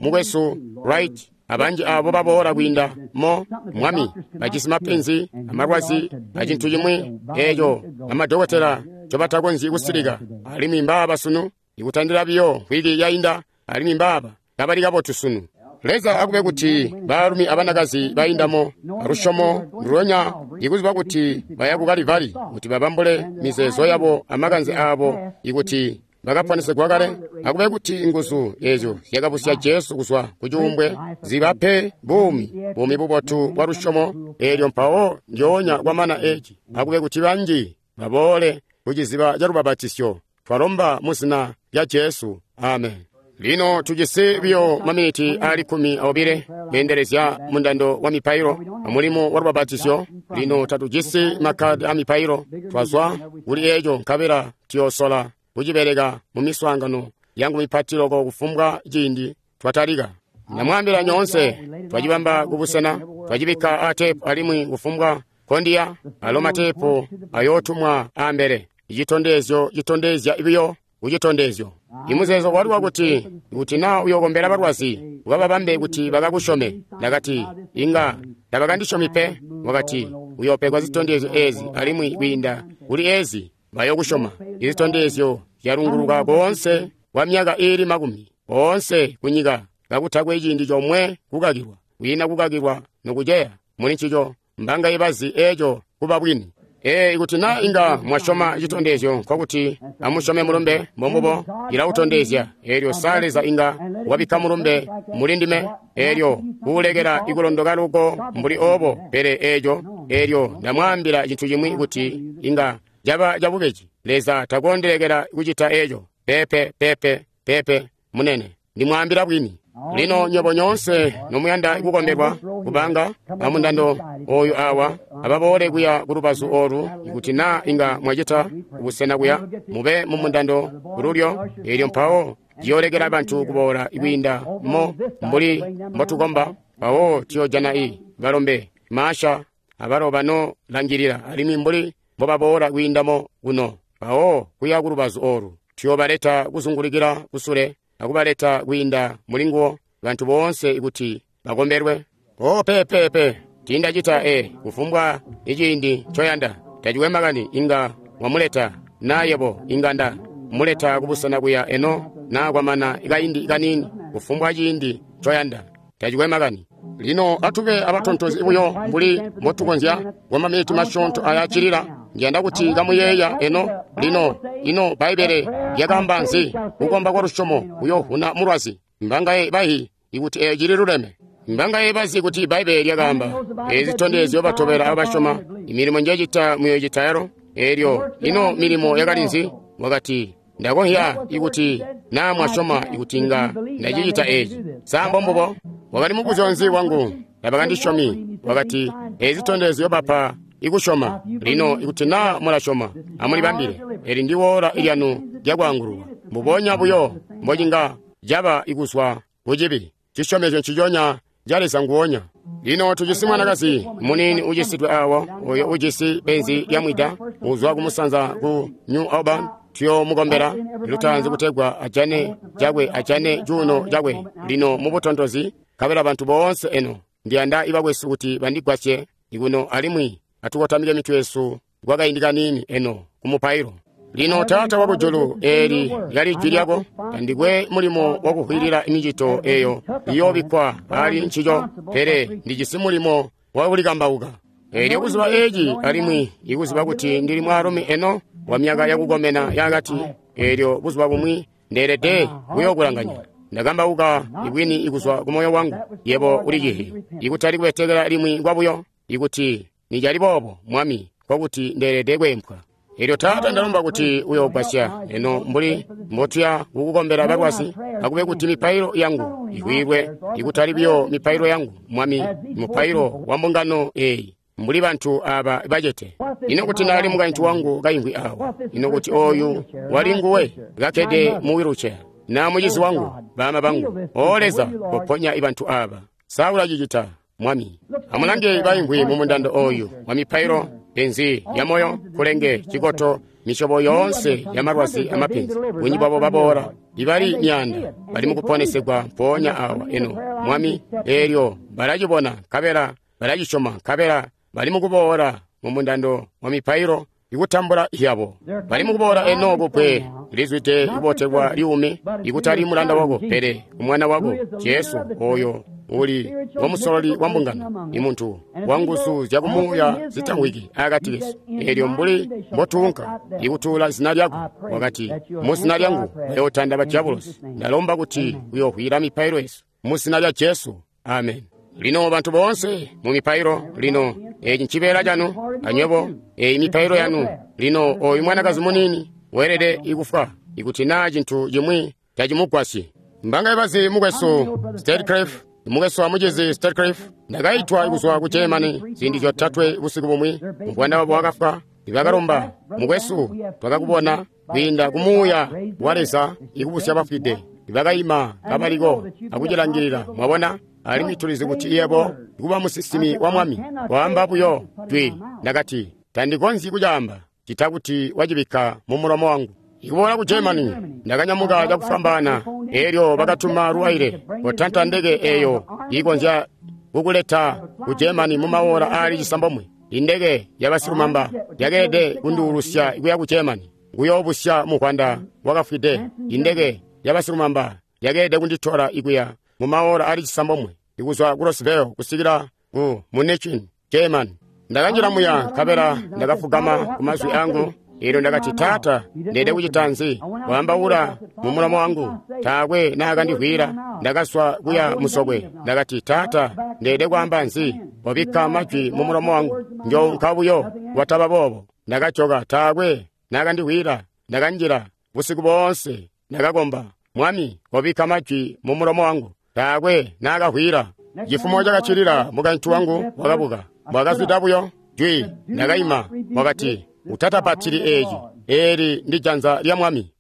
mukwesu Wright, abanji abo baboola kwiinda mo, Mwami, bajisi mapenzi, amalwazi, acintu cimwi eeco amadokotela ncobatakonzyi kusilika. Alimwi mbaaba sunu, ikutandila biyo mvwiki yainda, alimwi mbaaba kabali kabotu sunu. Leza akube kuti baalumi abanakazi baindamo alusyomo ndulonya, ikuziba kuti baya ku Kalibali kuti babambule mizeezo yabo amakanze aabo, ikuti bakaponesegwa kale. Akube kuti nguzu ezyo zyakabusya Jesu kuzwa ku cuumbwe zibape buumi, buumi bubotu bwa lusyomo. Eelyo mpawo ndyoonya kwamana eci, akube kuti banji baboole ku ciziba ca lubabatisyo. Twalomba mu zina lya Jesu. Amen. Lino tujisi biyo maminiti ali kkumi aobile kweendelezya mundando wa mipailo amulimo wa lubapatizyo. Lino tatujisi makkadi a mipailo, twazwa kuli eco nkabela tuyoosola kucibeleka mu miswaangano yangu mipati loko kufumbwa ciindi twatalika. Ndamwaambila nyoonse, twacibamba kubusena, twacibikka a teepu alimwi kufumbwa kondiya alo mateepu ayootumwa ambele. Icitondezyo citondezya biyo kucitondezyo. Imuzeezo wali wakuti kuti naa uyokombela balwazi ukababambe kuti bakakusyome. Ndakati inga tabakandisyomi pe. Wakati uyoopegwa zitondezyo ezi alimwi kwiinda kuli ezi bayokusyoma. Izitondezyo zyalunguluka koonse kwa myaka iili makumi oonse kunyika kakutakwe ciindi comwe kukakilwa, kwiina kukakilwa nokuceya muli ncico. Mbanga ibazi eco kuba bwini. Ee, ikuti naa inga mwasyoma citondezyo, nkokuti amusyome mulumbe. Mbombubo, ilautondezya. Eelyo sa Leza inga wabikka mulumbe muli ndime, eelyo kuulekela ikulondoka luko mbuli obo. Pele eeco, eelyo ndamwaambila cintu cimwi kuti inga caba cabubeji. Leza takondelekela kucita eco. Pepe, pepe, pepe, munene, ndimwaambila bwini. Lino nywebo nyoonse nomuyanda kukombelwa kubanga amundando oyu awa ababoole kuya kulubazu olu, ikuti naa inga mwacita kubusena kuya mube mu mundando kululyo. Eelyo mpawo ciyoolekela bantu kuboola kwiinda mo mbuli mbotukomba. Mpawo tuyoojana i balombe maasha abalo bano langilila alimwi mbuli mbobaboola kwiindamo kuno. Mpawo kuya kulubazu olu tuyoobaleta kuzungulikila kusule akubaleta kwiinda mulinguwo bantu boonse kuti bakombelwe. O pepepe, tiindacita e kufumbwa iciindi ncoyanda. Tacikwe makani inga wamuleta naa yebo inga nda muleta kubusena kuya eno naa kwamana kaindi kaniini, kufumbwa ciindi ncoyanda. Tacikwe makani. Lino atube abatontozi buyo mbuli mbotukonzya kwa maminiti masyoonto aya cilila. Ndiyanda kuti kamuyeeya eno. Lino ino Bbaibbele lyakaamba nzi? Kukomba kwa lusyomo kuyoovuna mulwazi. Mbangaye bahi ikuti eeci cililuleme? Mbangaye bazi kuti Bbaibbele lyakaamba ezi zitondezyo batobela abasyoma, imilimo njecita muyoocita yalo? Eelyo ino milimo yakali nzi? Wakati ndakonhya ikuti naa mwasyoma ikuti inga ndacicita eeci. Sa mbombubo? Wakali mubuzyo nzi wangu? Tabakandisyomi. Wakati ezi zitondezyo bapa ikusyoma. Lino ikuti naa mulasyoma, amulibambile. Eli ndi woola lyanu lyakwaangululwa. Mbubonya buyo mbocinga caba ikuzwa kucibi. Cisyomezyo nciconya ca Leza nguonya. Lino tujisi mwanakazi muniini ucisidwe awo, oyo ujisi penzi lyamwida, uzwa kumusanza ku New Auburn. Tuyomukombela lutaanzi kutegwa ajane cakwe, ajane cuuno cakwe. Lino mubutontozi, nkabela bantu boonse eno ndiyanda ibakwesu kuti bandigwasye ikuno alimwi atukotamike mitwe yesu kwakaindi kaniini eno kumupailo. Lino Taata wakujulu, eli lyali jwi lyako. Tandikwe mulimo wakuhwilila micito eyo iyoobikkwa ali ncico, pele ndijisi mulimo wakulikambauka. Eelyo kuziba eci alimwi ikuziba kuti ndili mwaalumi eno wa myaka yakukomena yakati, eelyo buzuba bumwi ndeelede kuyookulanganya. Ndakambauka ibwini ikuzwa ku moyo wangu. Yebo ulicihi ikutali kubetekela limwi kwabuyo. Ikuti nicali boobo, Mwami, nkokuti ndeelede kweempwa. Eelyo Taata, ndalomba kuti uyoogwasya eno mbuli mbotuya kukukombela balwazi, akube kuti mipailo yangu ikwiilwe, ikutali biyo mipailo yangu, Mwami, mupailo wa mbungano eyi, mbuli bantu aba bacete. Ino kuti naali mukaintu wangu kaimvwi awa? Ino kuti oyu wali nguwe kakkede mu wheelchair, na mucizi wangu, bama bangu? O Leza, koponya ibantu aba. Sa ulacicita, Mwami? Amulange baimvwi mu mundando oyu wa mipailo, penzi ya moyo, kulenge, cikoto, misyobo yoonse ya malwazi amapenzi. Bunji bwabo baboola ibali myaanda bali mukuponesegwa mpoonya awa eno, Mwami. Eelyo balacibona nkabela balacisyoma, nkabela bali mukuboola mu mundando wa mipailo ikutambula yabo. Bali mukuboola eno kupwe lizwide ibotelwa liume, ikutali mulanda wako, pele umwana wako Jesu, oyo uli wamusololi wa mbungano, imuntu wa nguzu zyakumuuya zitamwiki akati kesu. Eelyo mbuli mbotuunka ikutuula zina lyako, wakati mu zina lyangu bayootanda badyabulosi. Ndalomba kuti uyohwila mipailo yesu mu zina lya Jesu, amen. Lino bantu boonse mu mipailo, lino eci ncibeela canu anywebo, eyi mipailo yanu. Lino oyu mwanakazi muniini weelede ikufwa ikuti naa cintu cimwi tacimugwasyi. Mbangaye bazi mukwesu Statecraft, mukwesu wa mucizi Statecraft. Ndakaitwa kuzwa ku Germany ziindi zyotatwe busiku bumwi. Mubwana wabo wakafwa, ibakalomba mukwesu, twakakubona kwiinda kumuuya wa Leza ikubusya bafwide. Ibakaima kabaliko akucilangilila, mwabona. Alimwi tulizi kuti yebo kuba musinsimi wa Mwami. Waamba buyo jwi. Ndakati tandikonzyi kucaamba cita kuti wacibikka mu mulomo wangu. Ikuboola ku Germany, ndakanyamuka cakufwambaana. Elyo bakatuma luwaile kotanta ndeke eyo ikonzya kukuleta ku Germany mu mawola aali cisambomwe. Indeke yabasilumamba yakeelede kunduulusya kuya ku Germany kuyoobusya mukwanda wakafwide. Indeke yabasilumamba yakeelede kunditola ikuya mu mawola aali cisambomwe ikuzwa ku Roseville kusikila ku Munich, Germany. Ndakanjila muya nkabela ndakafugama ku mazwi angu. Elyo ndakati, Taata, ndeede kucita nzi? Waambaula mu mulomo wangu. Taakwe naakandivwiila. Ndakazwa kuya musokwe. Ndakati, Taata, ndeede kwaamba nzi? Wabikka majwi mu mulomo wangu. Njounka buyo wataba boobo. Ndakajoka, taakwe naakandivwiila. Ndakanjila busiku boonse. Ndakakomba, Mwami, wabikka majwi mu mulomo wangu. Taakwe naakavwiila. Cifumo cakacilila mukaintu wangu wakabuka. Mwakazwida buyo jwi. Ndakaima. Wakati, utatapatili eeci. Eeli ndi janza lya Mwami.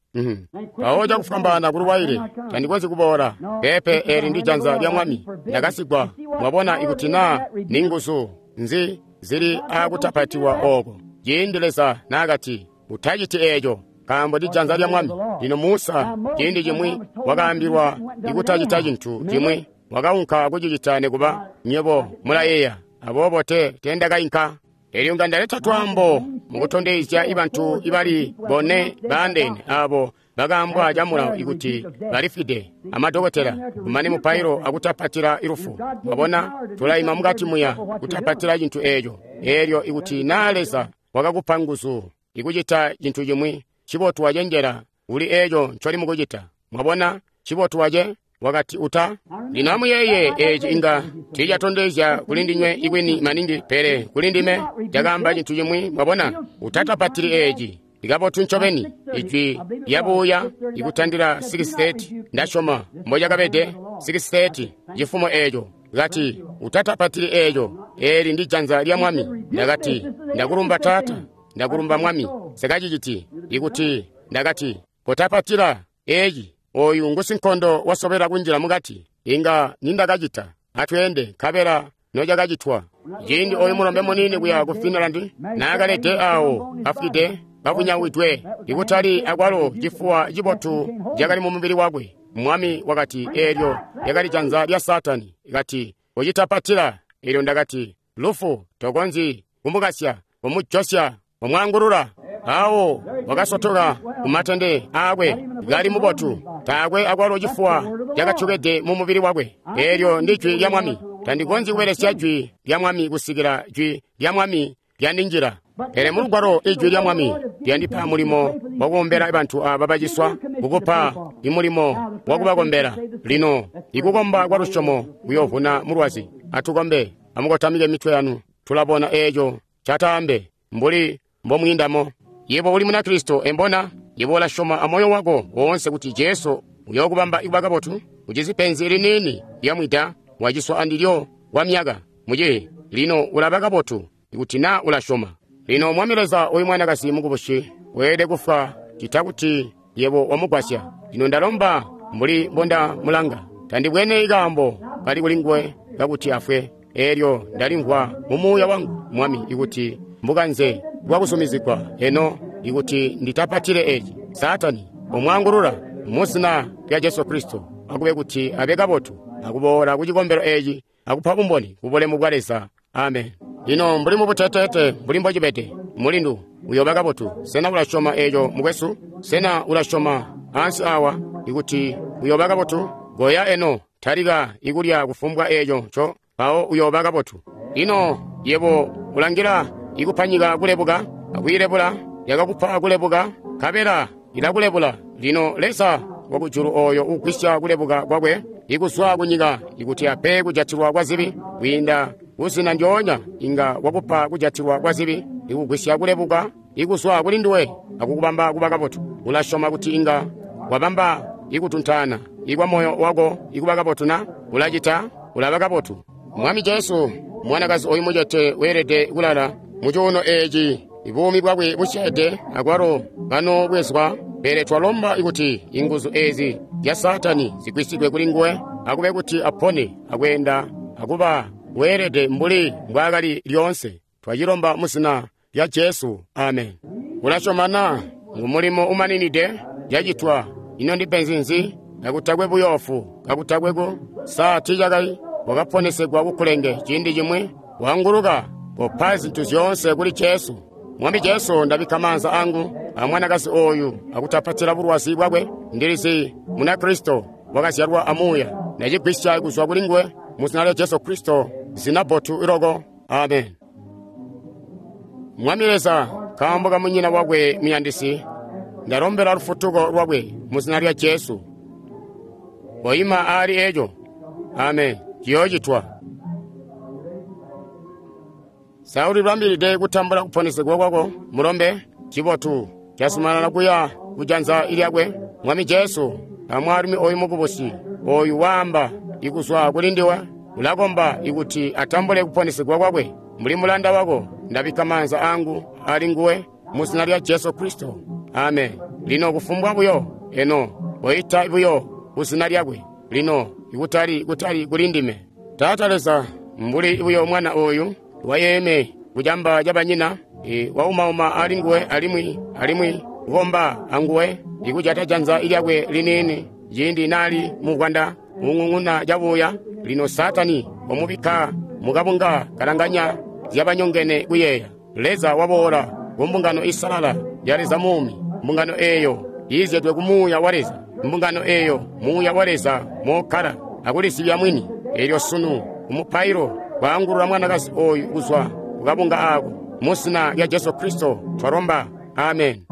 Mpawo cakufwambaana kuluwaile, tandikonzyi kuboola. Peepe, eeli ndi janza lya Mwami. Ndakasigwa. Mwabona ikuti naa ni nguzu nzi zili aakutapatiwa ooko. Ciindi Leza naakati, utaciti eeco, nkaambo ndi janza lya Mwami. Lino Musa ciindi cimwi wakaambilwa ikutacita cintu cimwi, wakaunka kucicita nikuba nywebo mulayeeya. Aboobo te teendakainka. Elyo nga ndaleta twaambo mukutondezya ibantu ibali bone baandeene abo bakaambwa camulawo ikuti balifwide amadokotela kumane mupailo akutapatila ilufu. Mwabona, tulaima mukati muya kutapatila cintu eeco. Elyo ikuti naa Leza wakakupa nguzu ikucita cintu cimwi, cibotu wacenjela kuli eeco ncoli mukucita. Mwabona, cibotu wace wakati uta. Lino amuyeeye, eeci inga tiicatondezya kuli ndinywe ikwini maningi, pele kuli ndime cakaamba cintu cimwi. Mwabona, utatapatili eeci. Likabotu ncobeni ijwi lyabuuya ikutandila six thirty. Ndasyoma mbocakabede six thirty cifumo eeco. Kati utatapatili eeco, eeli ndi janza lya Mwami. Ndakati ndakulumba Taata, ndakulumba Mwami. Sekaciciti ikuti ndakati kotapatila eeci, oyu ngusinkondo wasobela kunjila mukati. Inga nindakacita. Atweende nkabela nocakacitwa. Ciindi oyu mulombe muniini kuya ku Finland naakalede awo afwide kavunyawidwe, ikutali akwalo cifuwa cibotu cakali mu mubili wakwe. Mwami wakati eelyo lyakali janza lya Saatani. Kati ucitapatila. Elyo ndakati lufu tokonzyi kumukasya, kumujosya, kumwaangulula. Awo wakasotoka kumatende aakwe kali mubotu, taakwe akwalo cifuwa cakatyokede mu mubili wakwe. Eelyo ndi jwi lya Mwami. Tandikonzyi kubelesya jwi lya Mwami kusikila jwi lya Mwami lyandinjila. Pele mulugwalo ijwi lya Mwami lyandipa mulimo wakukombela bantu aba baciswa, kukupa imulimo wakubakombela. Lino ikukomba kwa lusyomo kuyoovuna mulwazi. Atukombe. Amukotamike mitwe yanu. Tulabona eeco cataambe mbuli mbomwiindamo. Yebo uli Munakristo, embona? Yebo ulasyoma amoyo wako woonse kuti Jesu uyookubamba ikuba kabotu? Ucizi penzi liniini lyamwida, waciswa andilyo kwa myaka muce. Lino ulaba kabotu ikuti naa ulasyoma. Lino Mwami Leza, oyu mwanakazi mukubusi weelede kufwa cita kuti yebo wamugwasya. Lino ndalomba mbuli mbondamulanga, tandibwene ikaambo kali kulinguwe kakuti afwe. Elyo ndalimvwa mu muuya wangu, Mwami, ikuti mbukanze bwakuzumizigwa eno ikuti nditapatile eeci. Saatani omwaangulula muzina lya Jesu Kristo, akube kuti abe kabotu akuboola ku cikombelo eeci akupa bumboni ku bulemu bwa Leza. Amen. Lino mbuli mubuteteete mbuli mbocibede, mulindu uyooba kabotu. Sena ulasyoma eeco mukwesu? Sena ulasyoma ansi awa ikuti uyooba kabotu? Goya eno, talika ikulya kufumbwa eeco nco, mpawo uyooba kabotu. Lino yebo ulangila ikupanyika kulebuka, akwiilebula, yakakupa kulebuka, nkabela ilakulebula. Lino Leza wakujulu oyo ugwisya kulebuka kwakwe ikuzwa kunyika ikuti ape kujatilwa kwa zibi kwiinda kuzina ndyoonya, inga wakupa kujatilwa kwa zibi ikugwisya kulebuka ikuzwa kuli nduwe akukubamba kuba kabotu. Ulasyoma kuti inga wabamba ikutuntaana ikwa moyo wako ikuba kabotu na? Ulacita, ulaba kabotu. Mwami Jesu, mwanakazi oyu mucete weelede kulala mu cuuno eci, buumi bwakwe busyeede akwalo kano bwezwa. Pele twalomba kuti inguzu ezi zya Saatani zigwisigwe kuli nguwe, akube kuti apone akweenda akuba weelede mbuli mbwaakali lyoonse. Twacilomba mu zina lya Jesu, amen. Ulasyoma na? Ngu mulimo umaninide yacitwa. Ino ndi penzi nzi? Kakutakwe buyoofu, kakutakwe ku saa tiicakai wakaponesegwa kukulenge ciindi cimwi, wanguluka kopa zintu zyoonse kuli Jesu. Mwami Jesu, ndabikka maanza angu a mwanakazi oyu akutapatila bulwazi bwakwe. Ndilizi Munakristo wakazyalwa amuuya. Ndacigwisya kuzwa kuli nguwe mu zina lya Jesu Kristo, zina bbotu iloko. Amen. Mwami Leza, nkaambo ka munyina wakwe muyandisi, ndalombela lufutuko lwakwe mu zina lya Jesu. Koima aali eco. Amen. Ciyoocitwa. Sa ulibambilide kutambula kuponesegwa kwako, mulombe? Cibotu. Casumanana kuya kujanza lyakwe. Mwami Jesu, amwaalumi oyu mukubusi, oyu waamba ikuzwa kuli ndiwe, ulakomba ikuti atambule kuponesegwa kwakwe. Mbuli mulanda wako, ndabikka maanza angu ali nguwe mu zina lya Jesu Kristo. Amen. Lino kufumbwa buyo, eno, koita buyo ku zina lyakwe. Lino, ikutali kutali kuli ndime. Taata Leza, mbuli buyo mwana oyu wayeeme kucamba ca banyina, e, waumauma ali nguwe alimwi alimwi kukomba anguwe, ikujata janza lyakwe liniini ciindi nali muvwanda ung'ung'una cabuya. Lino Saatani wamubikka mukabunga kalanganya zyabanyongene kuyeeya. Leza waboola ku mbungano isalala ya Leza muumi, mbungano eeyo iizyedwe ku Muuya wa Leza, mbungano eeyo Muuya wa Leza mokkala akulisibya mwini. Elyo sunu kumupailo kwaangulula mwanakazi oyu kuzwa kukabunga ako mu zina lya Jesu Kristo twalomba. Amen.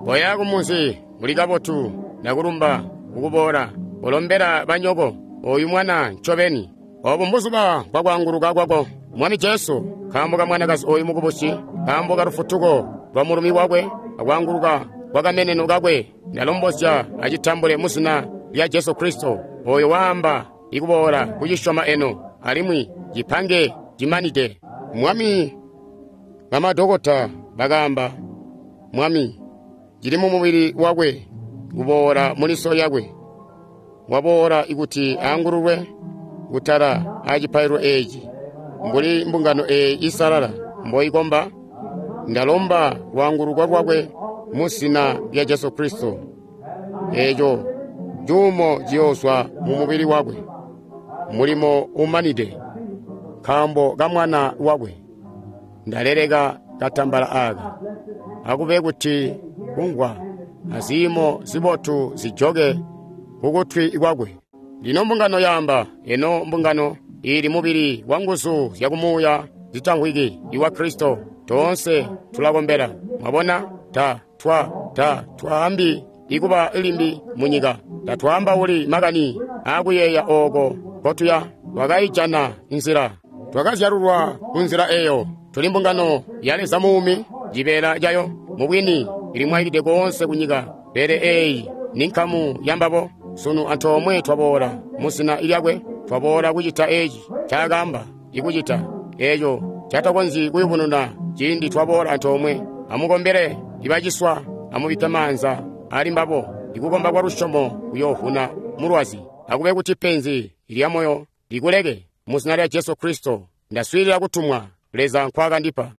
Koya kumunzi uli kabotu, ndakulumba kukuboola. Ulombela banyoko oyu mwana ncobeni. Obu mbuzuba bwakwaanguluka kwako, Mwami Jesu, nkaambo ka mwanakazi oyu mukubusi, nkaambo ka lufutuko lwa mulumi wakwe akwaanguluka kwa kameneno kakwe, ndalombozya acitambule mu zina lya Jesu Kristo. Oyo waamba ikuboola kucisyoma eno, alimwi cipange cimanide. Mwami, bamadokota bakaamba, Mwami, cili mu mubili wakwe kuboola muliso lyakwe. Waboola ikuti aangululwe kutala acipaililo eeci, mbuli mbungano eeyi isalala mboikomba. Ndalomba lwaanguluko lwakwe mu zina lya Jesu Kristo. Eeco cuumo ciyoozwa mu mubili wakwe, mulimo umanide, nkaambo ka mwana wakwe. Ndaleleka katambala aka, akube kuti kungwa aziimo zibotu zijoke kukutwi kwakwe. Lino mbungano yaamba, eno mbungano ili mubili wa nguzu zyakumuuya zitamvwiki iwa Kristo. Toonse tulakombela. Mwabona, ta twa ta twaambi ikuba limbi munyika. Tatwaambauli makani aakuyeeya ooko kotuya. Twakaijana nzila, twakazyalulwa ku nzila eyo. Tuli mbungano ya Leza muumi, cibeela cayo mubwini ilimwaikide koonse kunyika. Pele eeyi ni nkamu yambabo. Sunu antoomwe twaboola mu zina lyakwe, twaboola kucita eci ncaakaamba ikucita, eeco catakonzyi kuyubununa ciindi twaboola antoomwe. Amukombele ibaciswa, amubikke maanza ali mbabo. Ikukomba kwa lusyomo kuyoovuna mulwazi. Akube kuti penzi lya moyo likuleke mu zina lya Jesu Kristo. Ndaswiilila kutumwa Leza nkwaakandipa.